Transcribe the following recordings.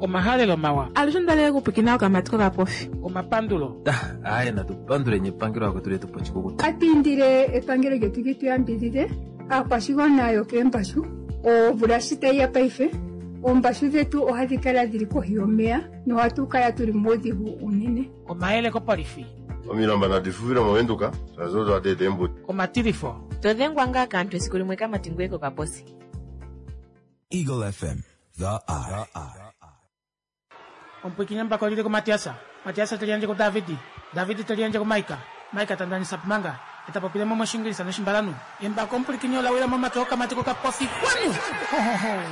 Omahalelo mawa. Alushe onda okupwikina okamati kokapofi. Omapandulo. Aye natu panduleni epangelo akwetu letu pochikukuta. Ohatu indile epangelo lyetu li tu yambidhidhe aakwashigwana yokeembashu. Omvula shi tayi ya paife, oombashu dhetu ohadhi kala dhili kohi yomeya nohatu kala tuli muudhigu uunene. Omayele kopolifi. Omilamba nadi fufile mOvenduka, shaashi odo hadi eta eembuto. Omatilifo. To dhengwa ngaa kaantu esiku limwe kamati ngoye kokaposi. Eagle FM, the eye. Omupwiikini embako lili kuMatiasa, Matiasa te liyandje kuDavidi, Davidi te liyandje kuMaika, Maika ta ndanisa Pumanga, e ta popile mo mOshiingilisa nOshimbalanhu. Embako omupwilikini ola wila momake okamati kokapofi. Kwanu! Ho, ho, ho!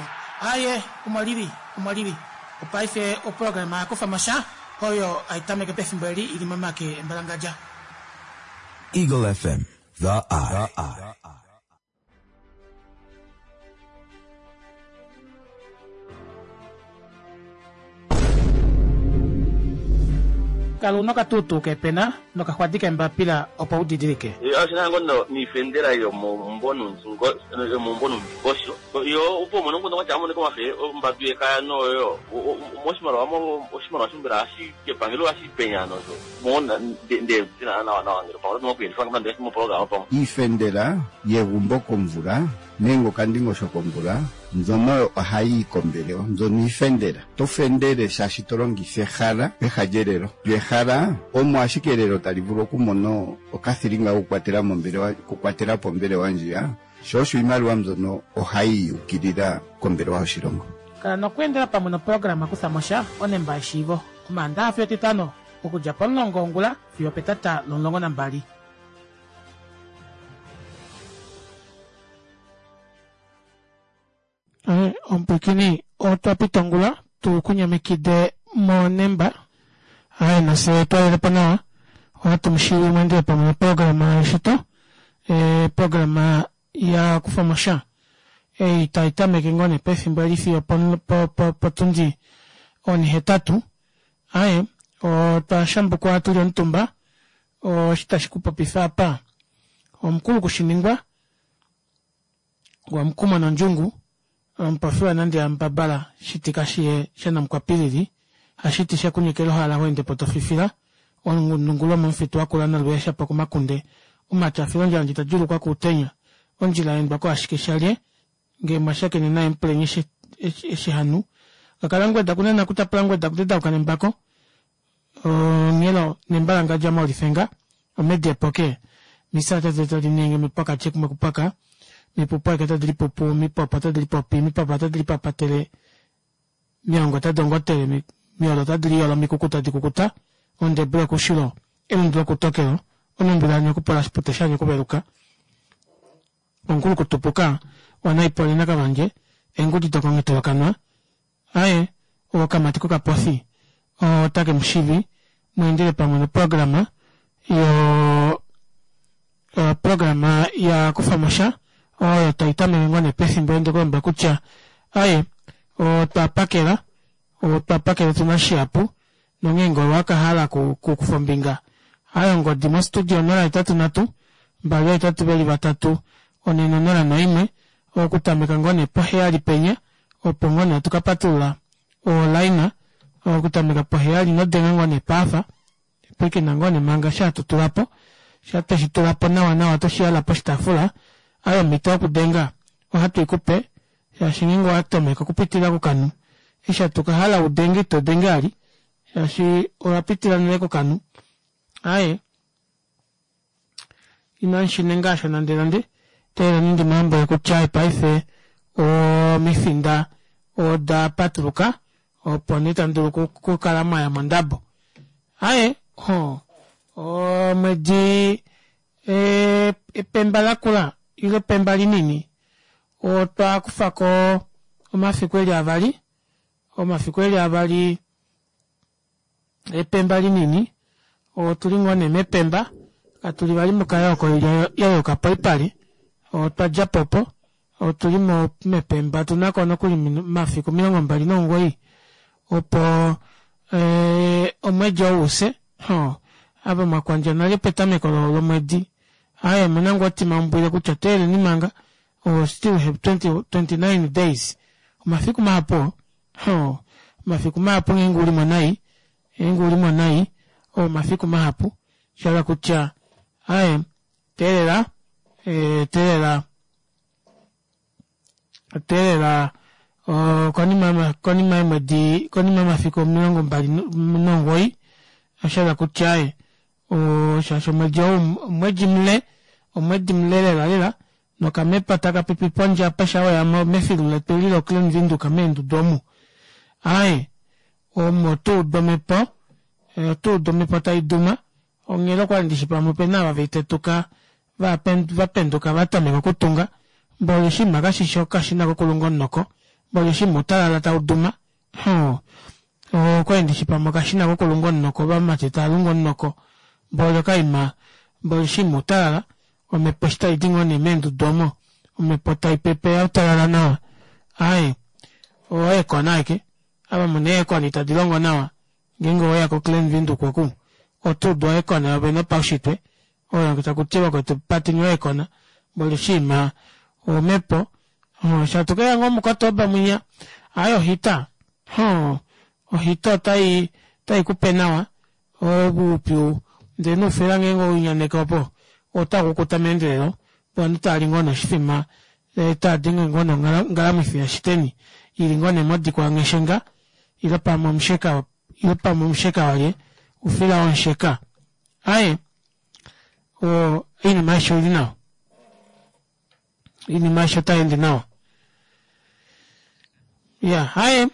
Aye, omo lili, omo lili. Opaife oprograma ya kufa mo sha, oyo hai tameke pefimbo eli i li momake embalangadja. Eagle FM, the eye. Kala una okatuutuu keepena nokaxwadi keembapila opo u didilike. Oshi na ngo niifendela yomomumvo nuundingosho yo opo umone omukundu gwatya amonike omafe ombambi yekaya noyo moshimaliwa oshimaliwa shombela hashi kepangelo hashi penya nosho mo nde tina nawa nawa ngele pamwe oto kuyelifa nande moprograma pamwe. Iifendela yegumbo komvula nenge okandingosho komvula mbyono ohayi yi kombelewa mbyono iifendela. Oto fendele shaashi to longitha ehala peha lyelelo. Lyo ehala omo ashike elelo tali vulu okumona okathilinga kokukwatela mombelewa okukwatela po ombelewa ndjiya, sho osho iimaliwa mbyono ohayi yi ukilila kombelewa yoshilongo. Kala nokweendela pamwe noprograma Kutha mo sha, onemba yeshiivo, Omaandaxa fiyo Etitano, okudja pomulongo wongula fiyo opetata lomulongo nambali. Omupwikini otwa pita ongula tu ku nyamekide monemba aye nafye twalele po nawa ohatu mu shivi mwendele pamwe noprograma yeshito eeprograma ya kufa mo sha ei tai tameke ngoo nee pefimbo eli fiyo potundi onihetatu aye otwa shambukwa tuli omutumba oshi tashi ku popifa apa omukulu kushiningwa Gwamukumo nondjungu, omupofi wanande yamubabala shiti kashiye shanamukwapilili, hashiti shekunyekela ohala ho ende po to fifila, olundungu lomomufitu wakula nolweesha po komakunde, omati a fila ondjala ndji ta djuulukwa kuutenya, ondjila ya endwa koashike shalye, ngee mwa shakene naye mupuleni eshi hanu, kakala ngweda kunena kutapula ngweda kutedauka nembako, onghelo nembalangadja mOlifenga, omedi epoke, misata tadi ningi mipwakatye kumwe kupwaka, mipupu aike tadi lipupu, mipopo otadi lipopi, mipapa otadi lipapatele, miongo otadi ongotele, miolo otadi liyolo, mikuku tadi kukuta, ondebu yokushilo, elundu lokutokelo, onumbula yanyokupola oshipute shanyokuveluka, ongulukutupuka, wanaipoli nakavandje, eengudi dokonghitolokanwa, Aye, okamati kokapofi otake mu shivi mu endele pamwe noprograma yo oprograma ya kufa mo sha oyo tai tameke ngoo nee pefimbo ende kulombwela kutya aye otwa pakela otwa pakela tuna shihapu nonghee ngee owa ka hala ku kufa ombinga aye ongodi mostudio 083 2 8 4 0 1 okutameka ngoo nee poheyali penya opo ngoo nee hatu ka patulula olaina okutameka poheyali ino denga ngoo nee paafa pwiikina ngoo nee manga eshi hatu tula po sha tweshi tula po nawa nawa tweshi yala poshitaafula aye omhito yokudenga ohatu i kupe shaashi ngeenge owa tomeka okupitila kokanhu eshi hatu ka hala udenge ito denge vali shaashi owa pitila nale kokanhu aaye Inashi ninga osho nandenande. Teeleleni ndi mu lombwele kutya paife omifinda oda patuluka, opo nee tamu dulu okukala mwa ya mondabo. Aye, ho, omwedi epemba lakula ile epemba linini, otwa kufa ko omafiku eli avali, omafiku eli avali Epemba linini, Otu li ngoo nee mepemba, katu li vali mokayooko oilya ya yooka poipale. Otwa dja po opo, otu li mepemba otu na ko nokuli omafiku 29 opo omwedi ou u fye. Hoo, ava mwa kwandja nale petameko lomwedi, aaye omu na ngoo otimaumbwile kutya teeleni manga, we still have 29 days, omafiku mahapu oo. Hoo. Omafiku mahapu ngeenge ulimo nai, ngeenge ulimo nai oo omafiku mahapu shahala kutya aaye teelela teelela teelela konima konima yeemwedi konima yomafiku 29 oshahala kutya aaye shaashi omwedi ou omwedi mule omwedi mule lela lela nokamepo takapipi pondje apa shaa weyamo mefilu letu eli lo Klein Windhoek meendudu omu aaye omo otuudu omepo otuudu omepo taiduma onghela okwali ndishi pamwe opena ava veitetuka vapenduka vatameka okutunga mboli oshinima kashishi okashina kokulunga omunoko mboli oshinima outalala tauduma hoo okwali ndishi pamwe okashina kokulunga omunoko ovamati tavalungu omunoko mboli okaima mboli oshinima outalala omepo eshi taidi ngoo nee meendudu omo omepo taipepe yautalala nawa aaye oo aircon aike ava muna ee aircon tadi longo nawa ngeenge oweya ko Klein Windhoek oku oto udu oaircon yovene yopaushitwe oyo takuti vakwetu pateni oaircon mboli oshinima omepo shatukeya ngoo muKotoba mwinya aaye ohita hoo ohita otai otaikupe nawa oupyu ndee noufila ngeenge owenyaneke opo otakukuta meendelelo opo ovanhu taali ngoo nee oshifima taadenge ngoo nee ongalamwifi yashiteni ili ngoo nee modikwa yangheshenga ile pamwe omusheka ile pamwe omusheka walye oufila womusheka aaye oinima aishe oili nawa oinima aishe otayeende nawa ya haye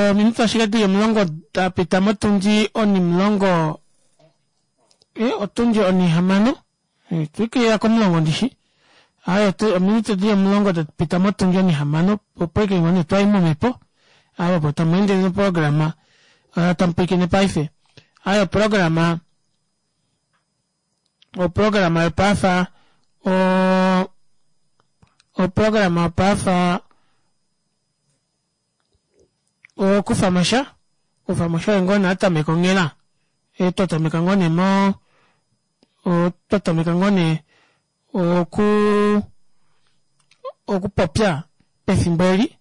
ominute ashike dili 10 dapita motundi onimulongo otundi onihamano twikilila komulongo ndishi haye ominute dili 10 dapita motundi onihamano opo ike ngoo nee twayi momepo ava opo tamweendele noprograma tamupwiikine paife haye oprograma oprograma yopaafa oprograma yopaafa okufamosha okufamosha oye ngoo nee atameka onghela twatameka ngoo nee mo twatameka ngoo nee okuu okupopya pefimbo eli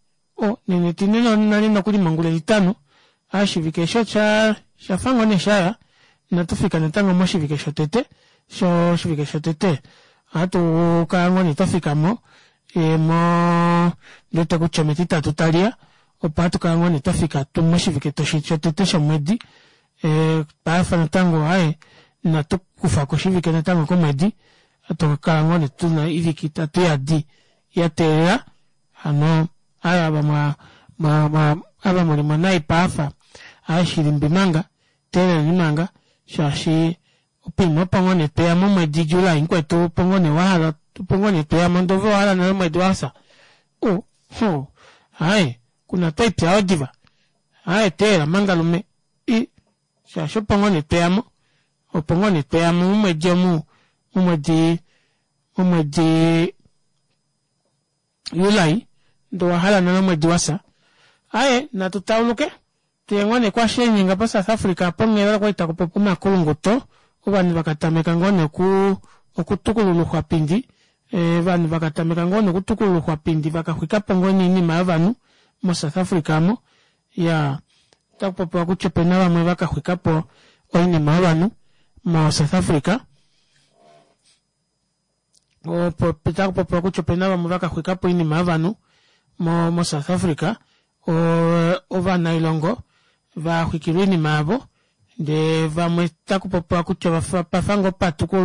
nena etine nale nokuli mongula etitano oshivike eshi oshafa ngoo nee shaya inatu fika natango moshivike shotete oshivike shotete ohatu kala ngoo nee twafikamo moo ndiwete kutya ometitatu taliya opo hatu kala ngoo nee twafika moshivike shotete shomwedi paife natango aaye inatu kufako oshivike natango komwedi ohatu kala ngoo nee tuna oivike itatu iyadi yateelela hano aaye ava mwa mwa ava mulimo nai paafa aaye shilimbi manga teeleleni manga shaashi poima opo ngoo nee tweya momwedi July mukwetu opo ngoo nee wahala opo ngoo nee tweyamo ndee ove owahala nale omwedi wafya u huu aaye kuna twaipya yoo diva aaye teelela manga lume i shaashi opo ngoo nee tweyamo opo ngoo nee tweyamo momwedi omu momwedi momwedi July ndee owahala nale omwedi wafya aaye natu tauluke Tuye ngoo nee kwashiinyenga po South Africa apo onghela okwali takupopiwa omakulunguto ovanhu vakatameka ngoo nee oku okutukulula ouxwapindi ovanhu vakatameka ngoo nee okutukulula ouxwapindi vakaxwikapo ngoo nee oinima yovanhu mo South Africa aamo iyaa otakupopiwa kutya opena vamwe vakaxwikapo oinima yovanhu mo South Africa. Otaku popiwa kutya opena vamwe vakaxwikapo oinima yovanhu mo mo South Africa ovanailongo vaxwikilwa oinima yavo ndee vamwe otaku popiwa kutya pafa ngoo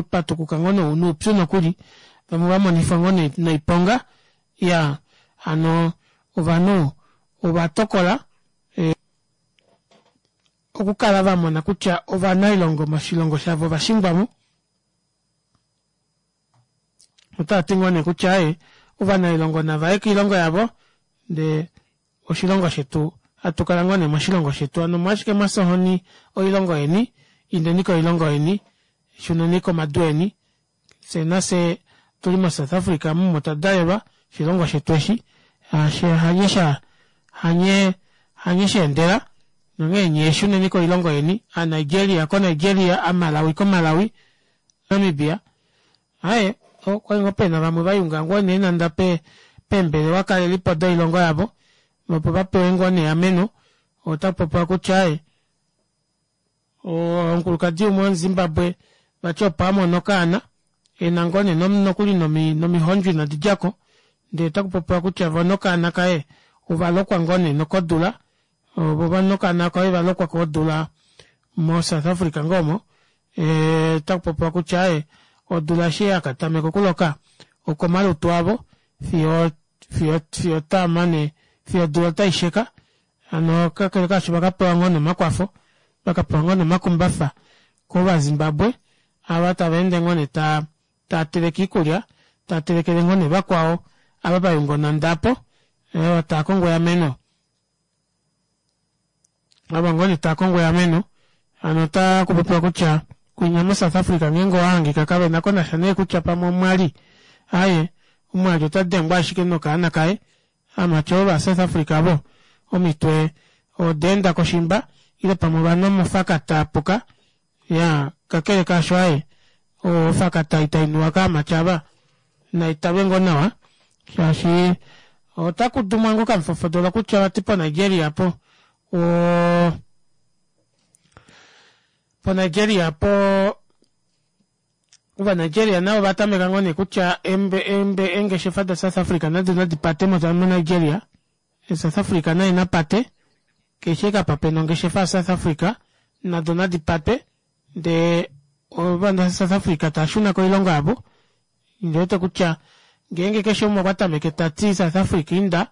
patukuka ngoo noupyu nokuli vamwe vamonifwa ngoo noiponga iyaa hano ovanhu ovatokola okukala vamona kutya ovanailongo moshilongo shavo ovashingwamo. Otava ti ngoo nee kutya aaye ovanailongo nava ye koilongo yavo ndee oshilongo shetu hatu kala ngoo nee moshilongo shetu hano omolwashike mwafya ohoni oilongo yeni indeni koilongo yeni shuneni komadu eni fye nafye tuli mo South Africa omu omo twa dalelwa oshilongo shetu eshi hanye sha hanye hanye shaendela nonghee nyee shuneni koilongo yeni a Nigeria ko Nigeria a Malawi ko Malawi Namibia aaye okwali ngoo pena vamwe vayunga ngoo nee nanda peembelewa kalelipo doilongo yavo opo vapewe ngoo nee eameno. Ota popiwa kutya e omukulukadi umwe womuZimbabwe vati opo a mona okaana e na ngoo nee nokuli nomihondjo inadi dja ko ndee otaku popiwa kutya vo nokaana kaye ova lokwa ngoo nee nokodula vo nokaana kaye ova lokwa kodula moSouth Africa ngoo omo otaku popiwa kutya ee odula eshi ya ka tameka okuloka okomalutu avo fiyo fiyo fiyo taa mane fiyo odula otai sheka hano kakele kaasho vakapewa ngoo nomakwafo vakapewa ngoo nomakumbafa kovazimbabwe ava tava ende ngoo nee taa taa teleke iikulya taa telekele ngoo nee vakwao ava vayunga onhanda apo taa kongo eameno ava ngoo nee taa kongo eameno hano ota kupopiwa kutya kwinya moSouth Africa ngeenge owahangika kavena konasha nee kutya pamwe omwali aaye omwali ota dengwa ashike nokaana kaye Aamati ova South Africa vo omitwe oda enda koshimba ile pamwe ovanhu omofakata apuka ya kakele kaasho aye ofakata itainuwa kaamati ava naitalwe ngoo nawa shaashi otaku dumwa ngoo kamufofodolo kutya vati poNigeria po o poNigeria po Ovanigeria navo ova tameka ngoo nee kutya eengeshefa daSouth Africa nado nadi pate moNigeria. South Africa naye na pate keshe ashike apa pena ongeshefa yaSouth Africa nado nadi patwe ndee ovanhu vaSouth Africa tava shuna koilongo yavo. Ondi wete kutya ngeenge keshe umwe okwa tameke tati South Africa inda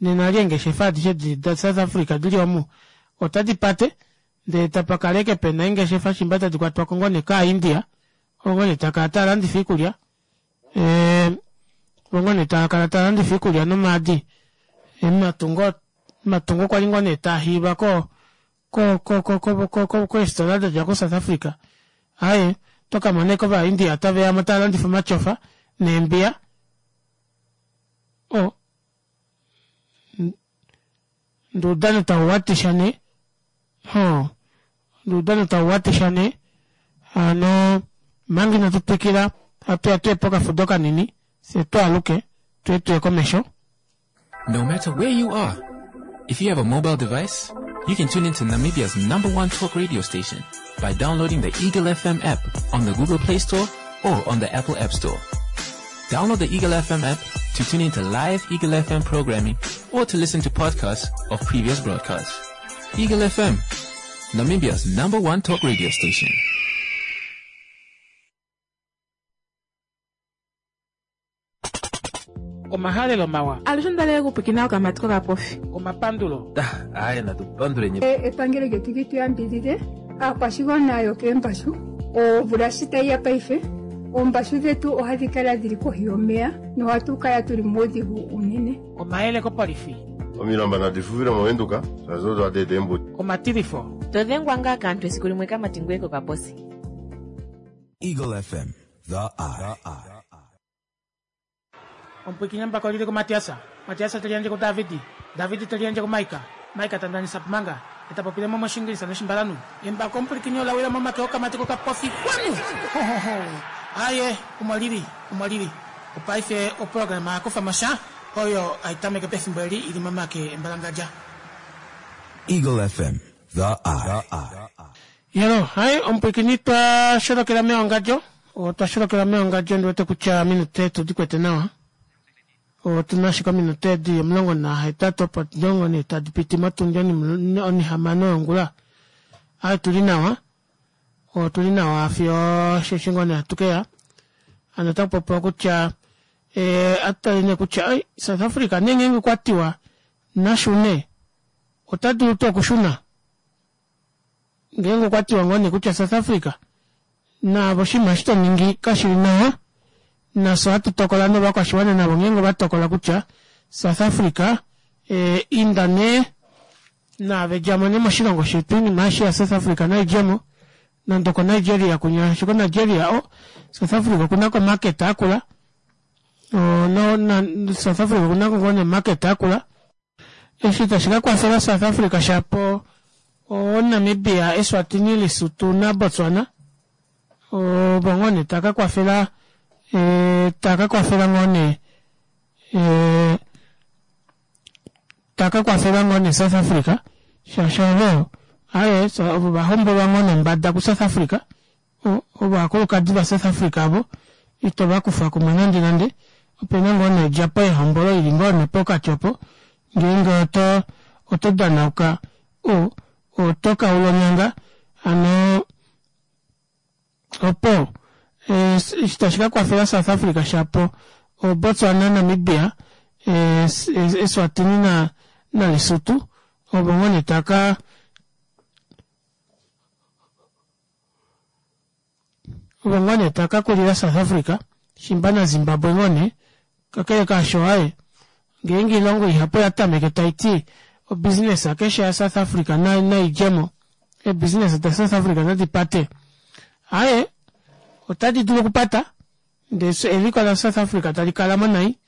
nena eli eengeshefa adishe daSouth Africa dili omu otadi pate ndele tapa kala ashike pena eengeshefa shimba tadi kwatwa ko ngoo nee kaaIndia oo ngoo nee taa kala taa landifa iikulya oo ngoo nee taa kala taa landifa iikulya nomaadi omatungo omatungo okwa li ngoo nee taa hiilwa ko ko ko ko ko ko ko keefitola da dja koSouth Africa aaye oto ka mona ashike ovaIndia tave ya mo tava landifa omatyofa neembiya o ndee oudano tau watisha nee Hoo, oudano tau watisha nee. Hano manga inatu twikila, hatu ya tuye pokafudo kanini, fye tu aluke, tuye tuye komesho. No matter where you are, if you have a mobile device, you can tune into Namibia's number one talk radio station by downloading the Eagle FM app on the Google Play Store or on the Apple App Store. Download the Eagle FM app to tune into live Eagle FM programming or to listen to podcasts of previous broadcasts. Eagle FM, Namibia's number one talk radio station. Omahalelo mawa. Alushe onda li okupwiikina okamati kokapofi. Omapandulo. Aaye natu panduleni. Epangelo lyetu li tu yambidhidhe aakwashigwana yokeembashu omvula shi tayi ya paife oombashu dhetu ohadhi kala dhili kohi yomeya nohatu kala tuli muudhigu uunene. Omayele kopolifi. Omilamba nadi fufile mOvenduka shaashi odo hadi eta eembuto. Omatilifo. To dhengwa ngaa kaantu esiku limwe kamati ngoye kokaposi. Eagle FM, the eye. Omupwiikini embako oli li kuMatias, Matias te liyandje kuDavid, David te liyandje kuMaika, Maika ta ndanisa Pumanga, e ta popile mo mOshiingilisa nOshimbalanhu. Embako omupwilikini ola wila momake okamati kokapofi. Kwanu! Ho, ho, ho! Aaye, omo li li, omo li li. Opaife oprograma ya kufa mo sha, oyo hai tameke pefimbo eli i li momake embalangadja. Eagle FM, The Eye. Yelo, hai, omupwilikini twa sholokela meongadjo. Otwa sholokela meongadjo ndi wete kutya ominute otu di kwete nawa. Otu na ashike ominute di 18 opo 14 tadi piti motundi onihamano yongula. Ai otu li nawa. Otu li nawa fiyo osheshi ngoo nee hatu ke ya. Hano otaku popiwa kutya eh, atu tale nee kutya ai South Africa nee ngeenge okwa tiwa na shune ota dulu tuu okushuna? Ngeenge okwa tiwa ngoo nee kutya South Africa naave oshinima eshi to ningi kashi li nawa, nafye ohatu tokola novakwashiwana navo ngeenge ova tokola kutya South Africa eh, inda nee naave djamo nee moshilongo shetu oinima aishe ya South Africa nai djemo nande oko Nigeria kunya shiko Nigeria o South Africa okuna ko market akula o, no, na, South Africa okuna ko ngoo ne market akula Eshi tashi ka kwafela South Africa shapo o Namibia, Eswatini, Lesotho na Botswana ovo ngoo nee tava ka kwafela tava ka kwafela ngoo nee tava ka kwafela ngoo nee South Africa. Shaashi ovo, aaye, ovo va hombolwa ngoo nombada kuSouth Africa, ovakulukadi vaSouth Africa ovo, ito va kufa kumwe nande nande. Opena ngoo nee odjapo yehombolo ili ngoo nee pokati opo, ngeenge oto oto danauka o oto kaula onyanga hano opo eshi tashi ka kwafela South Africa shapo o Botswana, Namibia, Eswatini na na Lesotho ovo ngoo nee taka ovo ngoo nee taka kulila South Africa shimba na Zimbabwe ngoo nee kakele kaasho aaye ngeenge oilongo ihapu oya tameke taiti obusiness keshe ya South Africa naidjemo eebusiness da South Africa nadi pate aaye otadi dulu okupata ndee eliko la South Africa tali kalamo nai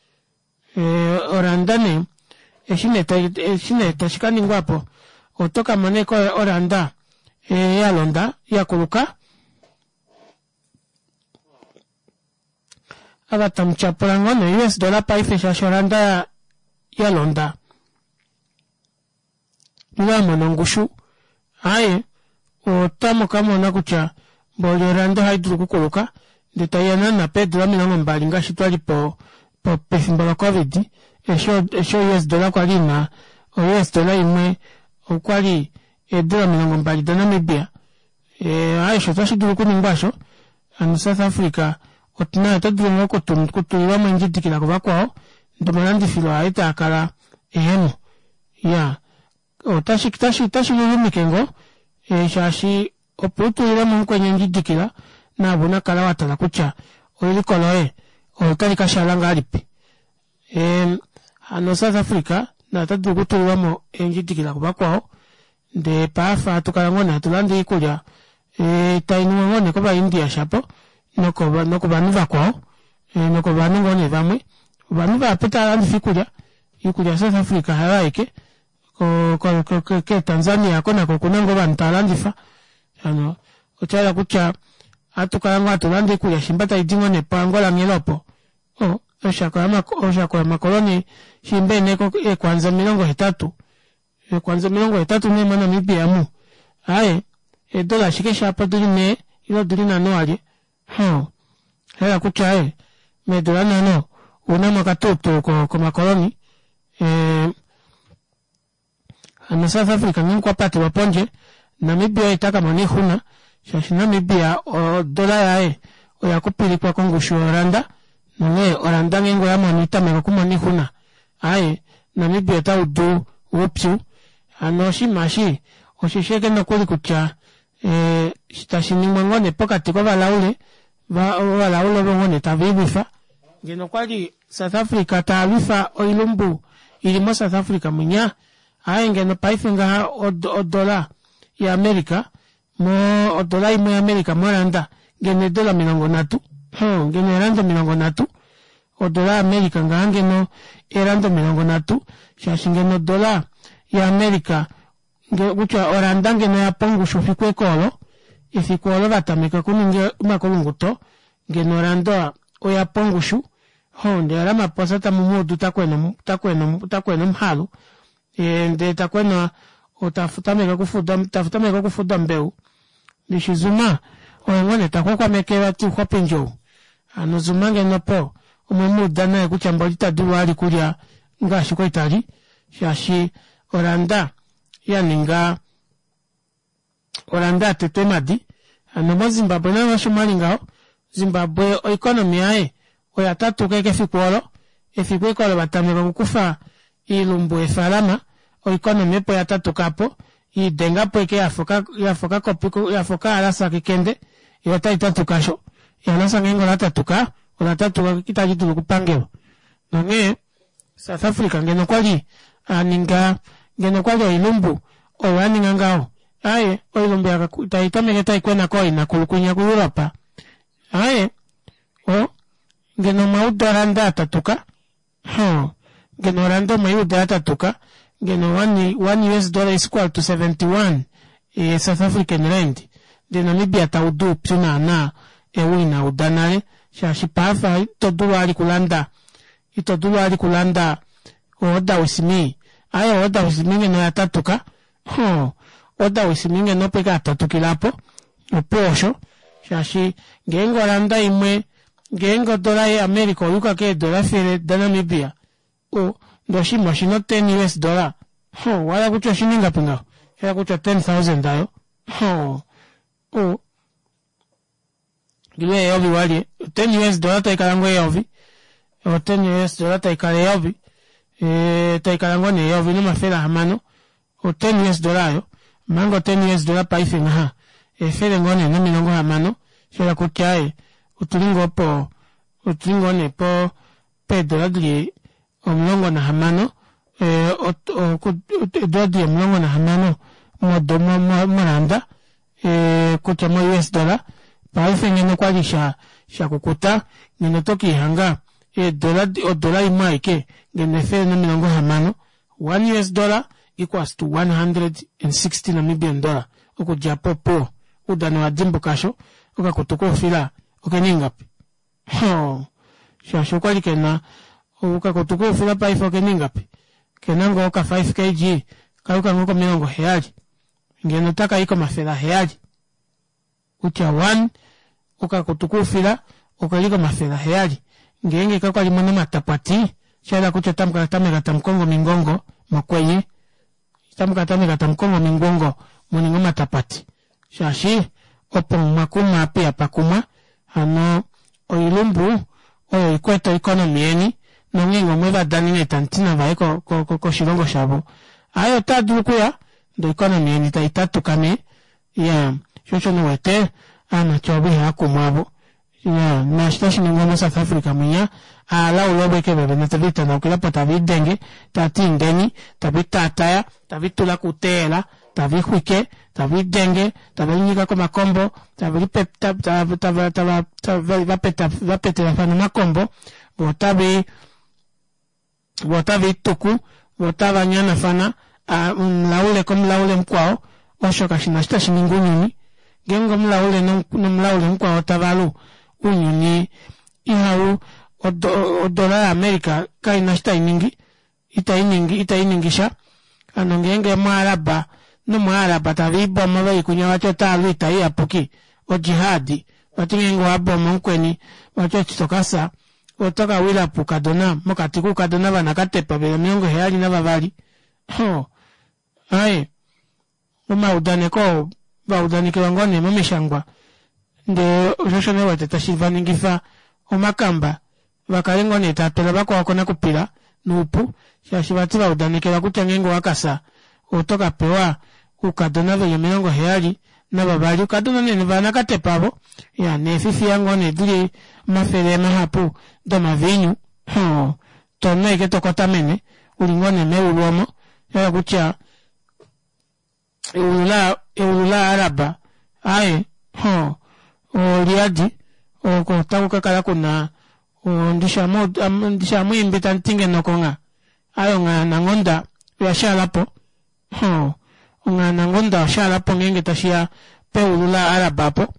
oranda nee eshi nee eshi nee tashi ka ningwapo oto ka mona ashike oranda ya londa yakuluka ava tamu tyapula ngoo ne US dollar paife shaashi oranda ya londa ile ya mona ongushu aaye otamu ka mona kutya mboli oranda ohayi dulu okukuluka ndee taiya naana peedula 20 ngaashi twali po pefimbo locovid eshi eshi o-us dollar kwali ina o-us dollar imwe okwali eedula 20 daNamibia aaye otashi dulu okuningwa osho hano South Africa naye ota dulu ngoo okutulilwamo endjidikila kuvakwao ndee omalandifilo aye taakala ehemo iyaa otashi otashi otashi lulumike ngoo shaashi opo utulilemo mukweni endjidikila naave unakala watala kutya eliko loye otali kashaala ngahelipi hano South Africa naye ota dulu okutulilwamo eendjidikila kuvakwao ndee paife hatu kala ngoo nee hatu lande oikulya tainuwa ngoo nee kova India shapo nokovanhu vakwao nokovanhu ngoo nee vamwe ovanhu vahapu tava landifa oikulya oikulya ya South Africa hayo aike ke Tanzania oko nako okuna ngoo ovanhu tava landifa hano oshahala kutya ohatu kala ngoo hatu lande oikulya shimba taidi ngoo nee po Angola nghela opo oshako yomakoloni shimba ina eekwanza 80 eekwanza 80 nee moNamibia omu aaye eedola ashike shapo odili nhee ile odili nhano walye hoo oshahala kutya aaye meedula nhano ounamo okatuutuu komakoloni hano South Africa ngenge okwa patelwa pondje Namibia oye takamona oixuna shaashi Namibia odola yaye oya kupilikwa kongushu yoranda nonghee oranda ngeenge oyamono itameke okumona oixuna aaye Namibia otaudu oupyu hano oshinima eshi osheshi ashike nokuli kutya tashi ningwa ngoo nee pokati kovalaule ovalaule ovo ngoo nee tava ilwifa ngeno okwali South Africa taalwifa oilumbu ili mo South Africa munya aaye ngeno paife ngaha odola ya America mo odola imwe ya America moranda ngeno eedola 30 ngeno eeranda 30 odola ya America ngaha ngeno eeranda 30 shaashi ngeno odola ya America kutya oranda ngeno oyapa ongushu efiku eke olo efiku olo vatameka okuninga omakulunguto ngeno oranda oyapa ongushu hoo ndee Ramaphosa tamumuudu takwena takwena omuhalu ndee takwena tatameke okufuda tatameke okufuda ombeu ndishi Zuma oye ngoo nee taxwaxwameke vati Uxwapindi ou hano Zuma ngeno opo omwemuuda naye kutya mboli itadulu vali kulya ngaashi kwali tali shaashi oranda yaninga oranda yatetwa eemadi hano mo Zimbabwe nayo osho mwali ngaho Zimbabwe oeconomy yaye oya tatuka ashike efiku olo efiku ashike olo vatameka okukufa oilumbu yeefalama oeconomy opo yatatukapo yiidengapo ashike yafa okakopi yafa okahalasa kekende yoo otai tatuka osho ehalasa ngeenge ola tatuka ola tatuka itali dulu okupangelwa nonghee South Africa ngeno okwali aninga ngeno okwali oilumbu oyo aninga ngaho aaye oilumbu tai tameke taikwena kooinakulu kwinya ku Europe aaye o ngeno omwauda oranda yatatuka hoo ngeno oranda omweiuda yatatuka ngeno one US dollar is equal to 71 South African rand ndee Namibia taudu oupyu naana ou inauda nale shaashi paife ito dulu vali kulanda ito dulu vali kulanda order with me aaye order with me ngeno oya tatuka. Ho, oda wisimi ngeno opo ike atatukila apo, opuwo osho, shaashi ngeenge oranda imwe ngeenge odola yaAmerica oyuuka keedola efele daNamibia, o, ndee oshinima oshina o 10 US dollar, ho, owahala kutya oshina ingapi ngaho? Oshahala kutya o 10,000 ayo, ho, o, ile eyovi walye, o 10 US dollar taikala ngoo eyovi, o 10 US dollar taikala eyovi, taikala ngoo nee eyovi nomafele ahamano, o 10 US dollar ayo, omanga o 10 US dollar paife ngaha efele ngoo nee nomilongo hamano, shayela kutya aaye otuli ngoo po otuli ngoo nee po peedola dili 16 eedola dili 16 moranda kutya mo us dollar paife ngeno okwali shakukuta ngeno oto kiihanga eedola odola imwe aike ngeno 160 1 us dollar equals to 160 Namibian dollar okudja apo opuwo oudano owadimbuka asho okakutu koufila okena ingapi Hoo, shaashi okwali kena okakutu koufila paife okena ingapi? Kena ngoo ka 5 kg kayuka ngoo komilongo heyali ngeno otaka i komafele aheyali kutya one okakutu koufila okeli komafele aheyali ngeenge kakwali muna omatapwati oshayela kutya otamu ka tameka tamu kongo omingongo mokwenye otamu ka tameka tamu kongo omingongo muninge omatapati shaashi opo mwa kumwa apa ihapa kumwa hano oilumbu oyo ikwete oeconomy yeni nongeenge omwe va danene tamuti navaye koshilongo shavo aaye otaa dulu okuya ndee oeconomy yeni tai tatuka nee iyaa sho osho nee uwete aamati ovo ihaya kumwa avo Iyaa, naashi tashi ningwa moSouth Africa mwinya, aalaule ovo ike vevene tave itanaukilapo tave idenge, tava ti indeni, tave itaataya, tave itula kuuteyela, tave ixwike, tave idenge, tave linyika komakombo, tave lipe tava tava tava tava vapetelafana omakombo, voo otave vo otave ituku vo otava nyanafana omulaule komulaule mukwao osho kashina eshi tashi ningi ounyuni ngeenge omulaule nomulaule mukwao tava lu ounyuni ihau odola ya America kaina eshi tainingi itainingi itainingi sha hano ngeenge omuAraba nomuAraba tave ibomo veli kunya vati otaalu oita iyapuki ojihadi vati ngeenge owabomo mukweni vati eshi tokafya oto ka wila puukadona mokati kuukadona vanakatepa veli 72 hoo aaye omaudaneko oo va udanekelwa ngoo nee momishangwa ndee osho osho nee wete tashi va ningifa omakamba va kale ngoo nee tava pele vakwao konakupila noupu shaashi vati va udanekelwa kutya ngeenge owakafya oto ka pewa oukadona veli 72 oukadona nee vanakatepa avo ya neefifiya ngoo nee dili omafele mahapu domaviinyu hoo tonu ashike tokotamene uli ngoo nee meulu omo shahala kutya eulu la eulu la Araba aaye hoo oliyadi oko otaku ka kala kuna ndishi amwiimbi tamuti ngeno kongha aaye onghaananghonda oya shaalapo Hoo, onghaananghonda oshaalapo ngeenge tashiya peulu la Arab apo.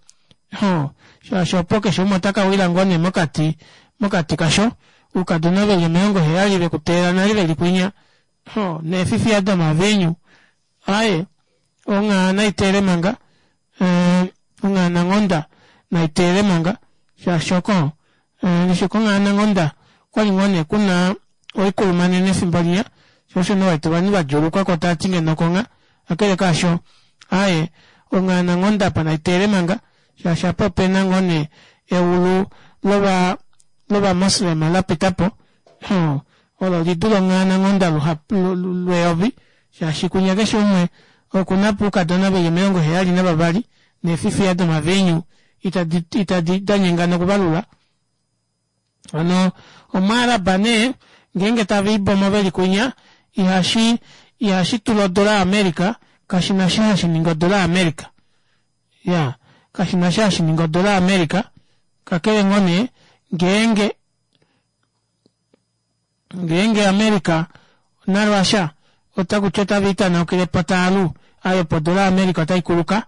Hoo, shaashi opo keshe umwe ota ka wila ngoo nee mokati, mokati kasho, oukadona veli 70 veku teelela nale veli kwinya. Hoo, neefifiya domaviinyu. Aaye, onghaa nai teele manga, ee, onghaananghonda nai teele manga, shaashi oko, ee, konghaananghonda okwali ngoo nee kuna oikulumanene efimbo linya, sho osho nee wete ovanhu vadjuulukwa ko tavati ngeno okongha, kakele kaasho aaye onghaananghonda apa naiteele manga shaashi apa opena ngoo nee eulu lova lovamoslema lapitapo hoo olo lidule onghaananghonda luhapu lweyovi shaashi kwinya keshe umwe okuna po oukadona veli 72 neefifiya domaviinyu itadi itadi danyengana okuvalula Hano Omuaraba nee ngeenge tava ibomo veli kwinya ihashi ihashi tula odola ya America kashina eshi hashi ningi odola ya America ya kashina eshi hashi ningi odola ya America kakele ngoo nee ngeenge ngeenge America naRussia otakuti otava itanaukilepo taalu aye opo odola ya America otai kuluka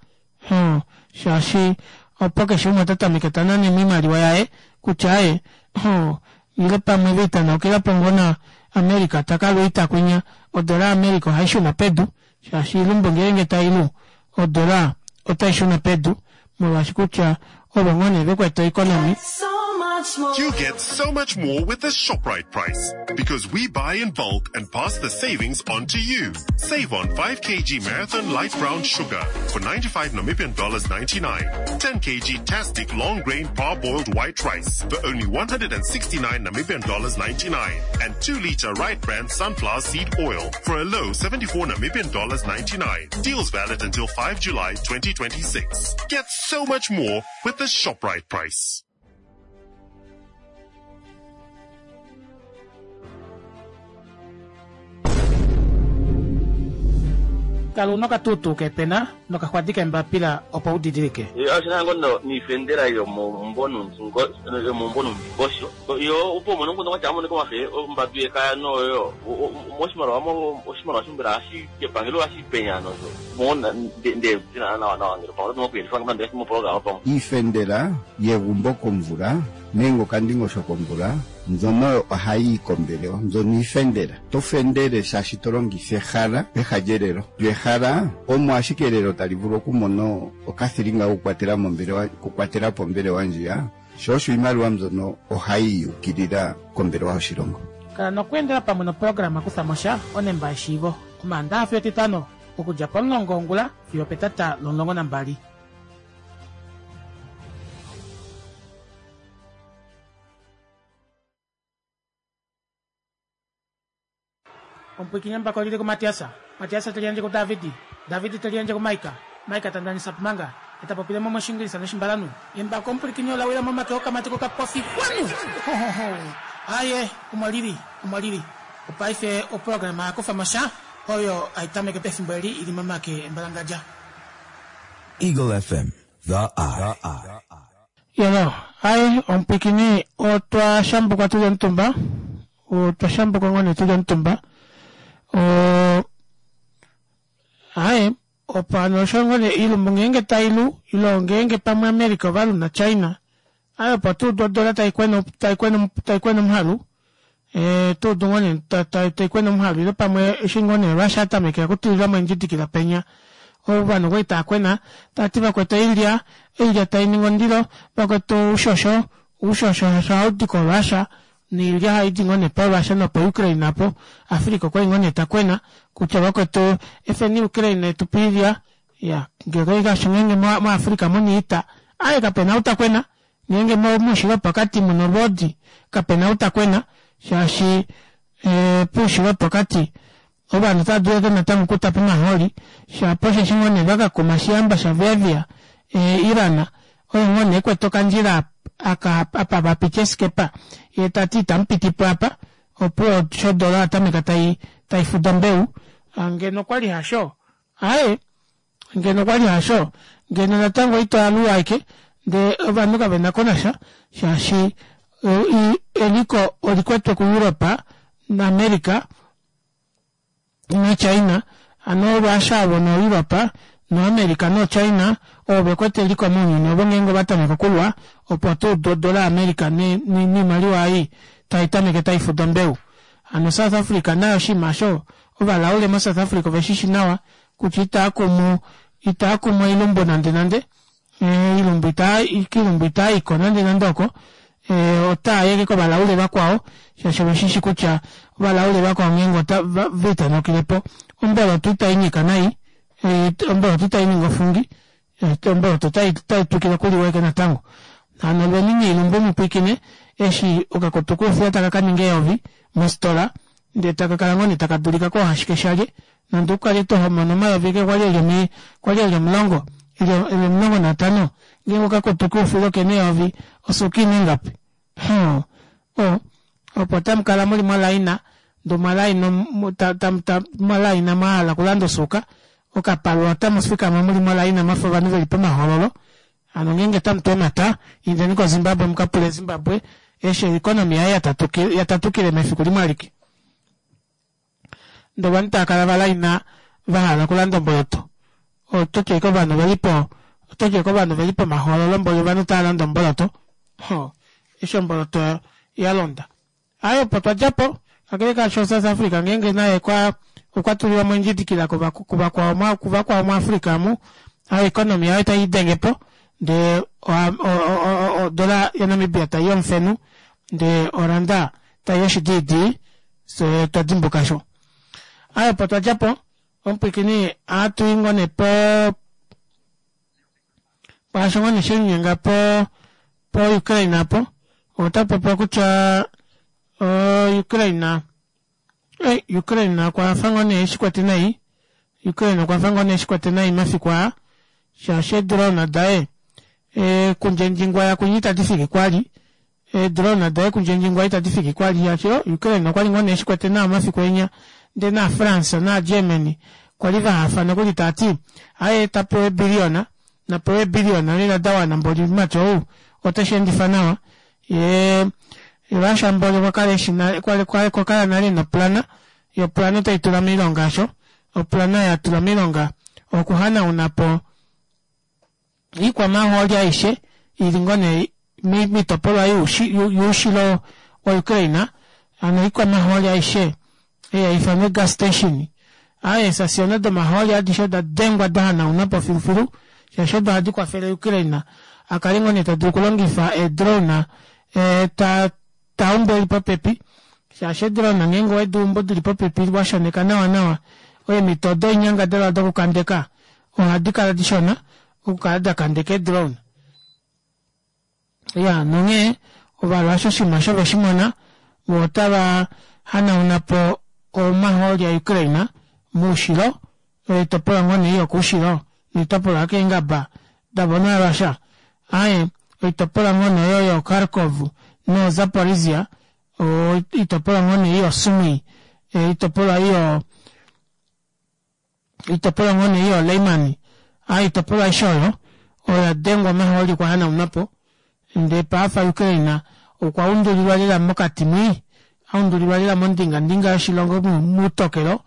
Hoo, shaashi opo keshe umwe ota tameke ta nane moimaliwa yaye kutya aaye, hoo, ile pamwe ve itanaukila po ngoo na America ta ka lwa oita kwinya, odola ya America ohai shuna pedu, Shaashi oilumbu ngeenge tai lu, odola otai shuna pedu molwaashi kutya ovo ngoo nee ve kwete oikonomi. You get so much more with the ShopRite price because we buy in bulk and pass the savings on to you. Save on 5 kg Marathon light brown sugar for 95 Namibian dollars 99, 10 kg Tastic long grain parboiled white rice for only 169 Namibian dollars 99, and 2 liter Right brand sunflower seed oil for a low 74 Namibian dollars 99. Deals valid until 5 July 2026. Get so much more with the ShopRite price. Kala una okatuutuu keepena nokaxwadi keembapila opo u didilike. Oshina ngo no niifendela yomomumbo yomomumbo nomundingosho yo opo umone nguno kwatya amoneka omafe ombadu yekaya noyo moshimaliwa mo oshimaliwa shombela hashi kepangelo hashi penya nosho mo nde nawa nawa ngele pamwe oto kuyelifa nande moprograma pamwe. Iifendela yegumbo komvula nenge okandingosho komvula mbyono ohayi yi kombelewa mbyono iifendela. To fendele shaashi to longitha ehala peha lyelelo. Lyo ehala omo ashike elelo tali vulu okumona okathilinga kokukwatela mombelewa okukwatela po ombelewa ndjiya, sho osho iimaliwa mbyono ohayi yi ukilila kombelewa yoshilongo. Kala nokweendela pamwe noprograma Kutha mo sha, onemba yeshiivo, Omaandaha fiyo Etitano, okudja pomulongo wongula fiyo opetata lomulongo nambali. Omupwiikini embako oli li kuMatias, Matias te liyandje kuDavid, David te liyandje kuMaika, Maika ta ndanisa Pumanga, ye ta popile mo mOshiingilisa nOshimbalanhu. Embako omupwilikini ola wila momake okamati kokapofi xwanu! Hohoho! Aaye, omo li li, omo li li. Opaife oprograma ya kufa mo sha, oyo hai tameke pefimbo eli i li momake embalangadja. Eagle FM, The Eye. Yolo, Aaye, omupwiikini, otwa shambukwa tu li omutumba. Otwa shambukwa ngoo nee tu li omutumba. O, aaye, opo hano osho ngoo nee iilumbu ngeenge tai lu, ilo ngeenge pamwe America ova lu naChina, aaye opo tu udu odola tai kwena, tai kwena, tai kwena omuhalu, e, tu udu ngoo nee ta, ta, tai kwena omuhalu, ile pamwe eshi ngoo nee Russia a tamekela okutulila mo eendjidikila penya, ovanhu okwali tava kwena, tava ti vakwetu oilya, oilya tai ningi ondilo, vakwetu oushosho, oushosho ohau di koRussia, Noilya ohayi di ngoo nee poRussia nopoUkraine apo. Africa okwali ngoo nee ta kwena kutya vakwetu efeni Ukraine etu pe iilya. Ya, ngee ngaashi ngeenge moAfrica muna iita, aaye kapena ou ta kwena. Ngeenge moushilo wopokati muna olwoodi, kapena ou ta kwena shaashi poushilo wopokati ovanhu otava dulu ashike natango okutapa omahooli shapo osheshi ngoo nee vakakuma oshihamba shaVevia Iran oyo ngoo nee ekwete okandjila aka apa vapiti eeskepa yee tati itamupitipo apa opuwo sho odola oyatameka tai taifuda ombeu ngeno okwali hasho aaye ngeno okwali hasho ngeno natango ito aluwa aike ndee ovanhu kavena konasha shaashi eliko olikwetwe ku Europe na America naChina, hano Russia ovo noEurope noAmerica noChina ovo ve kwete eliko mounyuni ovo ngeenge ova tameke okulwa opo tuu odola yaAmerica noimaliwa ei tai tameke tai fuda ombeu. Hano South Africa naye oshinima osho ovalaule moSouth Africa ove shi shi nawa kutya itaa kumu itaa kumu oilumbu nande nande Oilumbu ita kiilumbu itaa i ko nande nande oko. Otaa yeke kovalaule vakwao shaashi ove shi shi kutya ovalaule vakwao ngeenge ota va itanukile po omboloto itai nyika nai, omboloto itai ningi ofungi, omboloto otai twikile okuliwa ashike natango. Hano lweni niilumbu mu pwiikine eshi okakutu kuufila taka ka ninga eyovi mositola ndee taka kala ngoo nee taka dulika koohashikeshalye Nande u kale to homono omayovi eke kwali eli omi, kwali eli omulongo, eli, eli 15, ngeenge okakutu koufila oke na eyovi, osuuka ina ingapi? Huh. O, opo otamu kala mu li molaina, ndee omwa laina, ta, ta, ta, mwa laina mwa hala okulanda osuuka, okapalwa otamu fikama mu li molaina mwafa ovanhu ve li pomahoololo. Hano ngeenge otamu tu omata, indeni koZimbabwe mu ka pule Zimbabwe eshi oeconomy yaye ya tatukile mefiku limwe alike. Ndee ovanhu tava kala va laina va hala okulanda omboloto. Oto ti ashike ovanhu ove li po, oto ti ashike ovanhu ove li pomahoololo mboli ovanhu tava lande omboloto. Ho, eshi omboloto ya londa. Aaye opo twa dja po, kakele kaasho South Africa ngeenge naye kwa, Okwa tulilwa mo endjidikila kuvakwao kuvakwao muAfrica amu, oeconomy yaye tai denge po ndee odola yaNamibia tai omufenu ndee oranda tai oshidiidii fye twa dimbuka sho. Aaye opo twa dja po omupwiikini ohatu i ngoo nee po paasho ngoo nee shelinyenga po po Ukraine apo ota popiwa kutya Ukraine Ukraine okwa fa ngoo nee eshi kwete nai Ukraine okwa fa ngoo nee eshi kwete nai mafiku aa shaashi eedrone daye kundjendjingwa yakunye itadi fiki kwali eedrone daye kundjendjingwa itadi fiki kwali shaashi Ukraine okwali ngoo nee eshi kwete nawa mafiku enya ndee naFrance naGermany kwali vahafa nokuli taati aaye tapewa eebiliyona napewa eebiliyona lela dawana mboli mumati ou oteshi endifa nawa yee Russia mboli okwa kala eshi okwa kala nale noplana yo plana oteyi tula moilonga asho oplana ya tula moilonga okuhanauna po iikwamahooli aishe ili ngoo nee miitopolwa yuushilo wa Ukraine ano iikwamahooli aishe ei haifanwa gas station aaye eesasiona domahooli adishe oda dengwa dahanaunwa po filufilu shaashi odo ohadi kwafele Ukraine a kale ngoo nee ta dulu okulongifa eedrone ta ta umbu eli popepi shaashi eedrone ngeenge owedi umbu dili popepi wa shoneka nawa nawa eemhito doinyangadalwa dokukandeka ohadi kala dishona okukala dakandeka eedrone. Ya nonghee ovalwasha oshinima osho veshi mona vo otava hanauna po omahooli aUkraine moushilo oitopolwa ngoo nee yokoushilo noitopolwa yokeengaba davo naRussia aaye oitopolwa ngoo nee oyo yoKharkov noZaporizhia oitopolwa ngoo nee yoSumy oitopolwa iyo oitopolwa ngoo nee yoLyman oitopolwa aishe oyo oya dengwa omahooli okwa hanaunwa po ndee paafa Ukraine okwa undulilwa lela mokati mwii aundulilwa lela mondingandinga yoshilongo muutokelo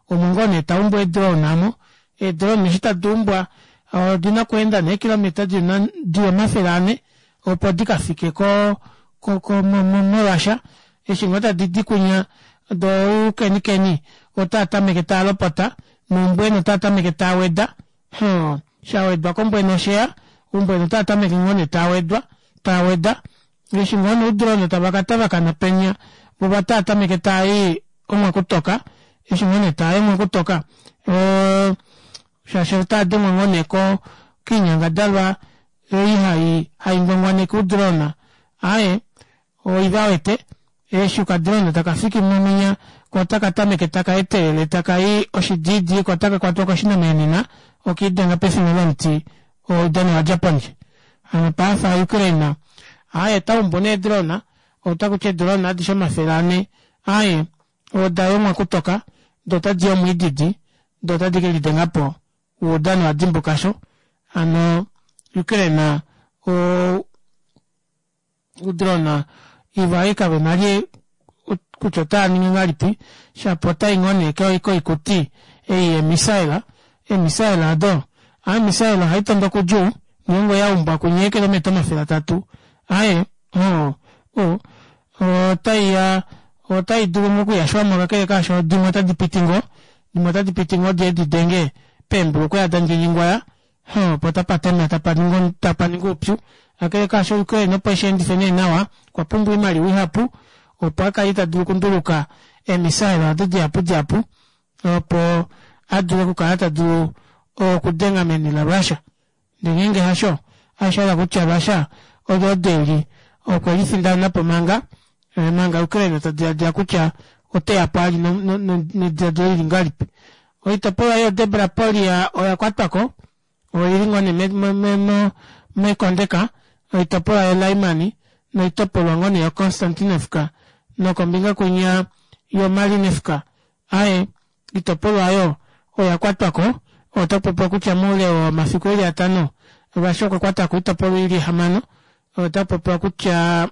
omo ngoo nee taumbu eedrone amo eedrone eshi tadi umbwa odina okweenda nee eekilometa dili 400 opo dikafike ko ko moRussia eshi ngoo tadi di kwinya doo oukenikeni otaa tameke taa lopota noumbwena otaa tameke taa weda hoo shawedwa kombwena osheya oumbwena otaa tameke ngoo nee taa wedwa taa weda eshi ngoo nee oudrone tava ka tavakana penya vo otaa tameke taai omwakutoka eshi ngoo nee taai omwakutoka shaashi otaa dengwa ngoo nee koinyangadalwa ei hai hai ngwangwaneke oudrone aaye oiva wete eshi okadrone taka fiki mominya ko otaka tameke taka etelele taka i oshidiidi ko otaka kwatwa koshinamenena okiidenga pefina lomuti oudano wadja pondje hano paafa Ukraine aaye taumbu nee drone otakuti eedrone adishe 400 aaye oda yomwa kutoka doo otadi i omwiididi doo otadi kelidengapo oudano wadimbuka sho hano Ukraine o oudrone iva kavena li kutya otaa ningi ngahelipi shapo otai ngoo nee koikuti ei yeemisaila eemisaila odo omisaila ohai tondoka udjuu ngeenge oyaumbwa kunye eekilometa 300 aaye otaiya otai dulu ngoo okuyashwamo kakele kaasho dimwe otadi piti ngoo dimwe otadi piti ngoo diye didenge peembulukweya dandjendjingwaya opo tapa tema tapa ningi oupyu kakele kaasho Ukraine opo esheendife nee nawa okwa pumbwa oimaliwa ihapu opo akale tadulu okunduluka eemisaila odo dihapu dihapu opo adule okukala tadulu okudenga meni laRussia ndee ngeenge hasho ohashi hala kutya Russia olwoodi eli okwe lifindanapo manga manga Ukraine ta diladila kutya oteyapo ali nediladilo lili ngahelipi. Oitopolwa yoDebrapolia oya kwatwako oili ngoo nee mekondeka oitopolwa yoLyman noitopolwa ngoo nee yoConstantinivka nokombinga kwinya yoMalinivka aaye oitopolwa oyo oya kwatwako otakupopiwa kutya moule womafiku eli atano Russia okwa kwatako oitopolwa ili ihamano otakupopiwa kutya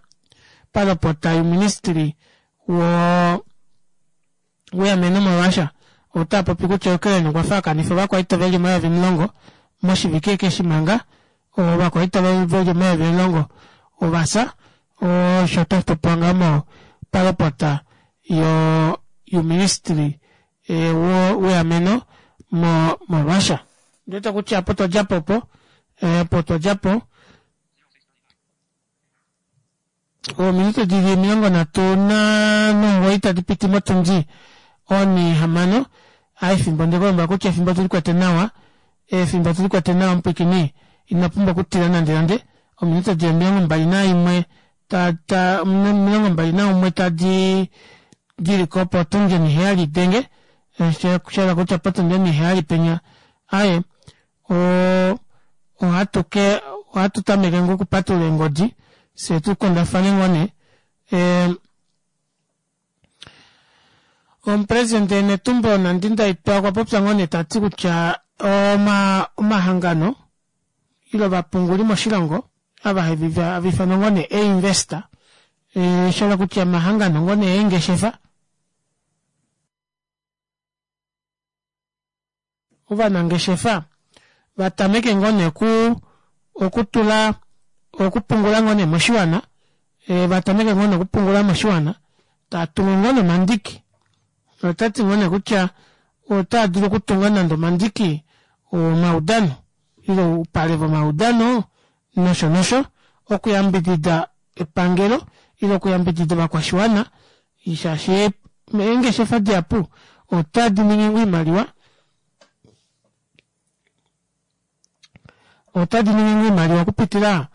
palopota youministry wo weameno moRussia otaapopi kutya Ukraine okwa fa akanifa ovakwaita veli 10,000 moshivike eshi manga ovakwaita veli 10,000 ovafya osho tashi popiwa ngaho palopota youministry. weameno mo moRussia. Ndiwete kutya opo twa djapo opo, opo twa djapo ominute dili 39 tadi piti motundi onihamano aa efimbo ndekulombwela kutya efimbo otulikwete nawa efimbo otulikwete nawa mupwiikini ino pumbwa okutila nande nande ominute dili 21 ta 21 tadi diliko potundi oniheyali idenge shahala kutya potundi oniheyali penya aaye ohatu ke ohatu tameke ngoo okupatulula eengodi fyee tukundafane ngoo nee Omupresidente Netumbo Nandi-Ndaitwah okwa popya ngoo nee tati kutya omahangano ile ovapunguli moshilongo ava hava ifanwa ngoo nee einvestor shahala kutya omahangano ngoo nee eengeshefa ovanangeshefa va tameke ngoo nee oku okutula okupungula ngoo nee moshiwana va tameke ngoo nee okupungula moshiwana taa tungu ngoo nee omandiki otati ngoo nee kutya otaa dulu okutunga nande omandiki omaudano ile oupale vomaudano nosho nosho okuyambidida epangelo ile okuyambidida ovakwashiwana shaashi eengeshefa dihapu otadi ningi oimaliwa otadi ningi oimaliwa okupitila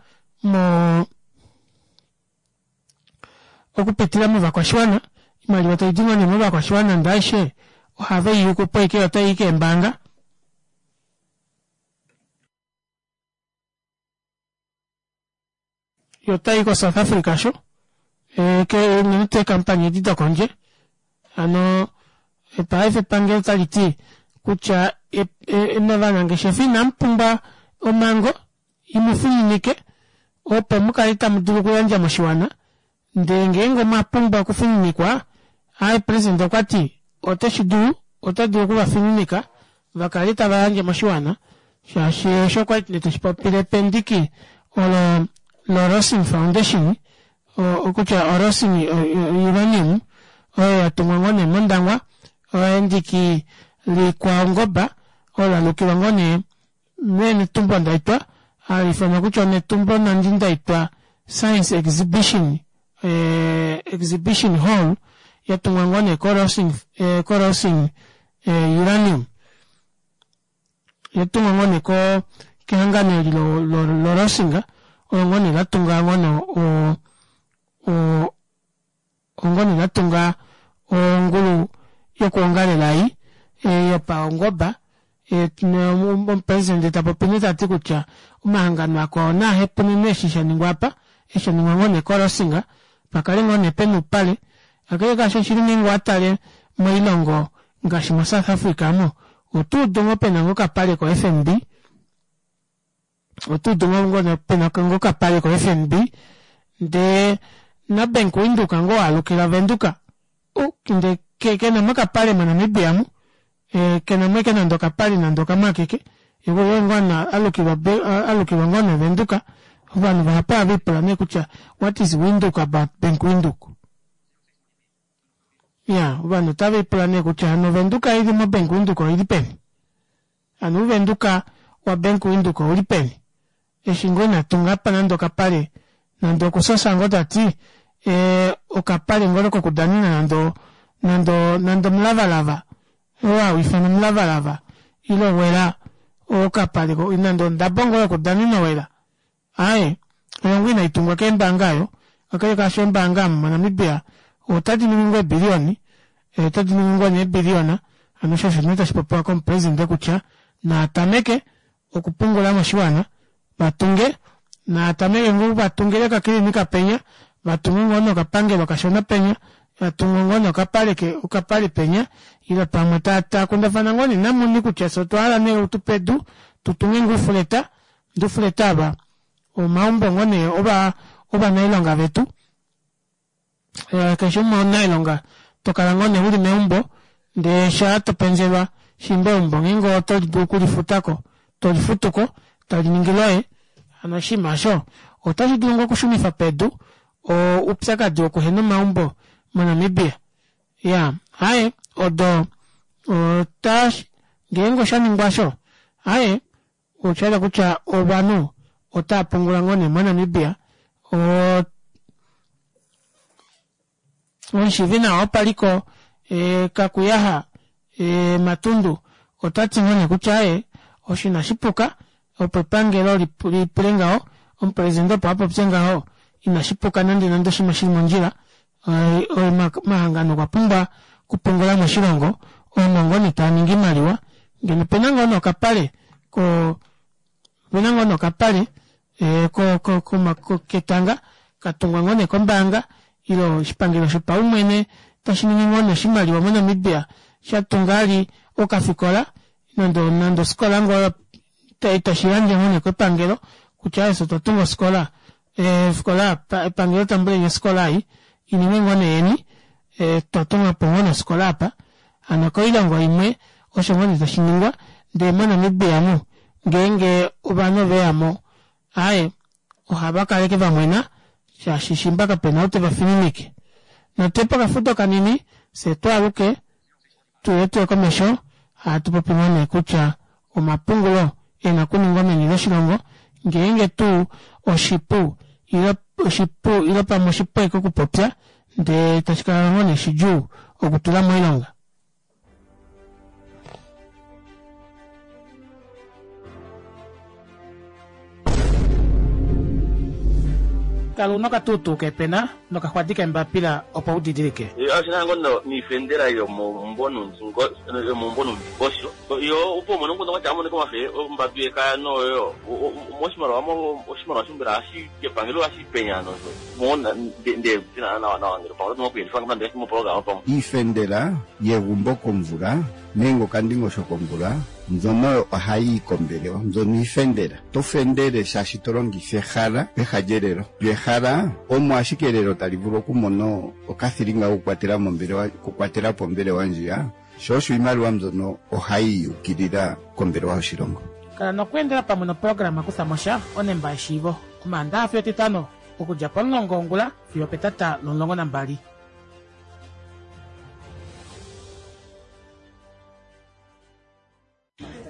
mo okupitila movakwashiwana oimaliwa taidi ngoo nee movakwashiwana ndee aishe ohave i yuku po ashike otai i keembaanga. Yo otayi koSouth Africa sho unene tuu eekampani edi dokondje hano paife epangelo otali ti kutya ovanangeshefa inamu pumbwa omhango imu fininike opo mu kale tamu dulu okuyandja moshiwana ndee ngeenge omwa pumbwa okufininikwa aaye president okwa ti oteshi dulu ota dulu okuvafininika vakale tava yandje moshiwana shaashi osho okwali teshi popile pendiki olo loRossing Foundation okutya oRossing Uranium oyo yatungwa ngoo nee mOndangwa endiki likwaungoba olo lalukilwa ngoo nee meNetumbo Ndaitwah hali ifanwa kutya oNetumbo Nandi Ndaitwah Science Exhibition Exhibition Hall yatungwa ngoo nee koRossing Uranium yatungwa ngoo nee kehangano eli loRossing olo ngoo nee latunga ngoo nee ongoo nee latunga ongulu yokuongalela ei yopaungoba omupresidente tapopi nee tati kutya omahangano akwao naa hepunine eshi shaningwa apa eshi shaningwa ngoo nee koRossing pakale ngoo nee pena oupale kakele kaasho oshili ngeenge owatale moilongo ngaashi moSouth Africa omo otuudu ngoo pena ngoo okapale koFNB otuudu ngoo pena ngoo okapale koFNB ndee naBank Windhoek ngoo alukila Venduka ndee kenamo okapale moNamibia mu kenamo ashike nande okapale nande okamwe akeke ye ngoo alukilwa alukilwa ngoo nee Venduka ovanhu vahapu ohave lipula nee kutya what is Windhoek about Bank Windhoek iya ovanhu otave lipula nee kutya hano Venduka ili moBank Windhoek oili peni hano Uvenduka waBank Windhoek ouli peni eshi ngoo ina tunga apa nande okapale nande okusosa ngoo tati okapale ngoo kokudanena nande nande nande omulavalava oo hau ifanwa omulavalava ile owela okapale nande ondabo ngoo yokudanena owela aaye oyo ngoo inaitungwa keembaanga aayo kakele kaasho eembaanga omu moNamibia otadi ningi ngoo eebiliyoni otadi ningi ngoo nee eebiliyona hano osho osho nee tashi popiwa komupresidente kutya naatameke okupungula moshiwana vatunge naatameke ngoo vatungile okakilinika penya vatunge ngoo nokapangelo kashona penya vatunge ngoo nokapale okapale penya ile pamwe taakundafana ngoo nee namuni kutya fye otwa hala nee utupe edu tutunge ngoo oufuleta ndee oufuleta ava omaumbo ngoo nee ovanailonga vetu Keshe umwe omunailonga tokala ngoo nee uli meumbo ndee shaa topenzelwa shiimba eumbo ngeenge oto dulu okulifutako tolifutuko tali ningi loye hano oshinima osho otashi dulu ngoo okushunifa pedu oupyakadi wokuhena omaumbo moNamibia. Iyaa aaye odo Ota ngeenge osha ningwa osho, aaye oshayela kutya ovanhu otava pungula ngoo nee moNamibia. Omushiivi nawa wopaliko Kakuyaha Matundu ota ti ngoo nee kutya aaye osho inashi puka opo epangelo lipule ngaho, omupresidente opo apopye ngaho inashi puka nande nande oshinima shili mondjila. Omahangano okwa pumbwa okupungula moshilongo omo ngoo nee taa ningi oimaliwa ngeno opena ngoo nee okapale ko opena ngoo nee okapale ketanga katungwa ngoo nee kombaanga ile oshipangelo shopaumwene tashi ningi ngoo nee oshimaliwa moNamibia shatunga vali okafikola nande nande ofikola ngoo tashi yandje ngoo nee kepangelo kutya aaye fyee otwa tunga ofikola ofikola epangelo tambuleni ofikola ei ininge ngoo nee yeni twa tungapo ngoo nee ofikola apa hano koilongo imwe osho ngoo nee tashiningwa ndee moNamibia omu ngeenge ovanhu oveyamo aaye ohava kala ashike vamwena shaashi shimba kapena ou tevafininike. Natuye pokafudo kanini fyee twaaluke tuye tuye komesho hatu popi ngoo nee kutya omapungulo ena okuningwa meni loshilongo ngeenge tuu oshipu ile oshipu ile pamwe oshipu ashike okupopya ndee tashi kala ngoo nee shidjuu okutula moilonga. Kala una okatuutuu keepena nokaxwadi keembapila opo u didilike. Oshina ngo niifendela yomomumvo nuundingosho yo opo umone omukundu kwatya amonike omafe ombadu yekaya noyo moshimaliwa oshimaliwa sho mbela ohashi kepangelo ohashi penya nosho mo nde nawa nawa ngele pamwe oto kuyelifa nande moprograma pamwe. Iifendela yegumbo komvula nenge okandingosho komvula mbyono oyo ohayi yi kombelewa mbyono iifendela. To fendele shaashi to longitha ehala peha lyelelo. Lyo ehala omo ashike elelo tali vulu okumona okathilinga kokukwatela mombelewa okukwatela po ombelewa ndjiya, sho osho iimaliwa mbyono ohayi yi ukilila kombelewa yoshilongo. Kala nokweendela pamwe noprograma Kutha mo sha, onemba yeshiivo, Omaandaha fiyo Etitano, okudja pomulongo wongula fiyo opetata lomulongo nambali.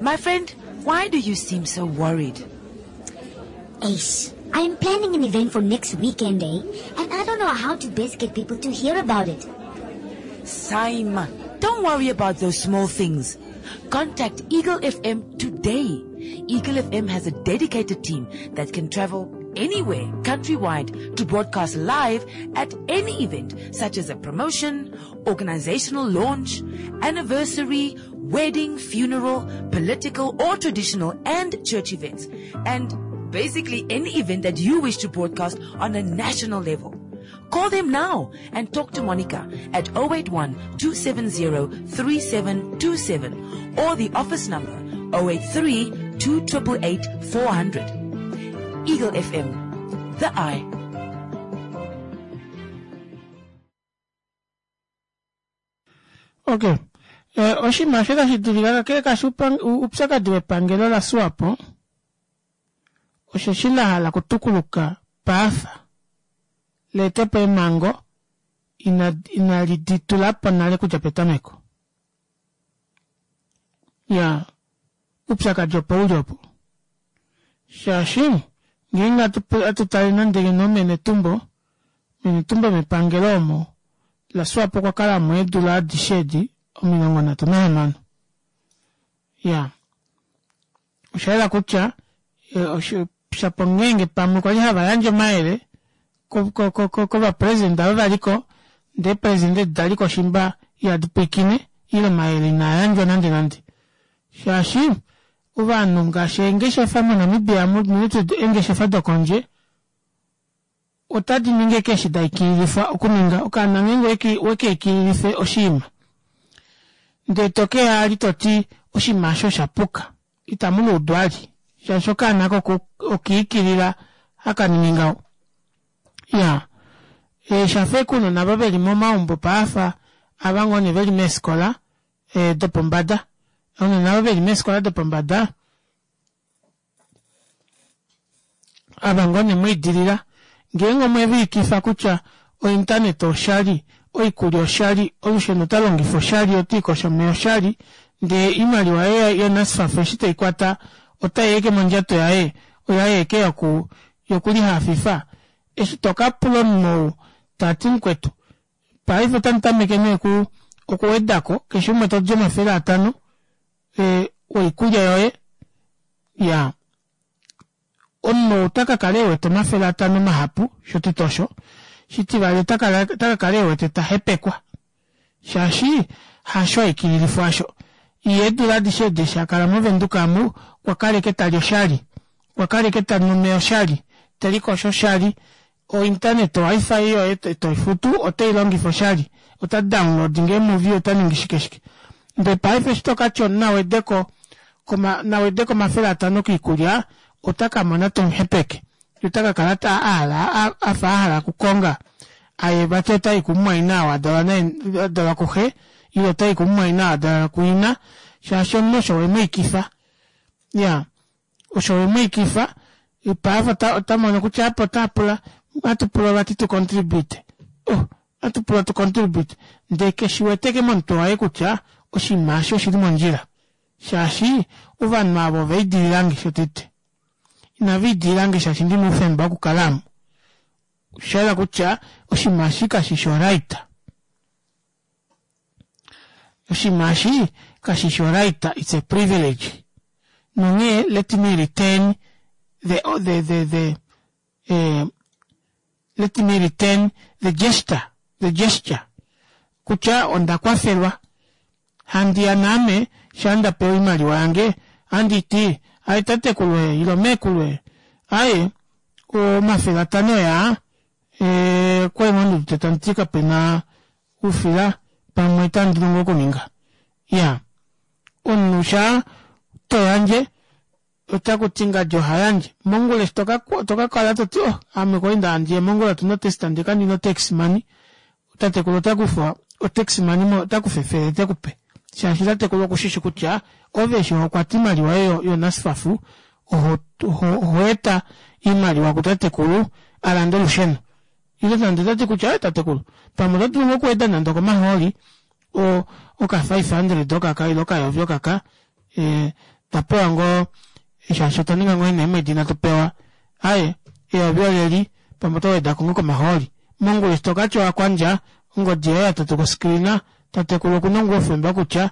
My friend, why do you seem so worried? Ace, I am planning an event for next weekend, eh? And I don't know how to best get people to hear about it. Simon, don't worry about those small things. Contact Eagle FM today. Eagle FM has a dedicated team that can travel anywhere countrywide to broadcast live at any event such as a promotion, organizational launch, anniversary, wedding, funeral, political or traditional and church events. And basically any event that you wish to broadcast on a national level. Call them now and talk to Monica at 081 270 3727 or the office number 083 2888 400. Eagle FM, the eye. Okay. Eh, oshinima osho tashi dulika kakele kashi oupyakadi wepangelo laSwapo osheshi la hala okutukuluka paafa leete po eemhango inali di tula po nale kudja petameko. Ya, oupyakadi opo uli opo. Shaashi ngeenge atu tale nande ngeno menetumbo, menetumbo mepangelo omo laSwapo okwa kala mo eedula adishe edi 36. Ya, osha yela kutya shapo ngeenge pamwe kwali hava yandje omayele kovapresidente ava valiko ndee eepresidente edi daliko shimba ihadi pwiikine ile omayele inaa yandjwa nande nande shaashi ovanhu ngaashi eengeshefa moNamibia unene tuu eengeshefa dokondje otadi ningi ashike eshi da ikililifwa okuninga. Okaana ngeenge weke ikililife oshinima ndee tokeya ali toti oshinima osho osha puka itamu luudwa ali shaashi okaana oko okiikilila haka ningi ngaho. Iyaa shafa ashike ounona ava veli momaumbo paafa ava ngoo nee veli meefikola dopombada ounona ava veli meefikola dopombada ava ngoo nee mweidilila ngeenge omweviikifa kutya ointaneta oshali oikulya oshali, olusheno ota longifa oshali, ote likosho omeya oshali, ndee oimaliwa yaye yoNSFAF eshi teikwata otai eke mondjato yaye, oyaye eke yoku yokulihafifa. Eshi tokapula omunhu ou tati mukwetu paife otamu tameke nee oku okuwedako keshe umwe todi 500 e, oikulya yoye ya omunhu ota ka kala ewete 500 mahapu shotete osho shitivali ota ka kala ewete ta hepekwa shaashi hasho aikililifwa asho iye eedula adishe edi eshi a kala movenduka amu okwa kala eke tali oshali okwa kala eke tanu omeya oshali telikosho oshali o internet o wifi yoye toifutu oteilongifa oshali ota download ngee movie ota ningi shike shike ndee paife eshi tokatya omunhu awedeko nawedeko 500 koikulya ota kamona tomuhepeke ye ota kakala ahala afa ahala okukonga aye vati otayi kumumwaina oo adalwa naye adalwa kuxe ile otayi kumumwaina oo adalwa kuina shaashi omunhu osho wemwiikifa ya osho wemwiikifa paife ota, ota mono kutya apa ota pula ohatu pula vati tu contribute oh ohatu pula tu contribute ndee keshi weteke momutwe waye kutya oshinima eshi oshili mondjila shaashi ovanhu ava ovaidililange shotete inava idililange shaashi ndina oufemba wokukala amu oshayela kutya oshinima eshi kashishi oright oshinima eshi kashishi oright it's a privilege nonghee let me return the, the, the, the eh, let me return the gesture the gesture kutya onda kwafelwa handi ya naame sha nda pewa oimaliwa yange handi ti aye tatekulu e ilo meekulu e aye 500 yaa e, kwali ngoo tandi ti kapena oufila pamwe itandi dulu ngoo okuninga ya omunhu sha to yandje otaku ti ngadi oha yandje mongula eshi toka kala toti oh ame kwali nda yandjile mongula otuna otest ndee kandina otax money tatekulu ota kufa otax money mo ota kufa efele tekupe shaashi tatekulu okushishi kutya ove eshi hokwata oimaliwa yoye yoNSFAF oho oho eta oimaliwa kutatekulu alande olusheno ile nande otati kutya tatekulu pamwe oto dulu ngoo okuweda nande okomahooli o oka 500 okaka ile okayovi okaka e, twa pewa ngoo shaashi otwa ninga ngoo eemwedi inatu pewa aye eyovi oleli pamwe oto weda ko ngoo komahooli mongula eshi tokatya owakwandja ongodi yoye yatatuka oscreen tatekulu okuna ngoo oufemba kutya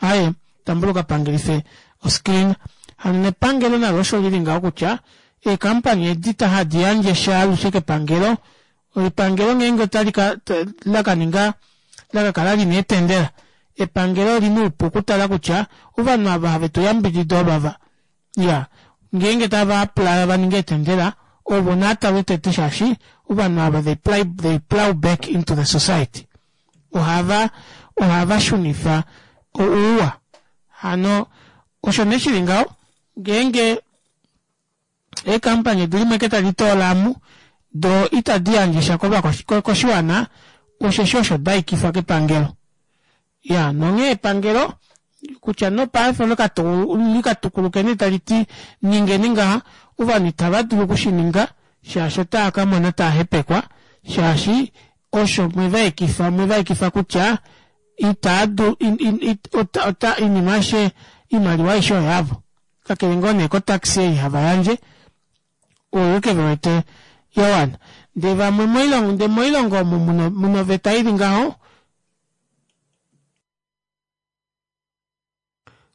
aye tambula ukapangelife oscreen hano nepangelo nalo osho lili ngaho kutya eekampani edi hadi yandje sha alushe kepangelo epangelo ngeenge otali ka lakaninga lakakala lina eetendela epangelo olina oupu okutala kutya ovanhu ava have tu yambidida ovava ya ngeenge tava apply va ninge eetendela ovo naatalwe tete shaashi ovanhu ava they plow, they plow back into the society ohava ohava shunifa ouwa hano osho nee shili ngaho ngeenge eekampani odi limwe ke tadi toola amu do itadi yandje sha koshiwana osheshi osho da ikifwa kepangelo ya nonghee epangelo kutya nopaife likatukuluke nee tali ti ningeni ngaha ovanhu itava dulu okushininga shaashi otava ka mona tava hepekwa shaashi osho mwevaekifa mwevaekifa kutya itaa du ota oinima aishe oimaliwa aishe oyavo kakele ngoo nee kotaxi ei hava yandje oyo ke wete ya wana ndee vamwe moilongo ndee moilongo omu muna oveta ili ngaho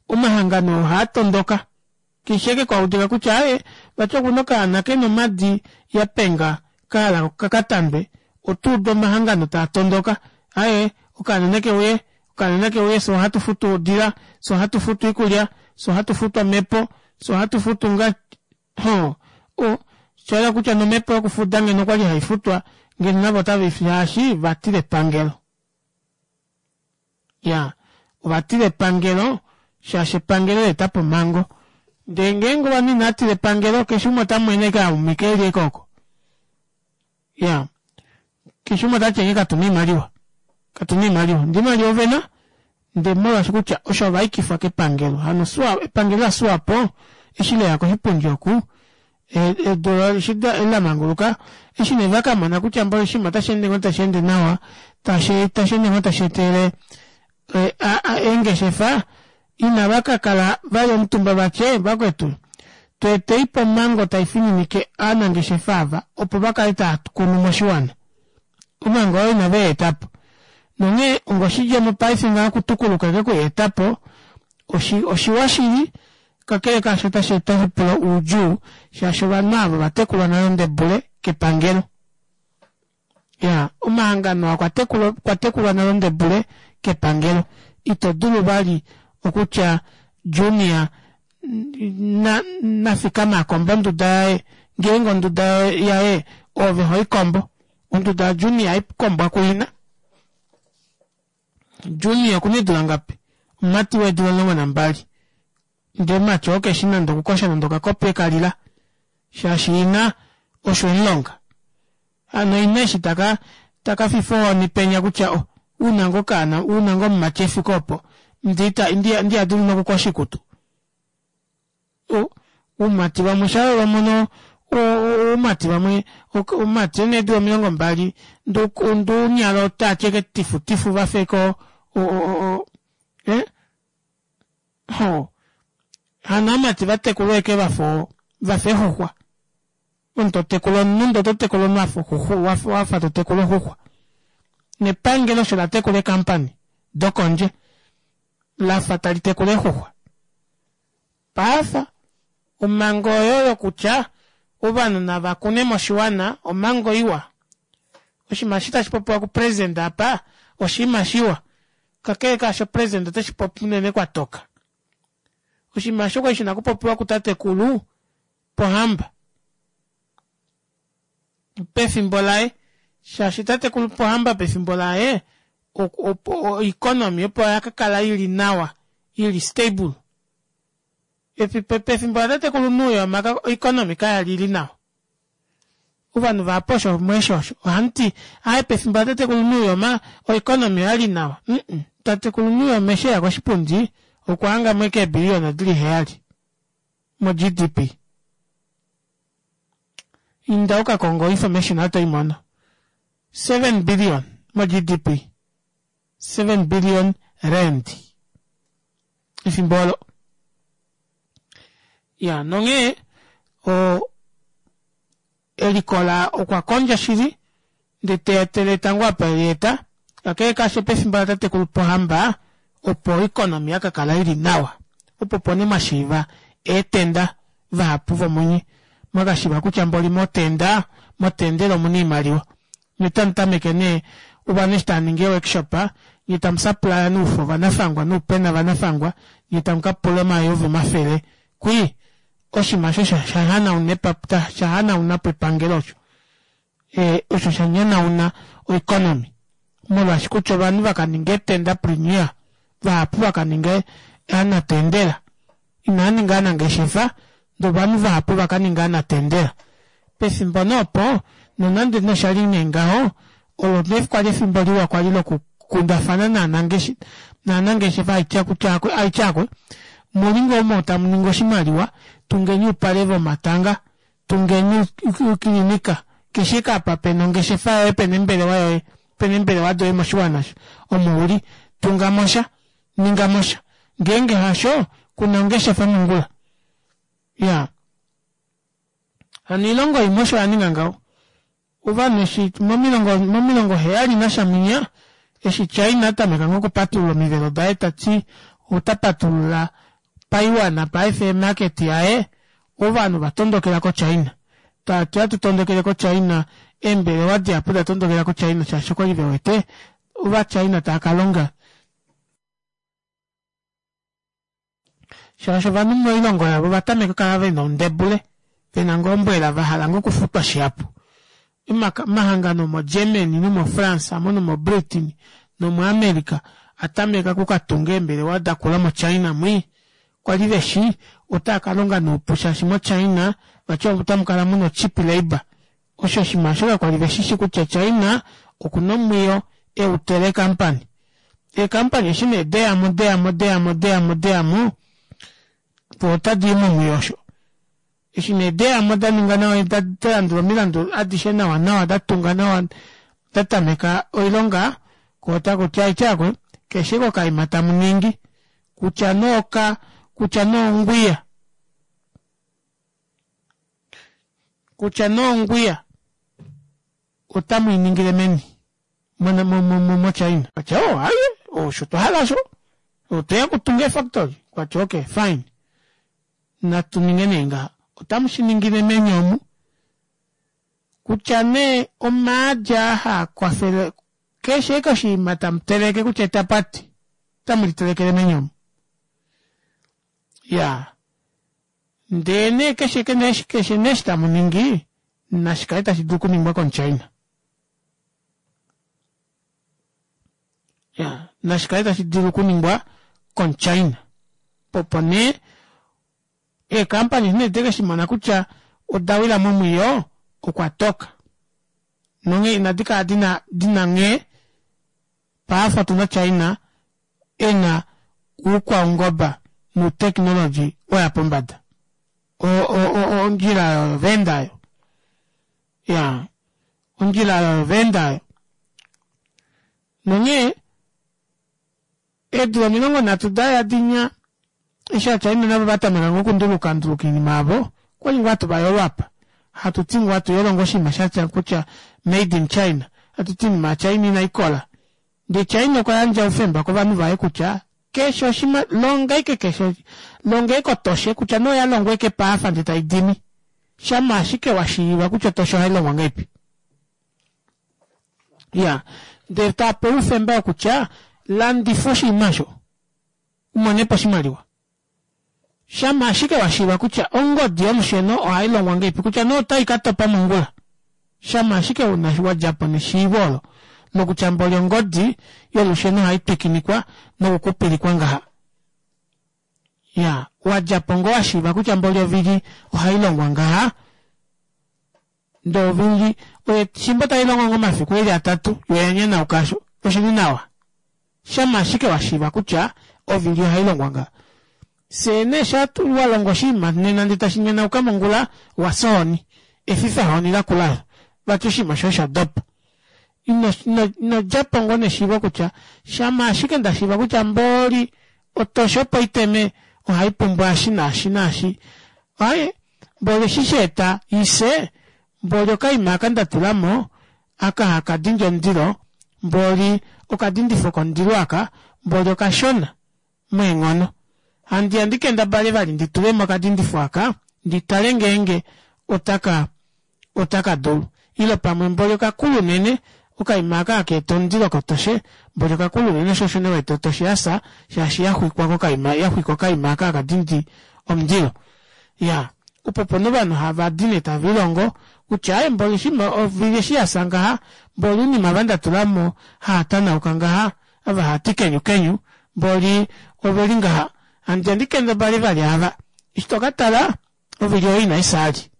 omahangano ohaa tondoka keshe eke kwaudika kutya aye vati okuna okaana kena omadi ya penga kahala kakatandwe otuuda omahangano taa tondoka aye okaana neke uye okaana nake uye fye ohatu futu odila fye ohatu futu oikulya fye ohatu futu omhepo fye ohatu futu nga ho o shayela kutya nomhepo yokufuda ngeno okwali haifutwa ngeno navo otava shaashi vatila epangelo ya ovatila epangelo shaashi epangelo leetapo omhango ndee ngeenge ovanhu inatila epangelo keshe umwe otamwene eke aumike eli eke oko ya keshe umwe otati enge katuna oimaliwa katuna oimaliwa ndee oimaliwa ovena ndee molwaashi kutya osho ovaikifwa kepangelo hano swa epangelo laSwapo eshi leya koshipundi oku. Edu eshi lamanguluka eshi nee vakamona kutya mboli oshinima otashi ende ngoo tashi ende nawa tashi tashi ende ngoo tashi etele eengeshefa inava kakala vali omutumba vatye vakwetu tweeteipo omhango taifininike ovanangeshefa ava opo vakale tava kunu moshiwana omhango oyo inave yeetapo nonghee ongoshidjemo paife ngaha okutukuluka eke okuyeetapo oshiwa shili kakele kaasho otashi eta pula oudjuu shaashi ovanhu ava ovatekulwa nale ondebule kepangelo ya omahangano okwa tekulwa nale ondebule kepangelo ito dulu vali okutya junior nafikama akombe onduda yaye ngeenge onduda yaye oove hoikombo onduda yajunior haikombwa kuina Junior okuna eedula ngapi? Omumati weedula 12. Ndee omumati oo keshi nande okukosha nande okakopi ekalila shaashi ina osho emulonga. Hano ina eshi taka taka fifa ohoni penya kutya oh, una ngoo okaana una ngoo omumati efike opo ndi ndi dulu nokukosha oikutu. Oumati vamwe sha va mono oumati vamwe omumati ena eedula 20 nduunyala otati eke tifutifu vafeko ho hano aamati vatekulwa eke vafa vafa eexuxwa omunhu totekula omunhu ndee oto tekula omunhu wafa totekula oxuxwa nepangelo osho latekula eekampany dokondje lafa tali tekula eexuxwa Paafa, omhango oyo yokutya ovanhu nava kune moshiwana omhango iwa. Oshinima eshi tashi popiwa kupresident apa oshinima shiwa. Kakele kaasho president oteshi popi unene kwa toka. Oshinima eshi okwali shina okupopiwa kutatekulu Pohamba pefimbo laye shaashi tatekulu Pohamba pefimbo laye oeconomy opo ya ka kala ili nawa ili stable. Pefimbo latatekulu Nuuyoma oeconomy kaya li ili nawa. Ovanhu vahapu osho mweshi osho ohamuti aaye pefimbo latatekulu Nuuyoma oeconomy oyali nawa. Tatekulu Nuuyoma eshi eya koshipundi okwa hanga mo ashike eebiliyona dili 7 mo-GDP. Inda uka konge oinformation oto i mono. 7 billion mo-GDP. 7 billion rand. Efimbo olo. Ya, nonghee o elikola okwa kondja shili ndee te etele etango apa eli eta kakele kaasho pefimbo latatekulu Pohamba opo oeconomy ya ka kala ili nawa opo opo nee mwa shiiva eetenda vahapu vomunye mwa ka shiiva kutya mboli motenda motendela omuna oimaliwa nye tamu tameke nee ovanhu eshi tava ningi eeworkshop nye tamu supplya nuufo vanafangwa nuupena vanafangwa nye tamu ka pula omayovi omafele kwii oshinima osho sha hanauna po epangelo osho osho sha nyanauna oeconomy molwaashi kutya ovanhu va ka ninga eetendapreneur vahapu va ka ninga aanatendela inaa ninga aanangeshefa ndee ovanhu vahapu va ka ninga aanatendela pefimbo nee opo nonande nosha li nee ngaho olo nee kwali efimbo liwa kwali lokukundafana naanangeshefa aitya kutya aitya akwe muli ngoo omo tamu ningi oshimaliwa tungeni oupale vomatanga tungeni ukilinika keshe eke apa pena ongeshefa yoye pena embelewa yoye pena eembelewa doye moshiwana omo uli tungamosha ningamosha ngeenge hasho kuna ongeshefa mongula ya hano oilongo imwe osho yaninga ngaho ovanhu eshi momilongo momilongo heyali nasha mwinya eshi China atameka ngoo okupatulula omivelo daye tati ota patulula paiwana paife emarket yaye ovanhu vatondokela ko China tati ohatu tondokele ko China eembelewa dihapu da tondokela ko China shaashi okwali vewete ova China tava kalonga shaashi ovanhu moilongo yavo ova tameka okukala vena ondebule vena ngoo ombwela vahala ngoo okufutwa shihapu omahangano moGermany nomoFrance amo nomoBritain nomoAmerica atameka okukatunga eembelewa dakula moChina mwii kwali veshi otaa kalonga noupu shaashi moChina vati otamu kala muna ocheap labour osho oshinima osho kakwali veshishi kutya China okuna omwiyo eutele eekampani eekampani eshi nee deyamo deyamo deyamo deyamo deyamo po otadi i momwiyo osho. Eshi nee deyamo da ninga nawa da landula omilandu adishe nawa nawa da tunga nawa da tameka oilonga ko otaku ti aitya akwe keshe kokaima tamu ningi kutya nee oka kutya nee ongwiya kutya nee ongwiya otamu i ningile meni moChina. Kwatya oh aye osho twa hala osho otweya okutunga eefactory. Kwatya okay fine natu ninge nee ngaha otamu shi ningile meni omu kutya nee omaadi aa haa kwafele keshe eke oshinima tamu teleke kutya etapati otamu litelekele meni omu. Ya ndee nee keshe keshe nee eshi tamu ningi nashi kale tashi dulu okuningwa komuChina. Ya nashi kale tashi dulu okuningwa komuChina. Opo nee eekampani eshi nee deke shi mona kutya oda wila momwiyo okwa toka. Nonghee inadi kala dina dina nghee paife otuna China e na oukwaungoba nouteknologi wa ya pombada. Ondjila oyo va enda oyo. Ya, ondjila oyo va enda oyo. Nonghee eedula 30 da ya dinya eshi aChina navo va tameka ngoo okunduluka nduluka oinima yavo, okwali ngoo hatu va yolo apa. Hatu ti ngoo hatu yolo ngoo oshinima shatya kutya made in China. Hatu ti oinima yaChina inai kola. Ndee China okwa yandja oufemba kovanhu vaye kutya keshe oshima longa ike keshe longa ike otoshe kutya nee oya longwa ike paafa ndee tai dimi shama ashike wa shiiva kutya otoshe ohai longwa ngahelipi. Ya ndee ta pewa oufemba wokutya landifa oshinima osho u mone po oshimaliwa. Shama ashike wa shiiva kutya ongodi yolusheno ohai longwa ngahelipi kutya nee otai ka topa mongula. Shama ashike una wa dja po neshiivo olo lokutya mboli ongodi yolusheno ohai twikinikwa nokukupilikwa ngaha. Ya, wa dja po ngoo wa shiiva kutya mboli ovili ohai longwa ngaha. Ndee ovili oyo fimbo tai longo ngoo omafiku eli atatu yo oya nyanauka osho oshili nawa. Shama ashike wa shiiva kutya ovili ohai longwa ngaha. Fyee nee sha wa longa oshinima nena ndee tashi nyanauka mongula, wa fya ohoni. Efifahoni lakula vati oshinima shoye osha dopa. Ino, ino, ino dja po ngoo neshiivo kutya shama ashike nda shiiva kutya mboli otoshe opo iteme ohai pumbwa eshi naashi naashi. Aaye, mboli eshi sha eta i fye, mboli okaima aka nda tula mo aka haka dindi omundilo, mboli okadindifo komundilo aka mboli okashona meenghono. Handi ya ndi kendabale vali ndi tule mo okadindifo aka ndi tale ngeenge otaka otaka dulu. Ile pamwe mboli okakulu unene, okaima aka haka eta omundilo kotoshe mboli okakulu unene sho osho nee wete otoshe ya fya shaashi ya xwikwa kokaima ya xwika okaima aka haka dindi omundilo. Iyaa, opo opo nee ovanhu hava di nee tave lilongo kutya aaye mboli eshi ovili eshi ya fya ngaha, mboli oinima ava nda tula mo haa tanauka ngaha, ava haa ti kenyu kenyu, mboli oveli ngaha. Handi ya ndi kendabale vali ava. Eshi to ka tala, ovili oyo inai fya vali.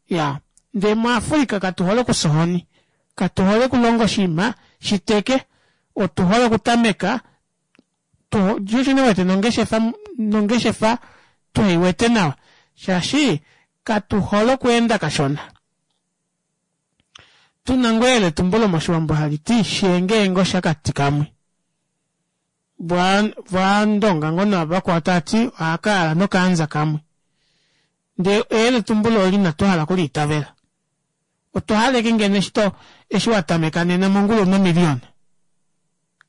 Iyaa, ndee muAfrica katu hole okufya ohoni. Katu hole okulonga oshinima shi teke. Otu hole okutameka tu ne wete nongeshefa nongeshefa tuhei wete nawa shaashi katu hole okweenda kashona. Tuna ngoo eyeletumbulo moshiwambo hali ti shiyengeenge oshakati kamwe. Vaandonga ngoo navakwao tava ti ohaka yala nokaanza kamwe. Ndee eyeletumbulo oli inatu hala okuliitavela. Otwa hala eke ngeno eshi to eshi wa tameka nena mongula una omiliyona.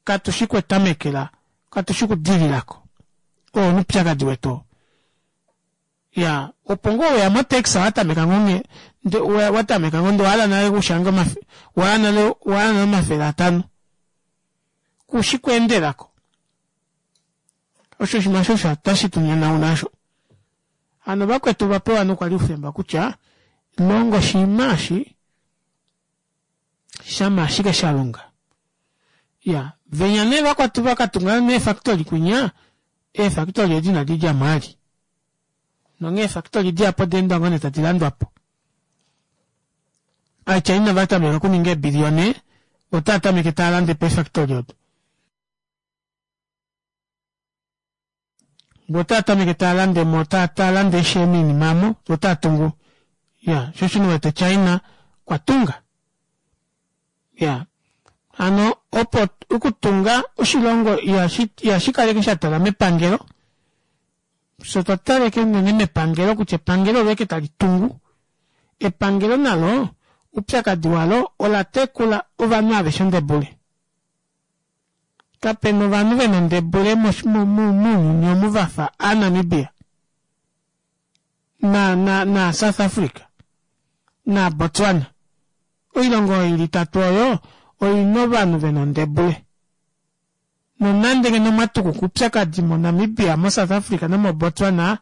Katu shi kwetamekela, katu shi kudililako. Oo oupyakadi wetu oo. Ya, opo ngoo weya motaxi wa tameka ngoo nge, nde wa tameka ngoo ndee owa hala nale okushanga omafe, wa hala nale wa hala nale 500. Ku shi kweendelako. Osho oshinima osho tashi tu nyonauna osho. Hano vakwetu ova pewa nokwali oufemba kutya longa oshinima eshi shama ashike sha longa. Ya, venya nee vakwatu va ka tunga neefactory kwinya, eefactory edi inadi dja mo vali. Nonghee eefactory dihapu oda enda ngoo nee tadi landwa po. Aachina va tameka okuninga eebiliyone, otaa tameke taa lande po eefactory odo. Vo otaa tameke taa lande mo, taa, taa lande ishewe miinima amo, vo otaa tungu. Ya, sho osho nee wete China okwa tunga. Ya, hano opo okutunga oshilongo ihashi ihashi kaleke sha tala mepangelo, fye otwa tala ashike unene mepangelo kutya epangelo olo ashike tali tungu. Epangelo nalo oupyakadi walo ola tekula ovanhu aveshe ondebule. Kapena ovanhu vena ondebule mounyuni omu vafa aaNamibia na na na South Africa na Botswana. Oilongo oyo ili itatu oyo oina ovanhu vena ondebule. Nonande ngeno omwa tukuka oupyakadi moNamibia, moSouth Africa nomoBotswana,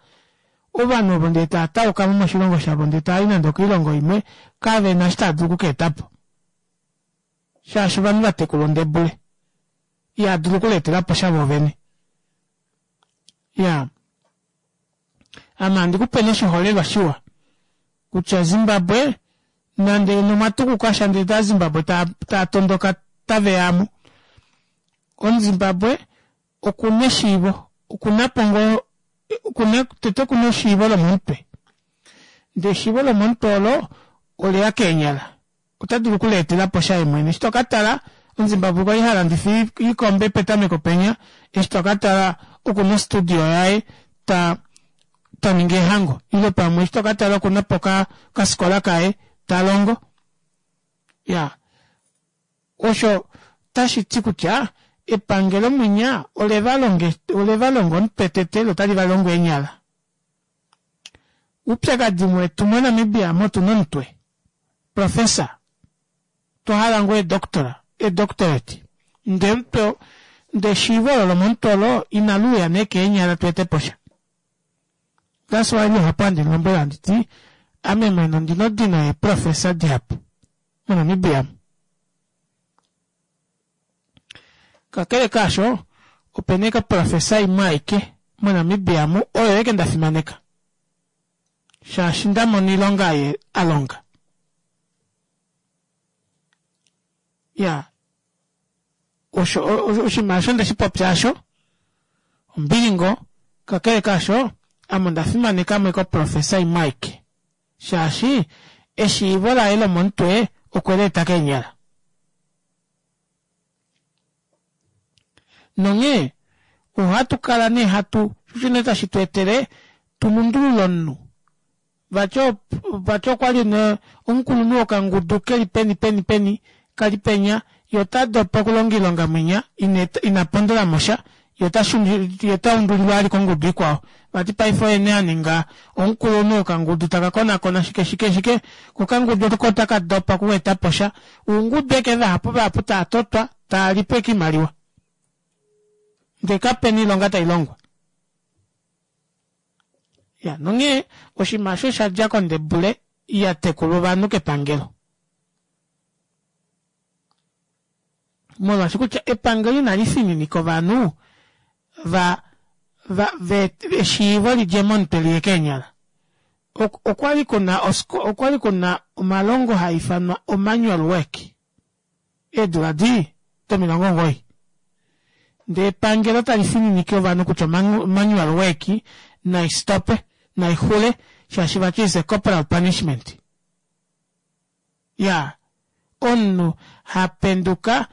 ovanhu ovo ndee tava tauka mo moshilongo shavo ndee tava i nande okoilongo imwe, kavena eshi tava dulu oku ka eta po. Shaashi ovanhu va tekulwa ondebule. Ihava dulu okuleetela po sha voovene. Iyaa. Ame ohandi ku pe nee oshiholelwa shiwa kutya Zimbabwe nande omwa tukuka sha ndele aaZimbabwe tava tondoka tave ya mo. OmuZimbabwe okuna eshiivo, okuna po ngoo okuna tete okuna eshiivo lomomutwe. Ndee eshiivo lomomutwe olo oleya keenyala. Ota dulu okuleetela po sha ye mwene. Eshi to ka tala, Omuzimbabwe okwa li ha landifa iikombe petameko penya, eshi to ka tala oku na ostudio yaye ta ta ningi eehango ile pamwe eshi to ka tala oku na po okafikola kaye ta longo. Ya, osho tashi ti kutya epangelo mwinya ole va longa ole va longa omutwe tete lo tali va longo eenyala. Uupyakadi wetu moNamibia ame otu na omutwe, professor, otwa hala ngoo eedoctora, eedoctorate, ndee omutwe, ndee eshiivo olo lomomutwe olo inali uya nee keenyala tu ete po sha. That's why luhapu handi lombwele handi ti ame mwene ondina odino yeeprofessor dihapu moNamibia omu. Kakele kaasho, ope na ashike oprofesa imwe aike moNamibia mu oyo ashike nda fimaneka shaashi nda mona oilonga ye a longa. Ya, osho oshinima osho nde shi popya asho ombili ngoo. Kakele kaasho, ame onda fimaneka mo ashike oprofesa imwe aike shaashi eshiivo laye lomomutwe okwe li eta keenyala. Nonghee ohatu kala nee hatu sho nee tashi tu etele tu lundulule omunhu. Vati vati okwa li nee omukulunhu wokangudu keli peni peni peni kali penya ye ota dopa okulonga oilonga mwinya ina pondola mo sha ye ota ye ota undulilwa vali kongudu ikwao. Vati paife oye nee a ninga omukulunhu wokangudu taka konakona shike shike shike ko okangudu oko otaka dopa okueta po sha. Oungudu eke vahapu vahapu taa totwa taa li po eke oimaliwa ndee kape na oilonga tai longwa. Ya nonghee oshinima osho osha dja kondebule ya tekulwa ovanhu kepangelo. Molwaashi kutya epangelo inali fininika ovanhu va va ve eshiivo li dje momutwe li ye keenyala. Okwa li ku na okwa li ku na omalongo haa ifanwa omanual work eedula di domilongo omugoyi. Ndee epangelo tali fininike ovanhu kutya omanual work nai stope, nai xule shaashi vati is a corporal punishment. Ya, omunhu ha penduka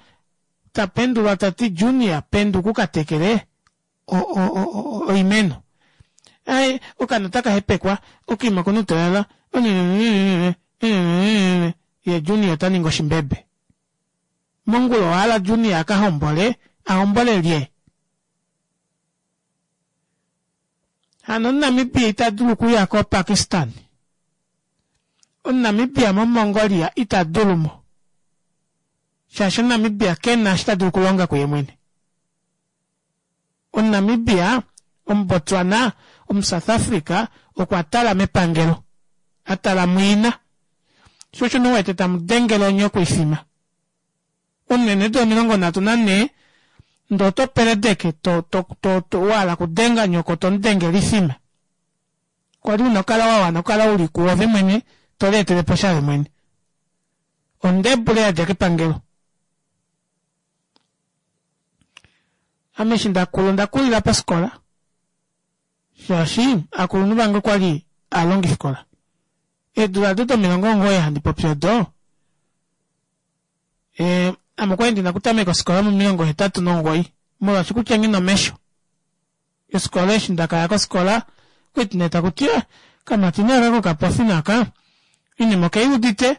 ta pendulwa ta ti Junior penduka u ka tekele oimeno. Ai, okaana otaka hepekwa, okaima okuna outalala, ye Junior ota ningi oshimbebe. Mongula owa hala Junior a ka hombole, a hombole lye? Hano Omunamibia ita dulu okuya koPakistan. Omunamibia moMongolia ita dulu mo. Shaashi Omunamibia ke na eshi ta dulu okulonga kuye mwene. Omunamibia, Omubotswana, Omusouth Africa okwa tala mepangelo. A tala mwiina. Sho osho nee u wete tamu dengele onye okuifima. Omunene eedula 34 ndee oto peledeke to, to, to, to, wa hala okudenga nyoko to mu dengele ifima. Kwa li una okukala wa wana okukala u li kuove mwene to lietele po sha ove mwene. Ondebule ya dja kepangelo. Ame eshi nda kula onda kulila pofikola. Shaashi akulunhu vange okwali aalongifikola. Eedula ado do90 handi popi odo, e, ame okwali ndina okutameka ofikola mo 89 molwaashi kutya nghina omesho. Ofikola eshi ndakaya kofikola okwali nee takuti eh, kamati nee aka kokapofi naka inima okeiudite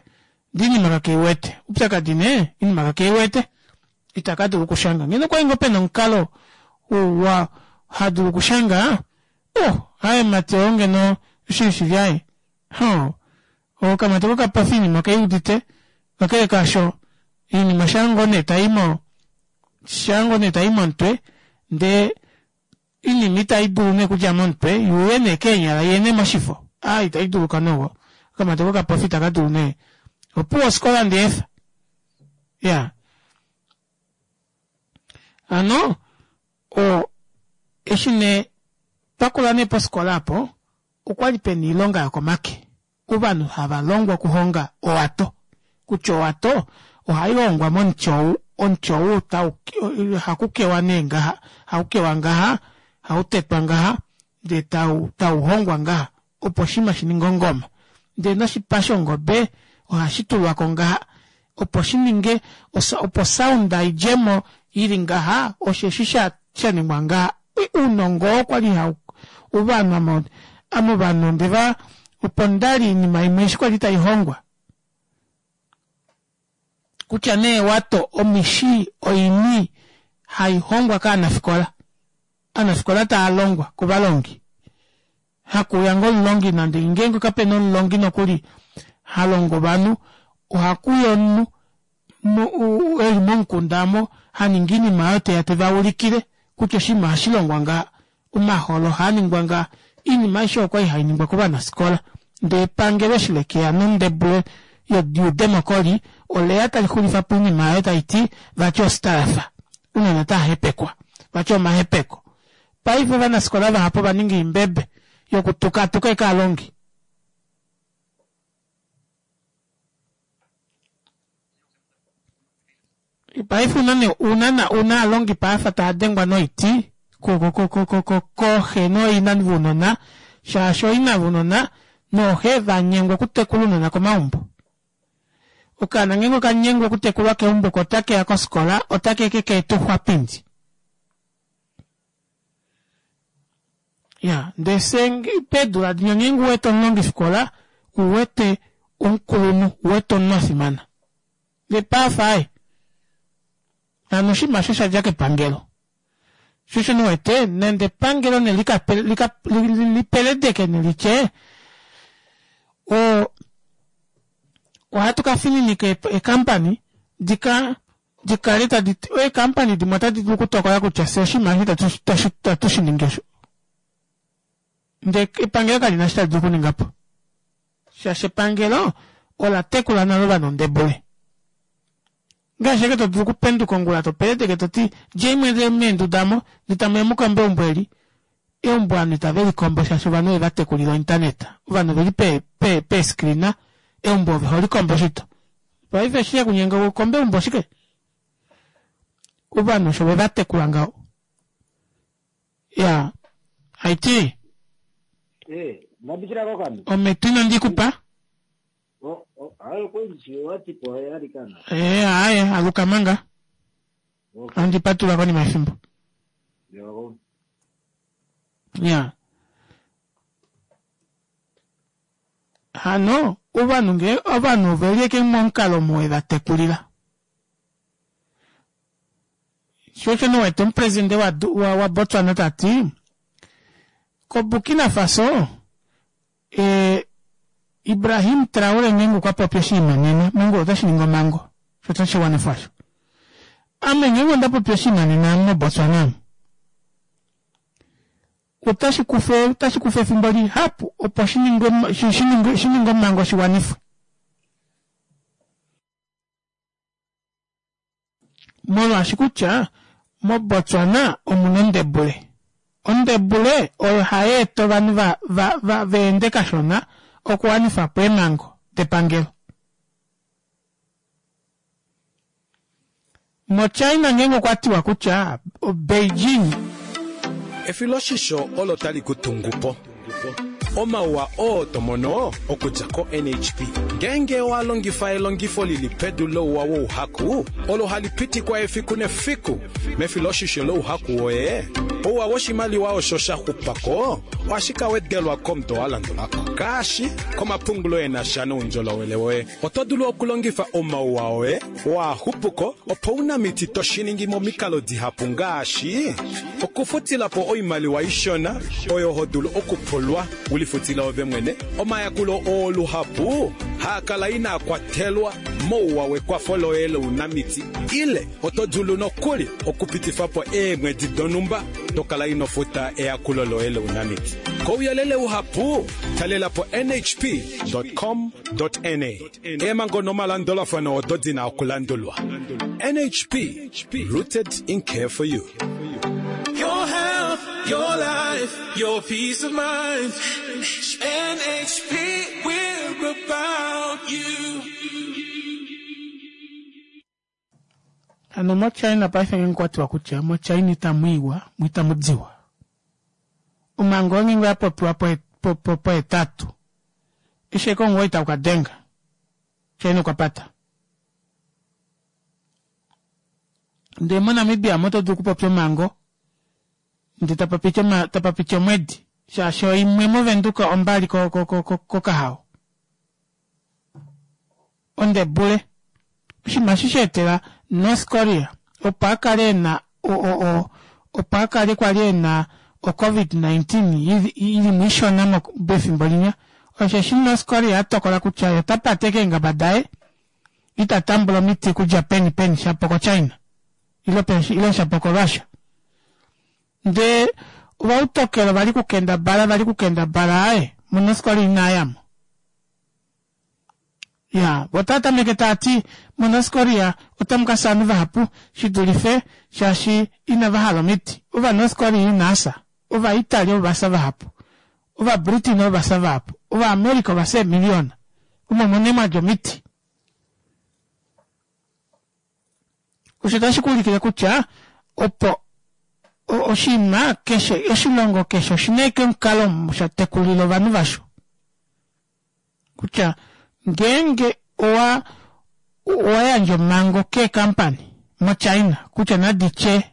ndee inima kakeiwete. Oupyakadi nee inima kakeiwete itaka dulu okushanga. Ngeno okwali ngoo pena omukalo wa hadulu okushanga oh aaye mati oo ngeno oshili shili aaye hoo okamati kokapofi inima okeiudite kakele kaasho iinima shaa ngoo nee tayi shaa ngoo nee tayi momutwe ndee inima ita idulu nee okudja momutwe yuuye nee keenyala iye nee moshifo aa ita iduluka nowo okamati kokapofi itaka dulu nee opuwo ofikola ndeefa ya hano o eshi nee twakula nee pofikola apo okwali pena oilonga yokomake ovanhu hava longwa okuhonga owato kutya owato ohai hongwa momuti ou omuti ou tau haku kewa nee ngaha hau kewa ngaha hau tetwa ngaha ndee tau tau hongwa ngaha opo oshinima shi ninge ongoma ndee noshipa shongobe ohashi tulwako ngaha opo shi ninge opo sound idjemo ili ngaha osheshi sha shaningwa ngaha ounongo oo kwali hau ovanhu ame ame ovanhu ondeva opo ndali oinima imwe eshi kwali taihongwa kutya nee wato omishi oini haihongwa kaanafikola aanafikola taalongwa kovalongi hakuuya ngoo omulongi nande ngeenge kapena omulongi nokuli halongo ovanhu ohakuya omunhu eli momukunda omo haningi oinima oyo teya tevaulikile kutya oshinima ohashi longwa ngaha omaholo ohaaningwa ngaha oinima aishe okwali hainingwa kovanafikola ndee epangelo eshi lekeya nondebule youdemokoli oleya talixulifapo oinima oyo taiti vati ostarafa ounona otava vati omahepeko paife ovanafikola vahapu ovaninga oimbebe yokutukatuka ashike ovalongi paife una nee una una aalongi paafa taya dengwa noiti kooxe nooina vounona shaashi ooina vounona nooxe vanyengwa okutekula ounona komaumbo okaana ngeenge okanyengwa okutekulwa keumbo ko otakeya kofikola otake keeta ouxwapindi ya ndee fye peedula dinya ngeenge uwete omulongifikola uwete omukulunhu uwete omunhu afimana ndee paife aaye hano oshinima osho shadja kepangelo sho osho ndiwete nande epangelo ne lipeledeke nelitye o ohatu kafininika eekampani dika dikale tadi eekampani dimwe otadi dulu okutokola kutya fye oshinima eshi itatu shiningi osho ndee epangelo kalina eshi tali dulu okuningapo shaashi epangelo ola tekula nale ovanhu ondebule ngaashi ashike to dulu okupenduka ongula to peledeke toti djei meenduda omo ndee tamuya mukombe eumbo eli eumbo ovanhu itave likombo shaashi ovanhu ove vatekulila ointaneta ovanhu oveli peescreena eumbo ove holikombo shito paife eshi shekunyenga ukombe eumbo oshike ovanhu osho vevatekula ngaho ya haiti eh, ometu ino ndikupa ee aaye aluka manga andi patula konima yefimbo ya hano ovanhu nge ovanhu oveli eke momukalo omo wevatekulila sho osho niwete omupresidente wa, wa, wa Botswana tati ko Burkina Faso e, Ibrahim Traore ngeenge okwa popi oshinima nena mongula otashi ningi omhango sho otashi wanifwa osho ame ngeenge onda popi oshinima nena moBotswana omu otashi kufa otashi kufa efimbo lihapu opo shi ningwe shi ningwe shi ningwe omhango shi wanifwe molwaashi kutya moBotswana omuna ondebule ondebule oyo hai eta ovanhu va, va, va, va ende kashona okuwanifa po eemhango depangelo mochina ngeenge okwa tiwa kutya Beijing Efiloshisho olo tali ku tungu po. Omauwa oo to mono okudja ko-NHP ngeenge owa longifa elongifo li li pedu louwa wouhaku olo hali pitikwa efiku nefiku mefiloshisho louhaku woye, ouwa woshimaliwa osho sha xupa ko ohashi ka wedelwa komudo wa landula ko, ngaashi komapungulo e na sha noundjolowele woye. Oto dulu okulongifa omauwa oye oo a xupu ko opounamiti to shi ningi momikalo dihapu ngaashi, okufutila po oimaliwa ishona oyo ho dulu okupulwa u lifutile ove mwene, omayakulo oo luhapu haa kala inaa kwatelwa mouwa wekwafo loye lounamiti ile oto dulu nokuli okupitifa po eemwedi donhumba to kala ino futa eyakulo loye lounamiti. Kouyelele uhapu, talela po nhp.com. Na. Eemhango nomalandulafano odo di na okulandulwa. NHP, rooted in care for you. Your health, your life, your peace of mind. NHP, we're about you. Hano moChina paife ngenge kwa tiwa kutya moChina itamu iwa mo itamu diwa. Omhango oyo ngenge oya popiwa pohetatu, eshi ashike omuwoi tau ka denga, China okwa pata. Ndee moNamibia omo to dulu okupopya omhango ndee tapa piti omwedi shaashi oimwe mOvenduka ombali kOkahao. Ondebule. Oshinima eshi sha etela North Korea opo a kale e na opo a kale kwa li e na o Covid-19 i li mo ishona pefimbo linya, osheshi North Korea a tokola kutya ye ota pate keengaba daye, ita tambula omiti okudja peni peni shapo koChina ile shapo koRussia. Ndee ovautokelo vali kukendabala vali kukendabala aaye moNorth Korea inaa ya mo. Ya, vo otava tameke tava ti, moNorth Korea otamu ka fya ovanhu vahapu shi dulife shaashi inava hala omiti. OvaNorth Korea inaa fya. OvaItaly ova fya vahapu. OvaBritain ova fya vahapu. OvaAmerica ova fya eemiliona. Omo omo nee mwa dja omiti. Osho otashi ku ulikile kutya opo oshinima keshe, oshilongo keshe oshi na ashike omukalo omo sha tekulila ovanhu vasho. Kutya ngeenge owa owa yandja omhango keekampani moChina kutya nadi tye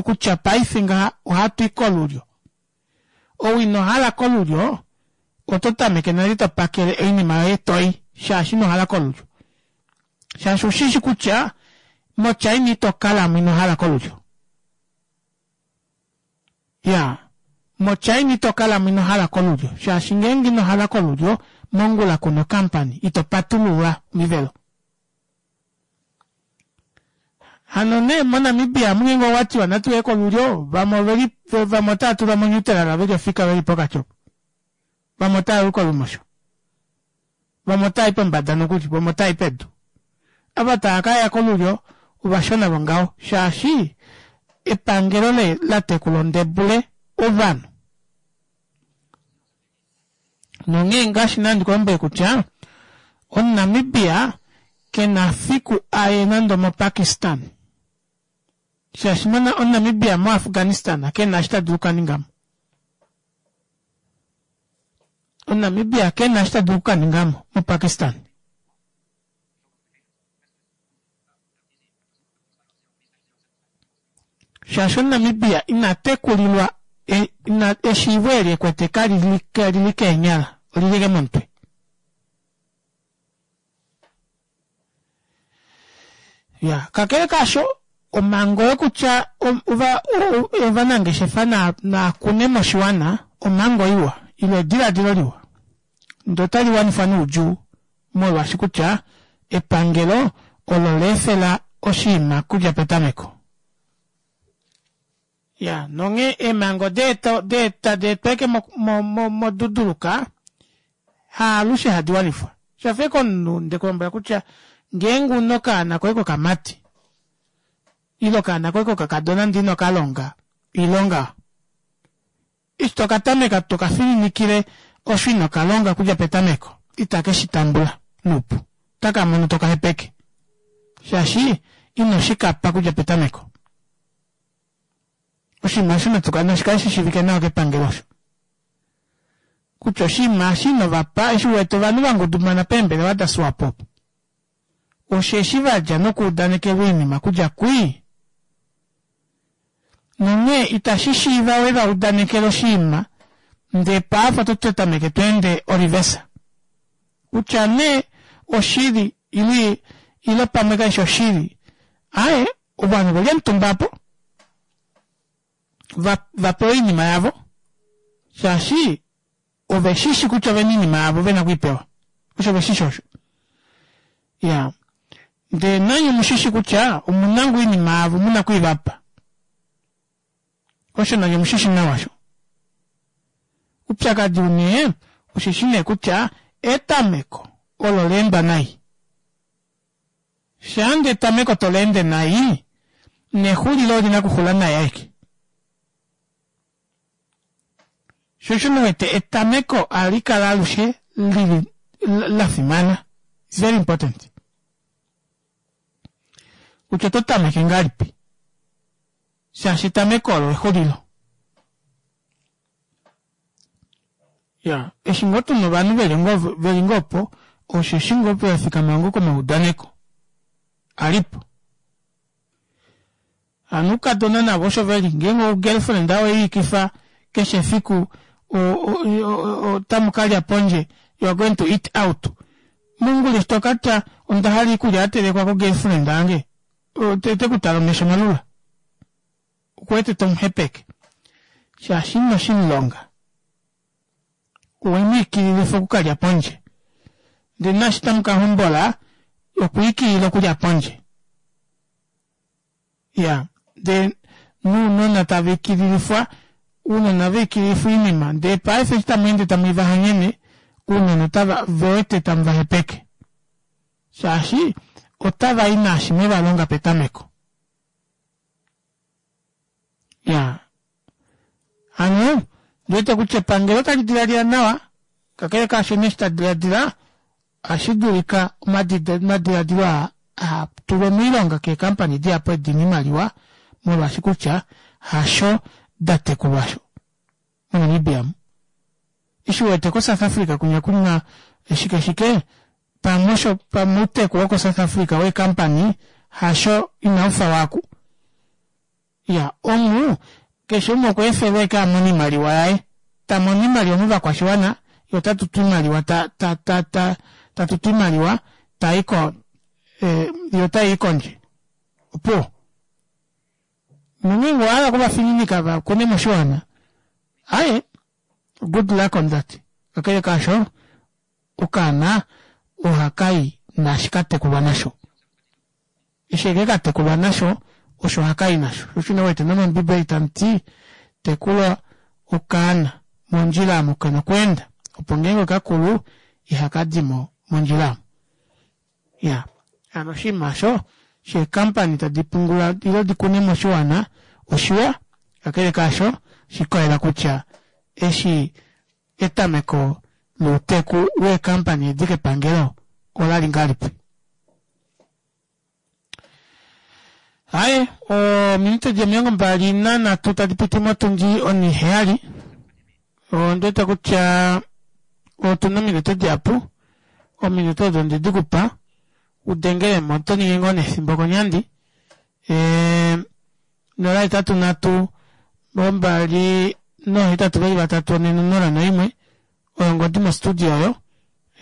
kutya paife ngaha ohatu i kolulyo, ou ino hala kolulyo oto tameke nale to pakele oinima yoye to i shaashi ino hala kolulyo. Shaashi ushishi kutya moChina ito kalamo ino hala kolulyo. Ya, moChina ito kalamo ino hala kolulyo shaashi ngeenge ino hala kolulyo mongula kuna okampani ito patulula omivelo. Hano nee moNamibia amu ngeenge owa tiwa natu ye kolulyo vamwe oveli vamwe otava tulwa monyutelala veli ofika veli pokati opo. Vamwe otava i kolumosho. Vamwe otava i pombada nokuli, vamwe otava i pedu. Ava tava ka ya kolulyo ovashona vongaho shaashi epangelo le la tekula ondebule ovanhu. Nonghee ngaashi nandi ku lombwele kutya Omunamibia ke na fiku aye nande omoPakistan shaashi Omunamibia moAfghanistan ke na eshi ta dulu okukaninga mo. Omunamibia ke na eshi ta dulu okukaninga mo moPakistan. Shaashi Omunamibia ina tekulilwa ina eshiivo eli ekwete kali li keenyala, oli li momutwe. Ya, kakele kaasho, omhango yokutya ovanangeshefa naa kune moshiwana omhango iwa ile ediladilo liwa, ndee otali wanifwa noudjuu molwaashi kutya epangelo olo la efela oshinima kudja petameko. Ya, nonghee eemhango tadi etwa ashike moduduluka haalushe hadi wanifwa. Shafa ashike omunhu nde ku lombwela kutya ngeenge u na okaana koye kokamati ile okaana koye kokakadona ndee ino ka longa oilonga Eshi to ka tameka to ka fininikile osho ino ka longa okudja petameko, itake shi tambula noupu. Otaka mono to ka hepeke, shaashi ino shi ka pa okudja petameko. Oshinima osho natu nashi kale shi shiivike nawa kepangelo osho. Kutya oshinima eshi inovapa eshi u wete ovanhu va ngudumana peembelewa daSwapo opo, osheshi va dja nokuudanekelwa oinima okudja kwii. Nonghee itashi shiiva we va udanekele oshinima ndee paife oto tameke to ende orivesa. Kutya nee oshili ile ile pamwe kaishi oshili, aaye ovanhu oveli omutumba opo va va pewe oinima yavo shaashi ove shishi kutya ovena oinima yavo vena okwiipewa osho ve shishi osho ya ndee nanye omushishi kutya omuna ngoo oinima yavo muna okwiivapa osho nanye omushishi nawa sho upyakadi une osheshi nee kutya etameko olo leendwa nai shaange etameko toleende nai nexulilo olina okuxula nai aeke sho osho wete etameko ohali kala alushe lili la fimana it's very important kutya oto tameke ngahelipi shaashi etameko olo exulilo ya eshi ngoo tuna ovanhu veli ngoo veli ngoo opo osheshi ngoo vafikama ngoo komaudaneko alipo hano oukadona navo osho veli ngeenge ogirlfriend oweiikifa keshe efiku otamu kalya pondje you are going to eat out mongula eshi tokatya onda hala iikulya yatelekwa ko girlfriend yange ote kutala omesho malula okuwete tomuhepeke shaashi ino shimulonga owemwiikililifa okukalya pondje ndele naashi tamu ka hombola okwiikilila okulya pondje ya ndee nounona tava ikililifwa ounona va ikililifwa oinima ndee paife eshi tamu ende tamu ivahanyene ounona otava vewete tamu vahepeke shaashi otava i naashi mweva longa petameko ya hano ndiwete kutya epangelo otali diladila nawa kakele kaasho nee eshi ta diladila ohashi dulika omadiladilo aa a tulwe moilonga keekampani dihapu edi dina oimaliwa molwaashi kutya hasho da tekulwa sho moNamibia mu. Eshi u wete koSouth Africa kunya kuna shike shike pamwe osho pamwe outeku wokoSouth Africa weekampani hasho inaufa waaku. Ya omu keshe umwe okwa efelwa ashike a mone oimaliwa yaye. Ta mono oimaliwa movakwashiwana ye ota tutu oimaliwa ta ta ta ta ta tutu oimaliwa ta i ko eh, ye ota i kondje. Opuwo. Nongeenge owa hala okuvafininika va kune moshiwana, aye good luck on that. Kakele kaasho, okaana ohaka i naashi ka tekulwa nasho. Eshi eke ka tekulwa nasho, osho haka i nasho. Osho ino wete nomOmbibeli tamu ti, Tekula okaana mondjila omo ke na okweenda, opo ngeenge oka kulu ihaka di mo mondjila omo. Ya, hano oshinima osho sheekampani tadi pungula ile di kune moshiwana oshiwa, kakele kaasho oshikolela kutya eshi etameko louteku weekampani edi kepangelo ola li ngahelipi. Aye, ominute di 23 tadi piti motundi oniheyali. Ondi wete kutya otu na ominute dihapu. Ominute odo onde di ku pa u dengele mo. Oto ningi ngoo nefimbo konyandi. E, 0 8 3 2 nohetatu veli vatatu one nonola noimwe oyo ongodi mostudio oyo.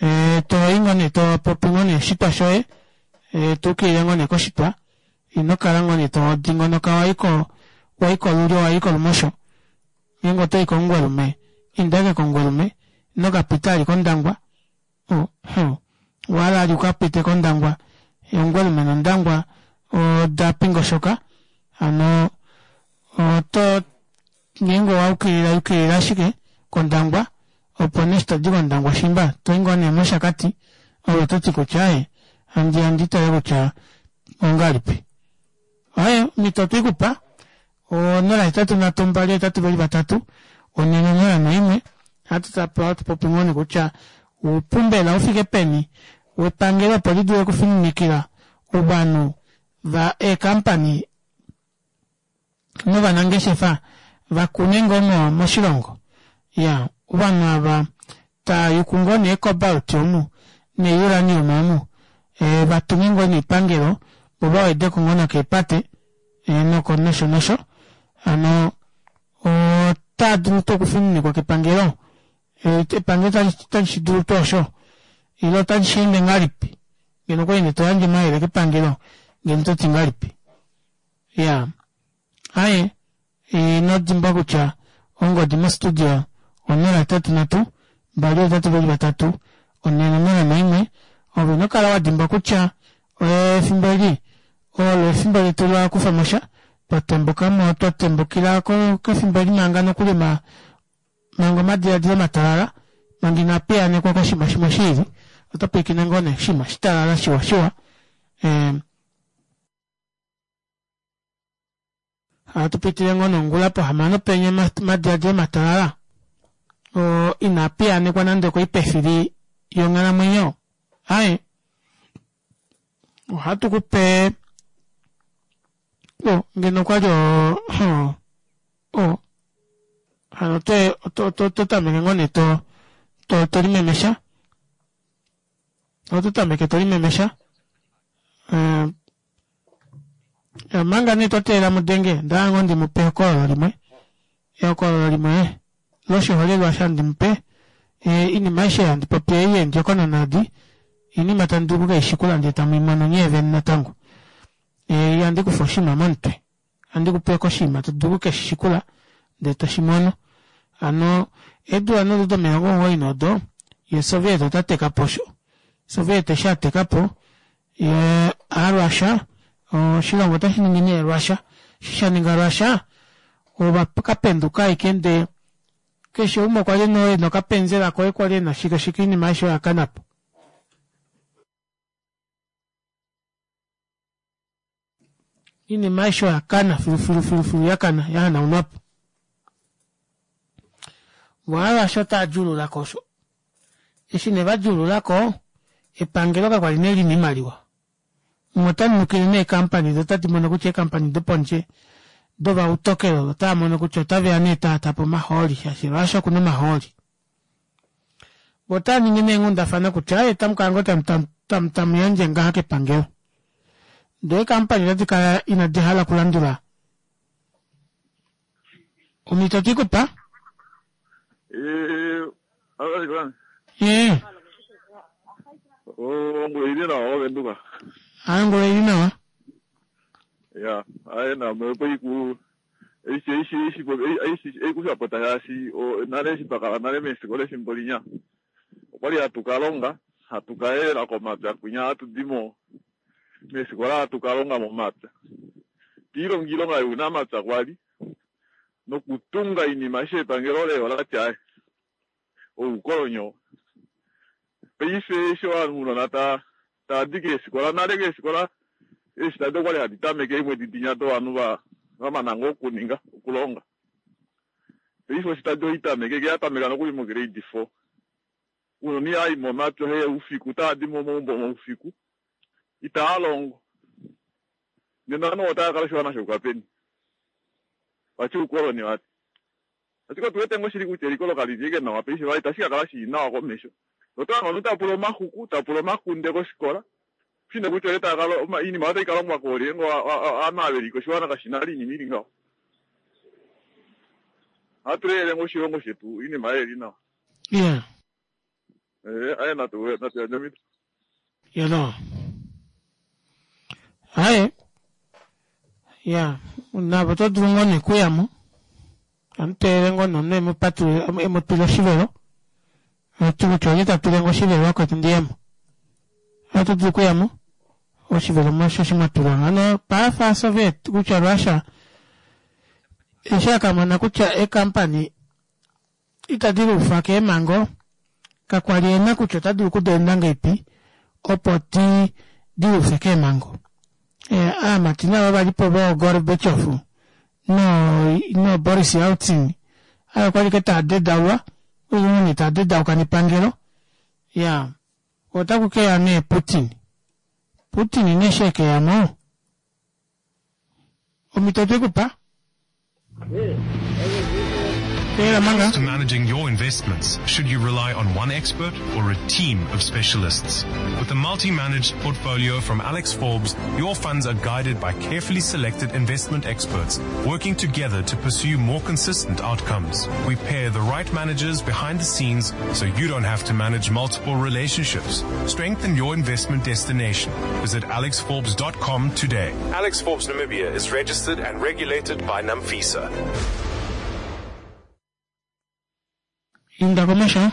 E, to i ngoo nee to popi ngoo nee oshitwa shoye e, to ukilile ngoo nee koshitwa ino kala ngoo nee to dingonoka wa i ko wa i kolulyo wa i kolumosho ngeenge oto i kOmungwelume inda ashike kOmungwelume ino ka pita ali kOndangwa owa hala ali uka pite kOndangwa Omungwelume nOndangwa oda pingoshoka hano oto ngeenge owa ukilila yukilila ashike kOndangwa opo nee eshi todi kOndangwa shimba toi ngoo nee mOshakati ove oto ti kutya aaye handi ya ndi tale kutya ongahelipi. Aaye omhito otwe i ku pa 0 8 3 2 8 2 3 4 0 1 ohatu ohatu popi ngoo nee kutya oupu mbela ufike peni wepangelo opo li dule okufininikila ovanhu va eekampani. novanangeshefa vakune ngoo mo moshilongo ya ovanhu ava taa yuku ngoo nee cobalt omu neuranium omu eh, vatunge ngoo neepangelo vo vawedeko ngoo nokeepate eh, noko nosho nosho hano otaa dulu tuu okufininikwa kepangelo eh, epangelo otali shi dulu tuu osho ile otali shi ende ngahelipi ngeno okwali nee toyandje omayele kepangelo ngeno ototi ngahelipi ya aye ino dimbwa kutya ongodi mostudio 083 283 401 ove ino kala wa dimbwa kutya efimbo eli olo efimbo letu la kufa mo sha twa tembuka mo twa tembukila kefimbo eli manga nokuli ma manga omadiladilo matalala manga inaa piyaanekwa koshinima shimwe shiili oto pwilikine ngoo nee oshinima shitalala shiwa shiwa eh, Ohatu pitile ngoo nongula pohamano penya omadiladilo matalala oo inaa piyaanekwa nande okoipefili yonghalamwenyo. Aye, ohatu ku pe o ngeno okwa li o o hano ote oto tameke ngoo nee to to to limemesha oto tameke to limemesha eh, omanga nee twa teelela mu denge onda ngoo ndi mu pe ehokololo limwe ehokololo limwe loshiholelwa sha ndi mu pe iinima aishe handi popi ei yeendjokonona edi iinima tamu dulu okukeishikula ndee tamu i mono nyee vene natango ihandi kufa oshinima momutwe ohandi ku pe koshinima to dulu okukeshi shikula ndee to shi mono hano eedula nee odo domilongo omugoyi nodo ye Soviet ota teka po osho Soviet eshi a teka po ye aaRussia oshilongo otashi ningi nee Russia eshi sha ninga Russia ova ka penduka ashike ndee keshe umwe okwa li ena okapenzela koye kwali ena shike shike oinima aishe oya kana po. Iinima aishe oya kana filufilu filufilu ya kana ya hanaunwa po. Vo Aarussia otaa djuulula ko osho. Eshi ne va djuulula ko, epangelo kakwa li nee li na oimaliwa. Umwe ota nukile nee eekampani do otadi mono kutya eekampani dopondje dovautokelo otava mono kutya otave ya nee taata po omahooli shaashi Russia oku na omahooli. Vo otava ningi nee eenghundafana kutya aaye otamu kala ngoo tamu tamu tamu yandje ngaha kepangelo. Ndee eekampani otadi kala inadi hala okulandula omhito otwi ku pa. Eh, Eh. Ongula ili nawa wavenduka. Ah, ongula ili nawa. Ya, aye na opo iku eshi eshi eshi eshi eikushapota shaashi nale eshi twa kala nale meefikola efimbo linya okwali hatu ka longa hatu ka yelela komapya kwinya hatu di mo meefikola hatu ka longa momapya twiilonga iilonga younamapya kwali nokutunga oinima eshi epangelo lee olati aye oukolonyo paife eshi ounona ta tadi keefikola nale keefikola eeshitadi okwali hadi tameke eemwedi dinya dovanhu va vamana ngoo okuninga okulonga paife oshitadi oitameke ke yatameka nokuli mograde 4 ounona ihaayi momapya oheya oufiku otaadi momaumbo moufiku itaa longo nena ovanhu otava kala oshiwana shouka peni vati oukoloni vati Ashike otu wete ngoo shili kutya eliko olo kali li ashike nawa paife vali itashi ka kala shili nawa komesho. Oto hange omunhu ta pula omaxuku, ta pula omakunde kofikola, kushi nee kutya oye ta kala oinima otai ka longwa koolye ngee ovanhu ava veli koshiwana kashi na oinima ili ngaho. Ohatu lelele ngoo oshilongo shetu oinima ei ili nawa. Yeah. Eh, aye natu natu yandje omhito. Yelo. Aye. Ya, navo oto dulu ngoo nee kuya mo. Amu teelele ngoo nee omunhu emu patulule emu twile oshivelo. Ati kutya olye ta twile nge oshivelo vakwetu ndi ye mo. Oto dulu okuya mo oshivelo mosho shi mwa tulwa. Hano paafa Soviet kutya Russia eshi a ka mona kutya eekampani itadi luufa keemhango, kakwa li e na kutya ota dulu okudeenda ngeipi opo di di luufe keemhango. Aamati navo va li po vooGorbachev no nooBoris Yeltsin ayo okwa li ke taa dedaulwa, okwali ngoo nee taa dedauka nepangelo. Ya, otaku ke ya nee Putin. Putin nee eshi e ke ya mo, omhito otwe ku pa. To managing your investments, should you rely on one expert or a team of specialists? With a multi-managed portfolio from Alexforbes, your funds are guided by carefully selected investment experts working together to pursue more consistent outcomes. We pair the right managers behind the scenes so you don't have to manage multiple relationships. Strengthen your investment destination. Visit alexforbes.com today. Alexforbes Namibia is registered and regulated by NAMFISA. Inda komesho.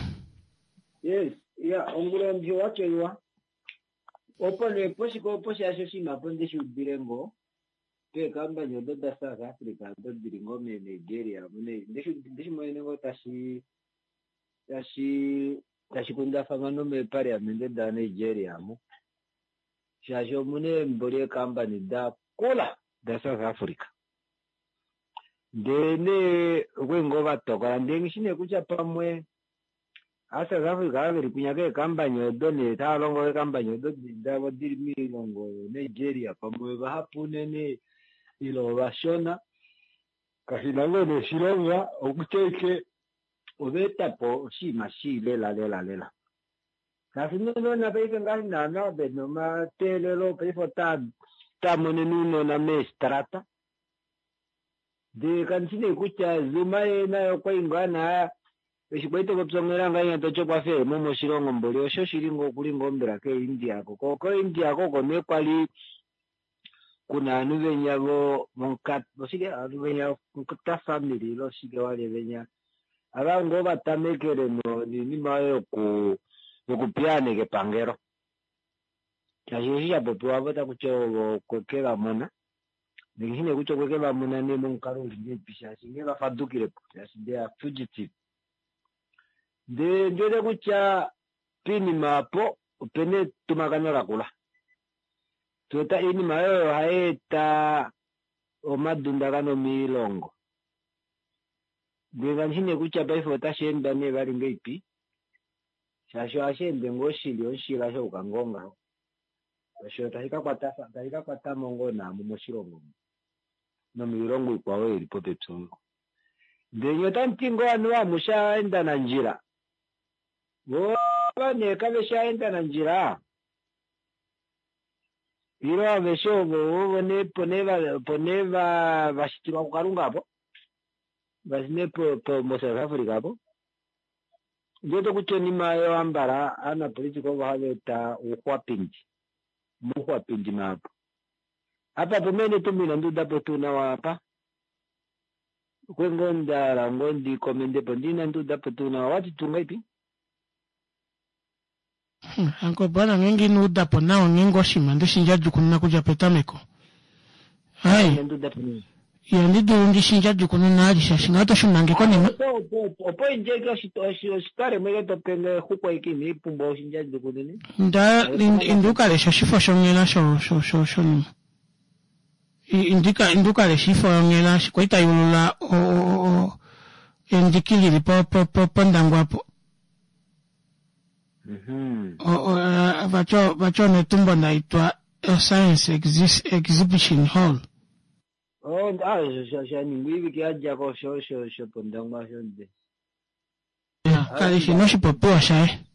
Yes, ya ongula ndi wacho Opo nee poshike opo shaashi oshinima apo ndeshi udile ngoo peekambani odo da South Africa odo dili ngoo meNigeria omu nee ndeshi monene ngoo tashi tashi tashi kundafanwa nomeepaliamente daNigeria omu shaashi omuna eemboli eekambani da kula da South Africa ndee nee okwali ngoo vatokola ndee nghishi nee kutya pamwe AaSouth Africa ava veli kwinya keekambani odo nee tava longo keekambani odo davo dili moilongo yoNigeria pamwe ovahapu unene ile ovashona kashina ngoo nee oshilonga okutya ashike ova eta po oshinima shii lela lela lela shaashi nounona paife ngaashi naana vena omateelelo paife otaa otaa monene ounona meestrata Ndee kandi shi nee kutya Zuma yee naye okwali ngaa naa eshi kwali topopya onghela ngahenya toti okwafa ehemo moshilongo mboli osho shili ngoo okuli ngoo mbela kooIndia ko ko koIndia ko oko nee kwali kuna ovanhu venya vo oshike ovanhu venya Nkta family ile oshike wali venya ava ngoo vatamekele noinima oyo yoku yokupiyaaneka epangelo shaashi eshi shapopiwa apo takuti ovo okweke vamona Ndishi nee kutya okwe ke va mona nee momukalo uli ngahelipi shaashi nghee va fadukile po shaashi they are fugitive. Ndee ndi wete kutya poinima opo opena etumakano lakula. Tuweta oinima oyo ohai eta omadundakano moilongo. Ndee kandi shi nee kutya paife otashi endwa nee vali ngahelipi shaashi ohashi ende ngoo shili omushila shauka ngoo ngaho. Osho tashi ka kwata tashi ka kwata mo ngoo naamu moshilongo omu nomiilongo ikwao ili popepi omu. Ndele nye otamu ti ngoo anuwa amushe aaendanandjila? Vo ava nee kave shi aaendanandjila? Ile aveshe ovo ovo nee opo nee va opo nee va va shitilwa kuKalunga apo? Ngaashi nee po po moSouth Africa apo? Ondi wete kutya onima oyo ambala aanapolitika ovo hava eta ouxwapindi, omauxwapindi mahapu. Apa po mene tumbo inandi uda po tuu nawa apa. Okwe ngoo nda hala ngoo ndi komende po ndee inandi uda po tuu nawa. Owati tuu ngahelipi? Uncle Bwana ngeenge ino uda po nawa ngeenge oshinima nde shi ndjadjukununa kudja petameko. Hai. Ihandi dulu ndi shi ndjadjukununa ali shaashi ngaho oto shuna nge konima. Opo indjeke oshitwalemo ike to pe nge exuku aike inai pumbwa oshindjadjukunune. Nda inda u ka leshe oshifo shonghela sho sho sho shonima. Indika inda u ka leshe oifo yonghela eshi kwali tai ulula o o o endiki lili po po po pOndangwa apo. Vati onetumbo naitwa Science Exhibition Hall. Oh, ah, sha ningwa oivike ya dja ko sho sho shopondangwa osho nde. Kali shi noshipopiwa shaye.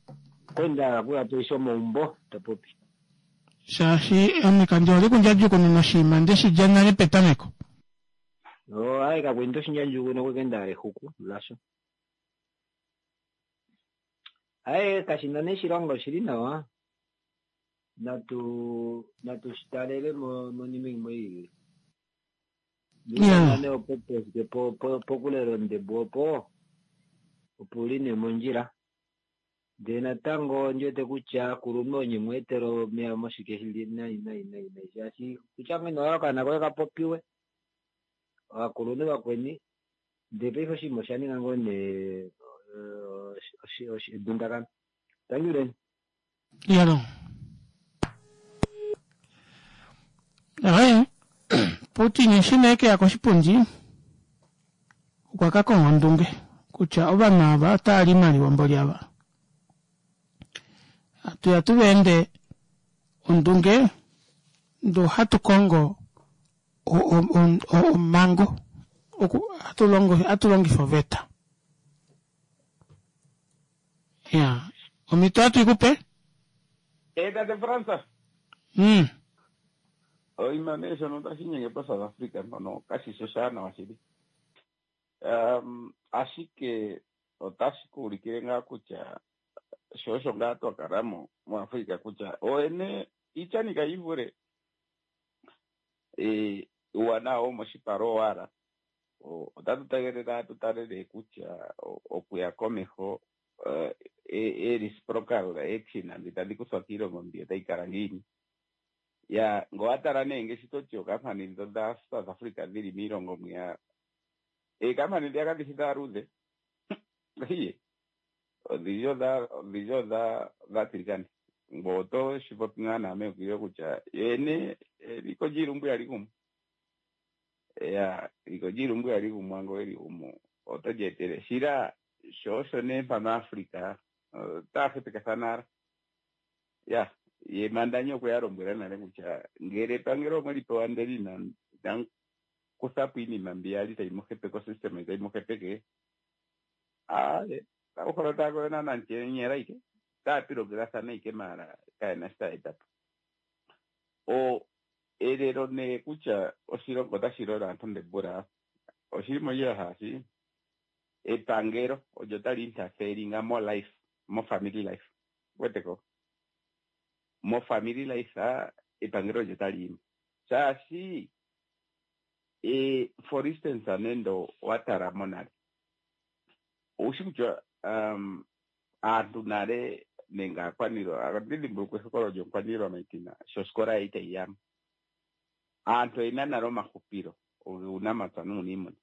Kwenda kuya toisha omaumbo ta popi. Shaashi ame kandi hole okundjadjukununa oshinima nde shi dja nale petameko. Oh, aye kakwenda oshinjadjukuno kwekenda exuku lasho. Aye kashina nee shilonga oshili nawa. Natu natu shi talele monima imwe iili. Yeah. Opo po po pokulela ondebo opo opo uli nee mondjila. Ndee natango ondi wete kutya kulume onye mu etela omeya moshike shili nai nai nai nai shaashi kutya ngeno owa okaana koye ka popiwe ovakulunhu vakweni ndee paife oshinima osha ninga ngoo nee edundakano. Tanyuleni. Yalo. Aye, Putin eshi nee ke ya koshipundi okwa ka konga ondunge kutya ovanhu ava otava li imaliwa mboli ava. Hatu ya tu va ende ondunge ndoo hatu kongo omhango. oku hatu longo hatu longifa oveta. Ya, omhito ohatu i ku pe? Eh, tate Fransa. Oima nee shono tashi inyenge poSouth Africa mpono kashi shi oshaanawa shili. Um, ashike otashi ku ulikile ngaa kutya sho osho ngaa twa kala mo muAfrica kutya ooyene iityani kayi ivule. Eh, uuwanawa womoshipala owala. Otatu tegelela tu tale nee kutya okuya komeho eh, e reciprocal action mbi tadhi kuthwa kiilongo mbi otayi kala ngiini. Ya, ngo wa tala nee ngaashi to ti ookampani ndho dha South Africa dhili miilongo mwiya, eekampani ndhiya kadhi shi dhaaluudhe. Iye, odhindji odha odhindji odha dhaatiligane. Ngo oto shi popi ngaa nawa meukililo kutya yene eliko lyiilumbu ihali gumu. Ya, eliko lyiilumbu ihali gumwa ngo weli gumu oto li etele. Shila sho osho nee mpano Africa otaya hepekathana ala. Ya, ye Mandanyi okwe ya lombwela nale kutya ngele epangelo omwe li pewa ndele ina inamu kutha po iinima mbi yali tayi mu hepeke osystem tayi mu hepeke, aaye, otaku holola taya koyo naana nchenyela ike, otaya pilogelathana ike maala kayena shi taya eta po. O elelo nee kutya oshilongo otashi lola aantu ndembula, oshili mondjila shaashi epangelo olyo tali interferinga mo life, mo family life. Weteko? Mo family life epangelo olyo tali yimo. Shaashi e, for instance nende owa tala monale, owushi kutya um, aantu nale nenge aakwaniilwa, ohandi dhimbulukwa ehokololo lyomukwaniilwa Maitina sho osikola ye itayi yamo. Aantu oyena nale omahupilo guunamapya nuuniimuna.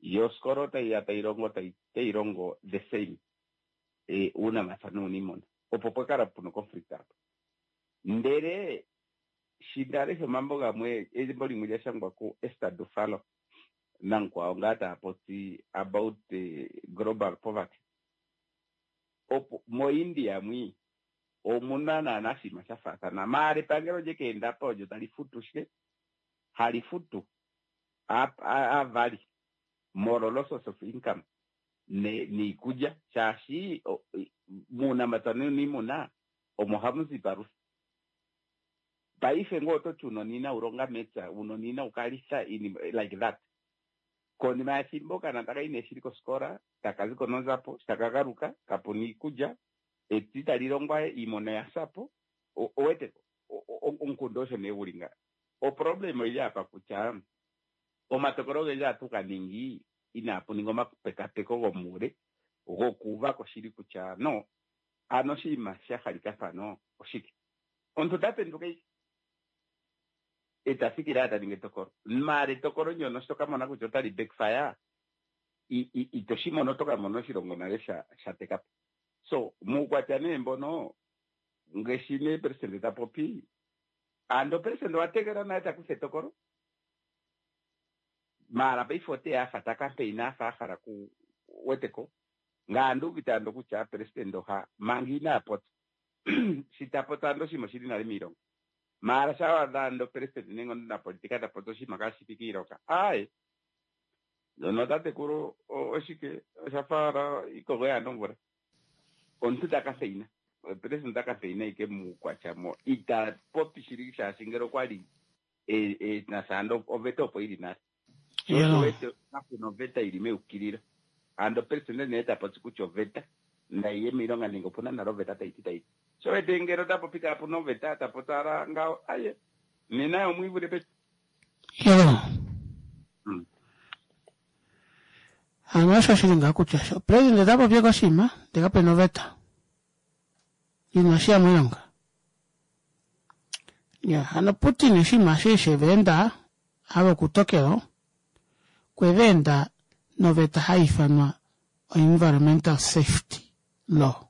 Yo osikola otayi ya tayi longo tayi longo the same e, uunamapya nuuniimuna. Opo pwa kala puna conflict apa. Ndele shi nda lesha omambo gamwe, embo limwe lya shangwa ku Esther Dufalo namukwawo ngaa taya popi about global poverty. Opo moIndia mwi omuna naana oshinima sha faathana, maala epangelo lye ka enda po olyo tali futu shike? Hali futu aavali molwa losses of income niikulya, shaashi muunamapya nuuniimuna omo hamu zi iipalutha. Paife ngee oto ti uunona inawu longa mepya, uunona inawu ka litha iinima like that. Konima yethimbo okanona taka yi nee shili kosikola, taka ziko nonzapo, sho taka galuka kapuna iikulya, epya itali longwa we, iimuna oya sa po. Oweteko omukundu osho nee guli nga. Oproblem oyili apa kutya omatokolo ogendji ohatu ga ningi inaapu ningwa omapekapeko gomuule gokuuva ko shili kutya no ano oshinima sha halika mpano oshike. Omuntu ota penduka ike e ta thikile owala ta ningi etokolo. Maala etokolo ndyono sho to ka mona kutya otali backfire, ito shi mono, oto ka mona oshilongo nale sha sha teka po. So muukwatya nee mbono ngaashi nee presidente ta popi, ando presidente owa tegelela nale ta kutha etokolo, maala paife oteya a fa ta campaign a fa a hala ku wete ko. Ngame andi uvite ando kutya presidente oha manga inaa popya shi ta popi ando oshinima oshili nale miilonga. Maala sha wa adha ando president nenge omunapolitika ta popi oshinima kaashi shi kiilonga, aaye ndono tatekulu oshike osha fa owala iikogo yaa na omvula. Omuntu ta kampeina, president ta kampeina ike muukwatya mo ita popi shili shaashi ngele okwa li e, e na sha ando oveta opo yi li nale. Sho osho wete kapu na oveta yi li meukililo. Ando presidente nee ta popi kutya oveta nayi ye miilonga nenge opu na nale oveta tayi ti tayi ti. Sho wete ngele ota popi kaapu na oveta ta popi owala ngawo, aye nena ye omwiivule peni. Yo. Ano osho shi li ngaa kutya sho presidente ta popi koshinima ndele kape na oveta inashi ya miilonga. Ya, hano Putin oshinima eshi she va enda ava okutokelo kwe va enda noveta hai ifanwa oEnvironmental Safety Law.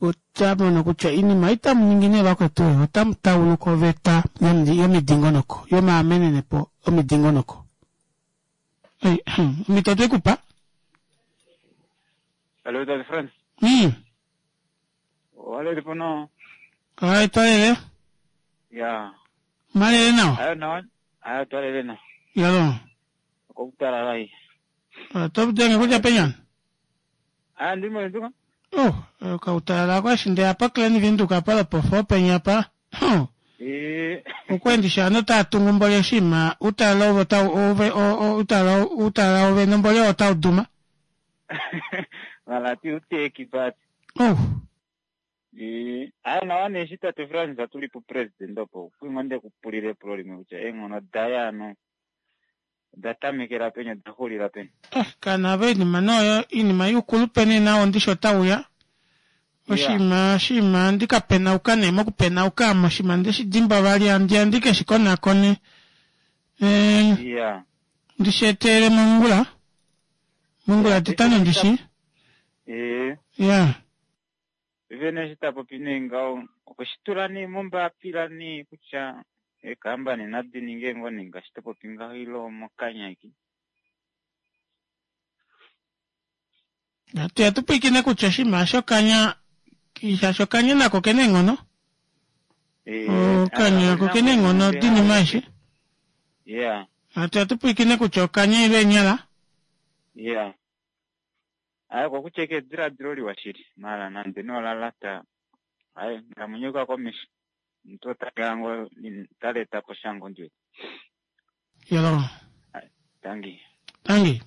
Ota mono kutya iinima ei tamu ningi nee vakwetu oyo otamu tauluka oveta yomidingonoko yomaamenenepo omidingonoko. Omhito otwe ku pa. Hello, Tate Frans. Owalele po no? Aye, twalele. Ya. Malele nawa. Ayo nawa. Ayo twalele nawa. Yalo. Okoutalala ei. Oto denge kudja penyana? Ah, ndi moVenduka. Oh, okautalala ako eshi ndeya pa Klein Windhoek apa lopofo penya pa. Huh. Eh. Okwendisha ano taa tungu mboli oshinima utalala ove otau ove utalala utalala ove nomboli otau duma. Valati uteki pati. Oh. Eh, aya nawa nee eshi tate Frans tuli pupresident opo kwingo nde kupulile epulo limwe kutya eenghono daye ano oda tamekela peni oda xulila peni. Eh, kana ave iinima noyo iinima yuukulupe nee nawo ndishi otauya. Oshinima oshinima ndi ka penauka nee mokupenauka amo oshinima ndeshi dimbwa vali andi andi ke shi konakone. Eh, Yeah. ndishi eteele mongula. Mongula titano ndishi. Eh. Yeah. Vene eshi ta popi nee ngaho okwe shi tula nee mombapila nee kutya eekambani nadi ninge ngoo nee ngaashi to popi ngaho ile omokanya ashike. Natu ya tu pwilikine kutya oshinima shokanya shaashi okanya nako kena eenghono. Okanya nako kena eenghono dinima aishe. Yeah. Natu ya tu pwilikine kutya okanya ile eenyala. Yeah. Aye okokutya eke ediladilo liwa shili, maala nande nee ola lata, aye nghalamwenyo yuka komesho, omuntu ota kala ngoo ta leta po sha ngoo ndi wete. Yolo. Tangi. Tangi.